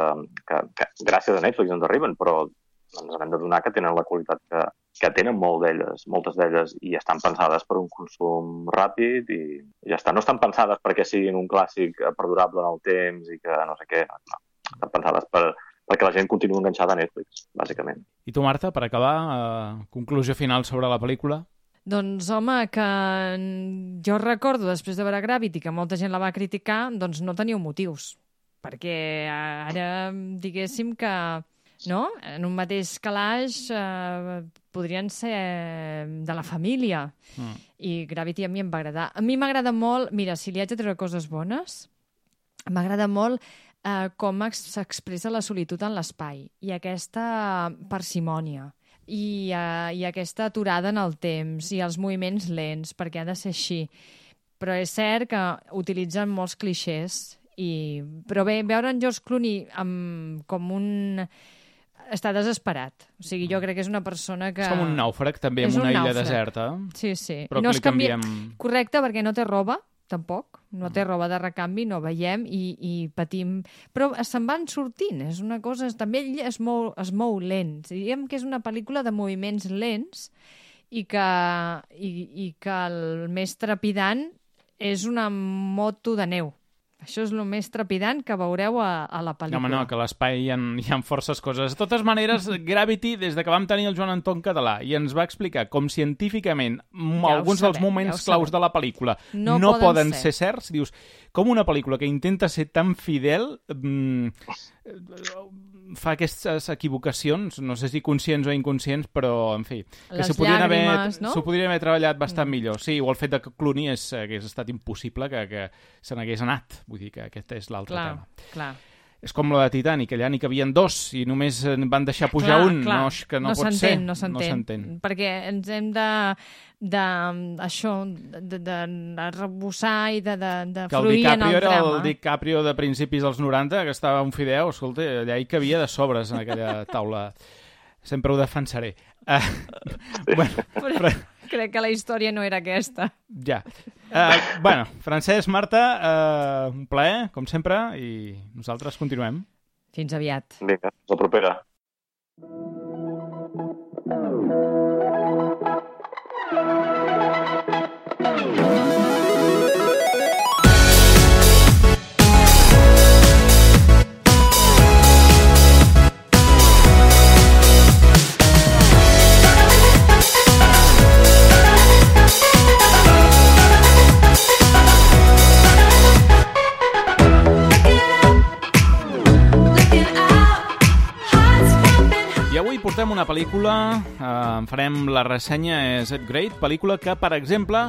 que, que gràcies a Netflix ens arriben, però ens hem de donar que tenen la qualitat que, que tenen molt d'elles, moltes d'elles, i estan pensades per un consum ràpid i ja està. No estan pensades perquè siguin un clàssic perdurable en el temps i que no sé què. No. Estan pensades per, perquè la gent continua enganxada a Netflix, bàsicament. I tu, Marta, per acabar, eh, conclusió final sobre la pel·lícula? Doncs, home, que jo recordo, després de veure Gravity, que molta gent la va criticar, doncs no teníeu motius. Perquè ara, diguéssim que... no? En un mateix calaix eh, podrien ser de la família. Mm. I Gravity a mi em va agradar. A mi m'agrada molt... Mira, si li haig de treure coses bones, m'agrada molt eh, com s'expressa la solitud en l'espai i aquesta parsimònia i, eh, i aquesta aturada en el temps i els moviments lents, perquè ha de ser així. Però és cert que utilitzen molts clixés. I... Però bé, veure en George Clooney amb, com un... està desesperat. O sigui, jo crec que és una persona que... És com un nàufrag, també, en una illa nàufrag. Deserta. Sí, sí. Però no que li canvia... canviem... Correcte, perquè no té roba, tampoc. No té roba de recanvi, no veiem i, i patim... Però se'n van sortint. És una cosa... També ell es mou, es mou lent. Diguem que és una pel·lícula de moviments lents i que, i, i que el més trepidant és una moto de neu. Això és el més trepidant que veureu a, a la pel·lícula. No, home, no, que a l'espai hi, hi ha forces coses. De totes maneres, Gravity, des de que vam tenir el Joan Anton Català i ens va explicar com científicament ja alguns sabem, dels moments ja claus de la pel·lícula no, no poden, poden ser. ser certs, dius, com una pel·lícula que intenta ser tan fidel mmm, fa aquestes equivocacions, no sé si conscients o inconscients, però, en fi, que s'ho podrien, haver, no? podrien haver treballat bastant mm. millor. Sí, o el fet de que Clooney és, hagués estat impossible que, que se n'hagués anat. Vull dir que aquest és l'altre clar, tema. Clar. És com la de Titanic, allà n'hi cabien dos i només van deixar pujar clar, un. Clar. No, que no, no pot ser. No s'entén, no perquè ens hem de, de això, de, de, de rebussar i de, de, de fruir en el drama. Que el DiCaprio era el DiCaprio de principis dels noranta, que estava un fideu, escolta, allà hi cabia de sobres en aquella taula. Sempre ho defensaré. Uh, bueno, però... Crec que la història no era aquesta. Ja. Uh, bueno, Francesc, Marta, uh, un plaer, com sempre, i nosaltres continuem. Fins aviat. Vinga, fins la propera. Portem una pel·lícula, eh, en farem la ressenya, és It Great, pel·lícula que, per exemple,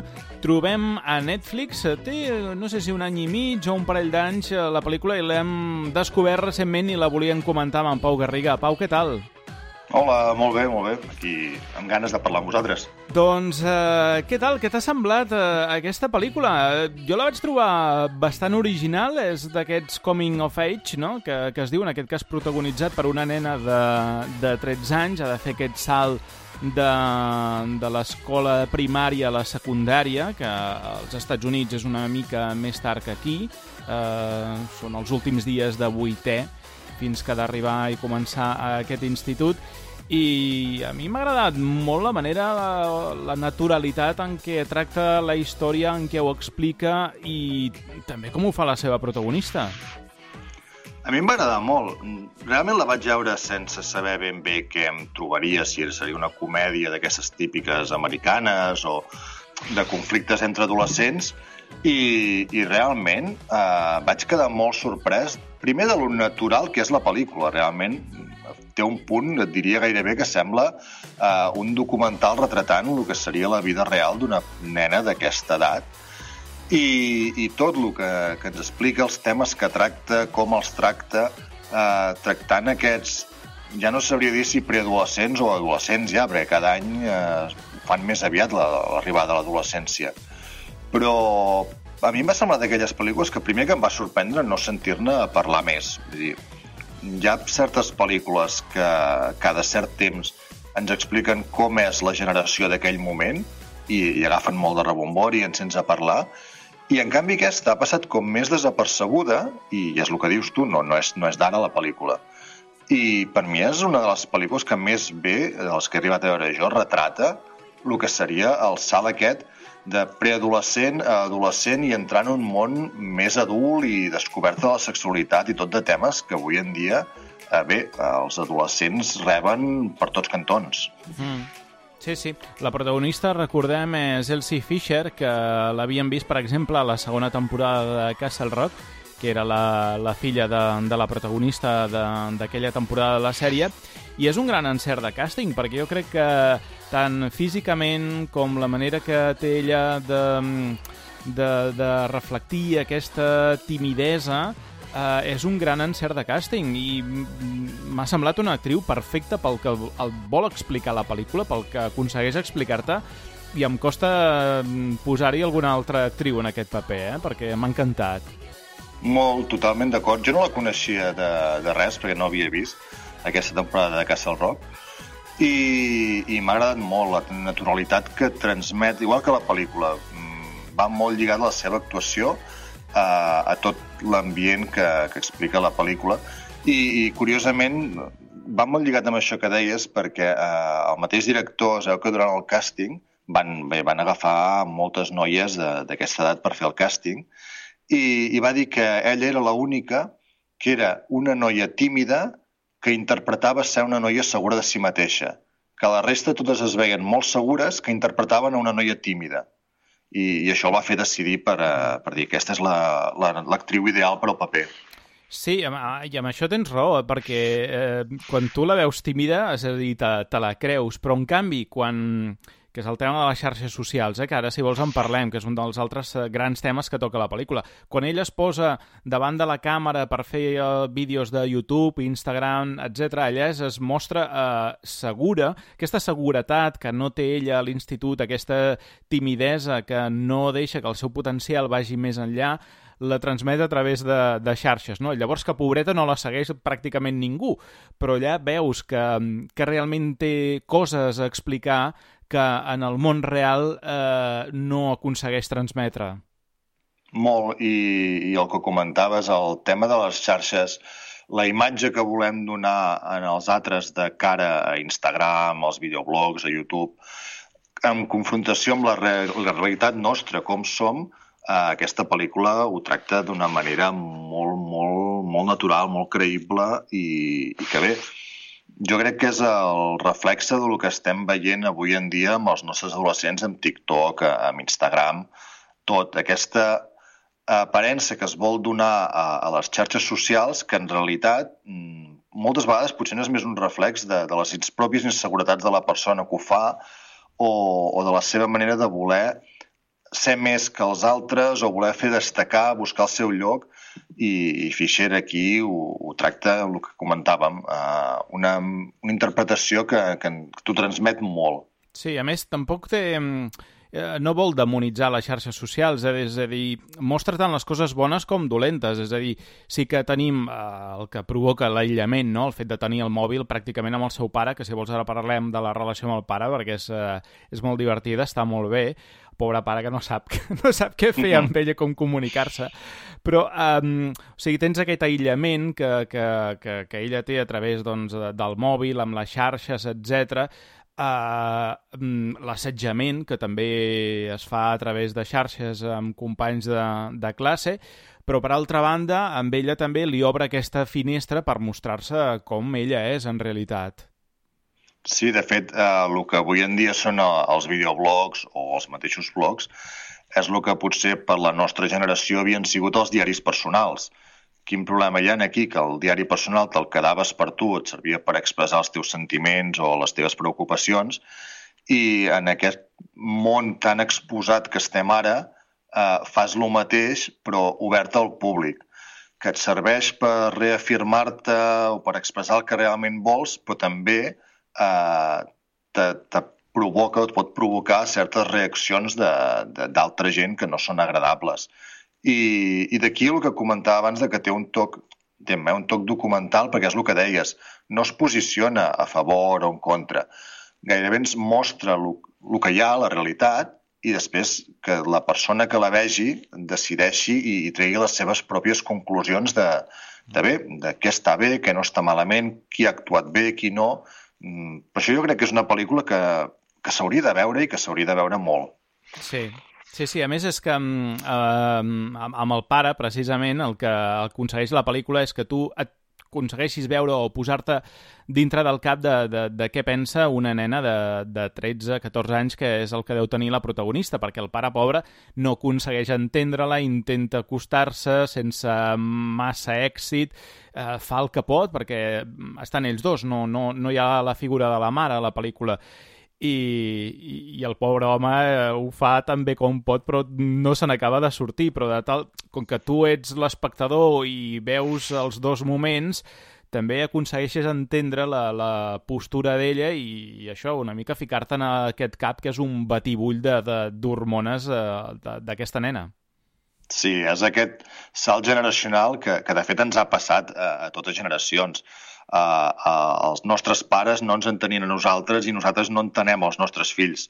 trobem a Netflix. Té, no sé si un any i mig o un parell d'anys, la pel·lícula, i l'hem descobert recentment i la volíem comentar amb en Pau Garriga. Pau, què tal? Hola, molt bé, molt bé. Aquí amb ganes de parlar amb vosaltres. Doncs, eh, què tal? Què t'ha semblat eh, aquesta pel·lícula? Jo la vaig trobar bastant original, és d'aquests coming of age, no? que, que es diu, en aquest cas protagonitzat per una nena de, de tretze anys, ha de fer aquest salt de, de l'escola primària a la secundària, que als Estats Units és una mica més tard que aquí, eh, són els últims dies de vuitè, fins que ha d'arribar i començar a aquest institut. I a mi m'ha agradat molt la manera, la, la naturalitat en què tracta la història, en què ho explica i també com ho fa la seva protagonista. A mi em va agradar molt. Realment la vaig veure sense saber ben bé què em trobaria, si seria una comèdia d'aquestes típiques americanes o de conflictes entre adolescents, i, i realment eh, vaig quedar molt sorprès, primer de lo natural que és la pel·lícula. Realment té un punt, et diria gairebé, que sembla eh, un documental retratant el que seria la vida real d'una nena d'aquesta edat. I, i tot el que, que ens explica, els temes que tracta, com els tracta, eh, tractant aquests, ja no sabria dir si preadolescents o adolescents ja, perquè cada any eh, fan més aviat l'arribada a l'adolescència. Però a mi em va semblar d'aquelles pel·lícules que primer que em va sorprendre no sentir-ne parlar més. Vull dir, hi ha certes pel·lícules que cada cert temps ens expliquen com és la generació d'aquell moment i, i agafen molt de rebombori i ens sents a parlar. I en canvi aquesta ha passat com més desapercebuda, i és el que dius tu, no, no és, no és d'ara la pel·lícula. i per mi és una de les pel·lícules que més bé, de les que he arribat a veure jo, retrata el que seria el salt aquest de preadolescent a adolescent i entrar en un món més adult i descoberta de la sexualitat i tot de temes que avui en dia, eh, bé, els adolescents reben per tots cantons. Mm. Sí, sí. La protagonista, recordem, és Elsie Fisher, que l'havíem vist, per exemple, a la segona temporada de Castle Rock, que era la, la filla de, de la protagonista d'aquella temporada de la sèrie, i és un gran encert de càsting, perquè jo crec que tant físicament com la manera que té ella de, de, de reflectir aquesta timidesa eh, és un gran encert de càsting i m'ha semblat una actriu perfecta pel que el vol explicar la pel·lícula, pel que aconsegueix explicar-te, i em costa posar-hi alguna altra actriu en aquest paper, eh? Perquè m'ha encantat. Molt, totalment d'acord. Jo no la coneixia de, de res, perquè no havia vist aquesta temporada de Castle Rock, i, i m'ha agradat molt la naturalitat que transmet, igual que la pel·lícula. Va molt lligat a la seva actuació a, a tot l'ambient que, que explica la pel·lícula, i, i curiosament va molt lligat amb això que deies, perquè eh, el mateix director, es veu que durant el càsting van, bé, van agafar moltes noies d'aquesta edat per fer el càsting, i, i va dir que ella era l'única que era una noia tímida que interpretava ser una noia segura de si mateixa, que la resta totes es veien molt segures que interpretaven a una noia tímida. I, i això el va fer decidir per, uh, per dir que aquesta és l'actriu la, ideal per al paper. Sí, i amb això tens raó, perquè eh, quan tu la veus tímida, és a dir, te, te la creus, però en canvi, quan... que és el tema de les xarxes socials, eh? Que ara, si vols, en parlem, que és un dels altres grans temes que toca la pel·lícula. Quan ella es posa davant de la càmera per fer eh, vídeos de YouTube, Instagram, etcètera, ella es, es mostra eh, segura, aquesta seguretat que no té ella a l'institut, aquesta timidesa que no deixa que el seu potencial vagi més enllà, la transmet a través de, de xarxes, no? Llavors que pobreta no la segueix pràcticament ningú, però allà veus que, que realment té coses a explicar que en el món real eh, no aconsegueix transmetre. Molt, i, i el que comentaves, el tema de les xarxes, la imatge que volem donar en els altres de cara a Instagram, als videoblogs, a YouTube, en confrontació amb la, re la realitat nostra, com som, eh, aquesta pel·lícula ho tracta d'una manera molt, molt, molt natural, molt creïble i, i que bé, jo crec que és el reflexe del que estem veient avui en dia amb els nostres adolescents amb TikTok, amb Instagram, tot. Aquesta aparença que es vol donar a, a les xarxes socials que en realitat moltes vegades potser no és més un reflex de, de les pròpies inseguretats de la persona que ho fa o, o de la seva manera de voler ser més que els altres o voler fer destacar, buscar el seu lloc, i, i Fisher aquí ho, ho tracta, el que comentàvem, eh, una, una interpretació que, que t'ho transmet molt. Sí, a més, tampoc té... Eh, no vol demonitzar les xarxes socials, eh? És a dir, mostra tant les coses bones com dolentes, és a dir, sí que tenim eh, el que provoca l'aïllament, no? El fet de tenir el mòbil pràcticament amb el seu pare, que si vols ara parlem de la relació amb el pare, perquè és, eh, és molt divertida, està molt bé, pobre pare que no sap, no sap què fer amb ella, com comunicar-se, però um, o sigui, tens aquest aïllament que, que, que, que ella té a través doncs, del mòbil, amb les xarxes, etcètera, Uh, l'assetjament, que també es fa a través de xarxes amb companys de, de classe, però per altra banda, amb ella també li obre aquesta finestra per mostrar-se com ella és en realitat. Sí, de fet, eh, el que avui en dia són els videoblogs o els mateixos blogs és el que potser per la nostra generació havien sigut els diaris personals. Quin problema hi ha aquí? Que el diari personal te'l quedaves per tu, et servia per expressar els teus sentiments o les teves preocupacions, i en aquest món tan exposat que estem ara, eh, fas el mateix, però obert al públic, que et serveix per reafirmar-te o per expressar el que realment vols, però també eh, te, te provoca o et pot provocar certes reaccions d'altra gent que no són agradables. I, i d'aquí el que comentava abans de que té un toc, té un toc documental, perquè és el que deies, no es posiciona a favor o en contra. Gairebé ens mostra el, el que hi ha, la realitat, i després que la persona que la vegi decideixi i, i tregui les seves pròpies conclusions de, de bé, de què està bé, què no està malament, qui ha actuat bé, qui no. Per això jo crec que és una pel·lícula que, que s'hauria de veure i que s'hauria de veure molt. Sí, sí, sí. A més és que eh, amb el pare, precisament, el que aconsegueix la pel·lícula és que tu et aconsegueixis veure o posar-te dintre del cap de, de, de què pensa una nena de, de tretze catorze anys, que és el que deu tenir la protagonista, perquè el pare pobre no aconsegueix entendre-la, intenta acostar-se sense massa èxit, eh, fa el que pot, perquè estan ells dos, no, no, no hi ha la figura de la mare a la pel·lícula. I, i, i el pobre home eh, ho fa tan bé com pot, però no se n'acaba de sortir. Però de tal, com que tu ets l'espectador i veus els dos moments, també aconsegueixes entendre la, la postura d'ella i, i això, una mica ficar-te en aquest cap que és un batibull d'hormones eh, d'aquesta nena. Sí, és aquest salt generacional que, que de fet ens ha passat a, a totes generacions. Uh, uh, els nostres pares no ens entenien a nosaltres i nosaltres no entenem els nostres fills.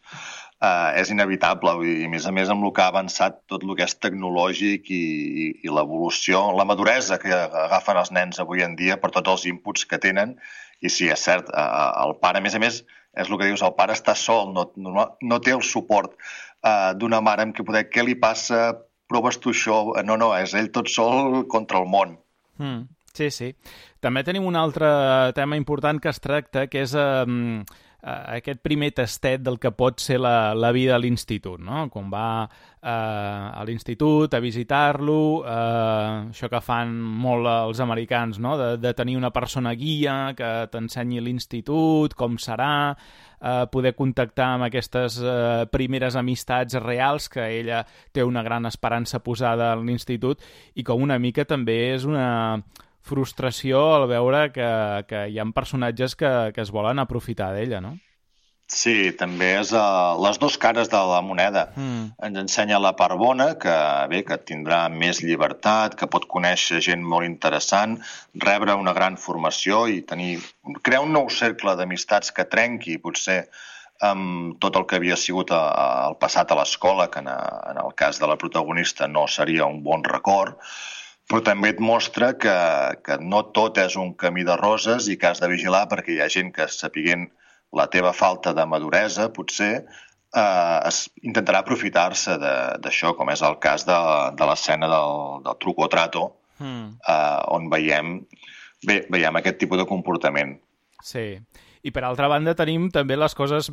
Uh, és inevitable, i a més a més amb el que ha avançat tot el que és tecnològic i, i, i l'evolució, la maduresa que agafen els nens avui en dia per tots els inputs que tenen. I sí, és cert, uh, el pare, a més a més, és el que dius, el pare està sol, no, no, no té el suport uh, d'una mare amb què poder, què li passa, proves tu això? No, no, és ell tot sol contra el món. Mm. Sí, sí. També tenim un altre tema important que es tracta, que és eh, aquest primer tastet del que pot ser la, la vida a l'institut, no? Quan va eh, a l'institut a visitar-lo, eh, això que fan molt els americans, no? de, de tenir una persona guia que t'ensenyi l'institut, com serà, eh, poder contactar amb aquestes eh, primeres amistats reals, que ella té una gran esperança posada en l'institut, i com una mica també és una frustració al veure que, que hi ha personatges que, que es volen aprofitar d'ella, no? Sí, també és uh, les dues cares de la moneda. Mm. Ens ensenya la part bona, que bé, que tindrà més llibertat, que pot conèixer gent molt interessant, rebre una gran formació i tenir crear un nou cercle d'amistats que trenqui, potser, amb tot el que havia sigut a, a, el passat a l'escola, que en, a, en el cas de la protagonista no seria un bon record, però també et mostra que, que no tot és un camí de roses i que has de vigilar perquè hi ha gent que, sapiguent la teva falta de maduresa, potser eh, es intentarà aprofitar-se d'això, com és el cas de, de l'escena del, del truco o trato, mm. eh, on veiem, bé, veiem aquest tipus de comportament. Sí, i per altra banda tenim també les coses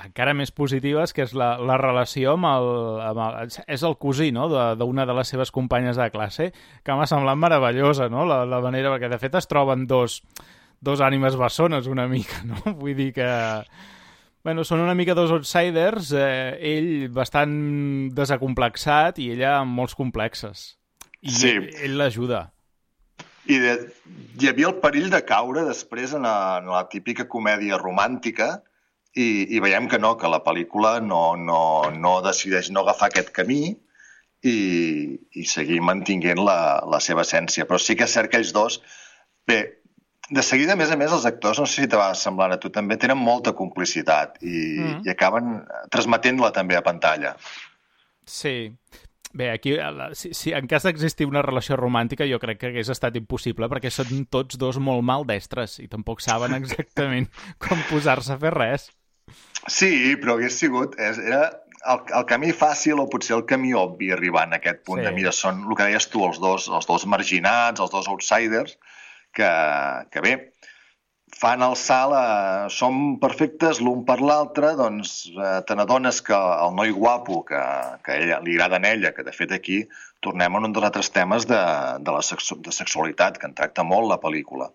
encara més positives, que és la, la relació amb el, amb el... És el cosí, no?, d'una de, de les seves companyes de classe, que m'ha semblat meravellosa, no?, la, la manera, perquè de fet es troben dos, dos ànimes bessones una mica, no? Vull dir que... Bueno, són una mica dos outsiders, eh, ell bastant desacomplexat i ella amb molts complexes. I sí. ell, ell l'ajuda. I de, hi havia el perill de caure després en la, en la típica comèdia romàntica i, i veiem que no, que la pel·lícula no, no, no decideix no agafar aquest camí i, i seguir mantinguent la, la seva essència. Però sí que és cert que ells dos... Bé, de seguida, a més a més, els actors, no sé si te va semblar a tu, també tenen molta complicitat i, mm. i acaben transmetent-la també a pantalla. Sí. Bé, aquí, si, si en cas d'existir una relació romàntica, jo crec que hagués estat impossible, perquè són tots dos molt maldestres i tampoc saben exactament com posar-se a fer res. Sí, però hagués sigut... És, era el, el camí fàcil o potser el camí obvi arribar a aquest punt sí. de mira, són el que deies tu, els dos, els dos marginats, els dos outsiders, que, que bé, fan el salt, a, som perfectes l'un per l'altre, doncs eh, te n'adones que el noi guapo, que, que ella, li agrada a ella, que de fet aquí tornem a un dels altres temes de, de la sexu de sexualitat, que en tracta molt la pel·lícula,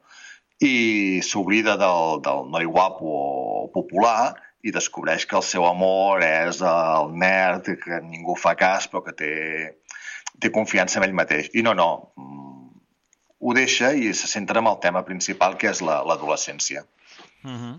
i s'oblida del, del noi guapo popular i descobreix que el seu amor és el nerd, que ningú fa cas, però que té, té confiança en ell mateix. I no, no, ho deixa i se centra en el tema principal, que és l'adolescència. La, uh-huh.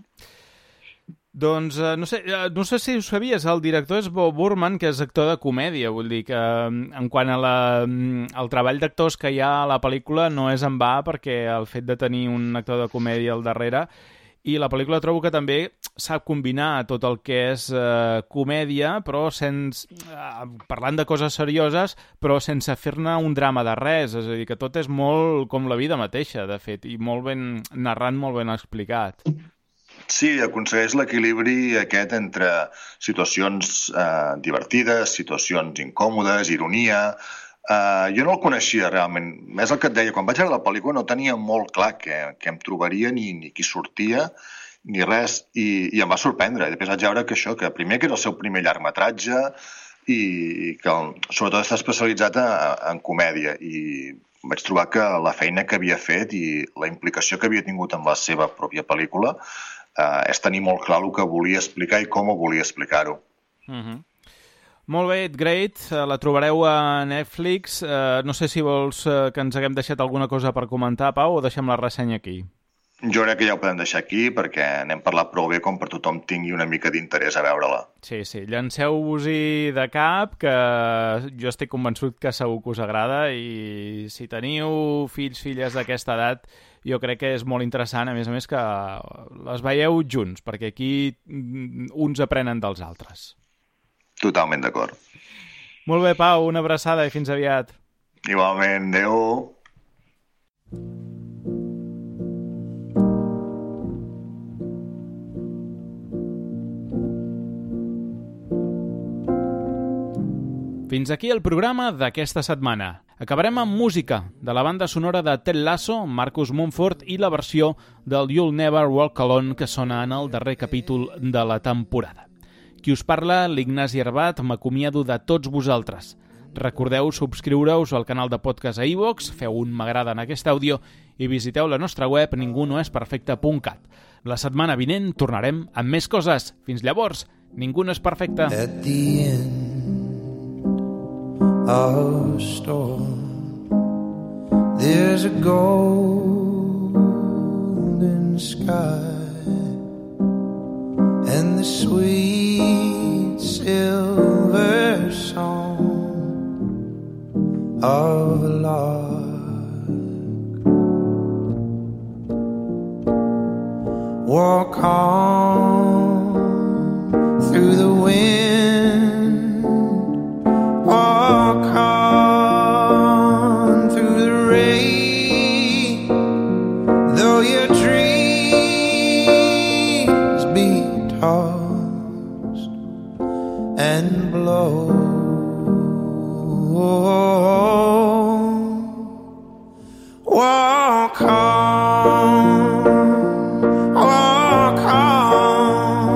Doncs, uh, no sé, uh, no sé si ho sabies, el director és Bo Burman, que és actor de comèdia, vull dir que en quant a la, al treball d'actors que hi ha a la pel·lícula no és en va, perquè el fet de tenir un actor de comèdia al darrere i la pel·lícula trobo que també sap combinar tot el que és eh, comèdia, però sense, eh, parlant de coses serioses, però sense fer-ne un drama de res, és a dir, que tot és molt com la vida mateixa, de fet, i molt ben narrat, molt ben explicat. Sí, aconsegueix l'equilibri aquest entre situacions eh, divertides, situacions incòmodes, ironia. Uh, jo no el coneixia realment. És el que et deia, quan vaig veure la pel·lícula no tenia molt clar què, què em trobaria, ni, ni qui sortia, ni res, i, i em va sorprendre. I després vaig veure que això, que primer que era el seu primer llargmetratge i, i que sobretot està especialitzat en, en comèdia, i vaig trobar que la feina que havia fet i la implicació que havia tingut en la seva pròpia pel·lícula uh, és tenir molt clar el que volia explicar i com ho volia explicar-ho. Mhm. Molt bé, Great, la trobareu a Netflix. Uh, no sé si vols uh, que ens haguem deixat alguna cosa per comentar, Pau, o deixem la ressenya aquí? Jo crec que ja ho podem deixar aquí perquè n'hem parlat prou bé com per tothom tingui una mica d'interès a veure-la. Sí, sí, llanceu-vos-hi de cap, que jo estic convençut que segur que us agrada, i si teniu fills, filles d'aquesta edat, jo crec que és molt interessant, a més a més, que les veieu junts, perquè aquí uns aprenen dels altres. Totalment d'acord. Molt bé, Pau, una abraçada i fins aviat. Igualment, adeu. Fins aquí el programa d'aquesta setmana. Acabarem amb música de la banda sonora de Ted Lasso, Marcus Mumford, i la versió del You'll Never Walk Alone que sona en el darrer capítol de la temporada. Qui us parla, l'Ignasi Arbat, m'acomiado de tots vosaltres. Recordeu subscriure-us al canal de podcast a iVoox, feu un m'agrada en aquest àudio i visiteu la nostra web ningunoesperfecte punt cat. La setmana vinent tornarem amb més coses. Fins llavors, ningú no és perfecte. At the end of a storm, there's a golden sky, and the sweet silver song of a lark. Walk on through the wind, walk on through the rain, though your dreams be tossed and blow. Walk on, walk on,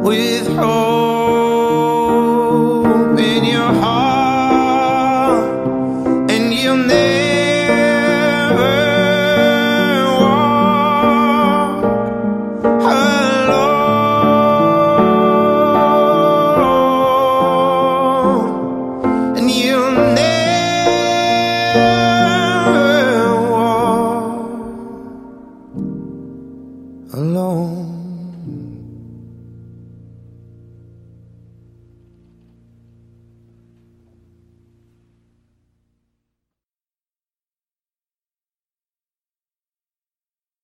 with hope in your heart, and you'll never walk alone, and you'll never walk alone.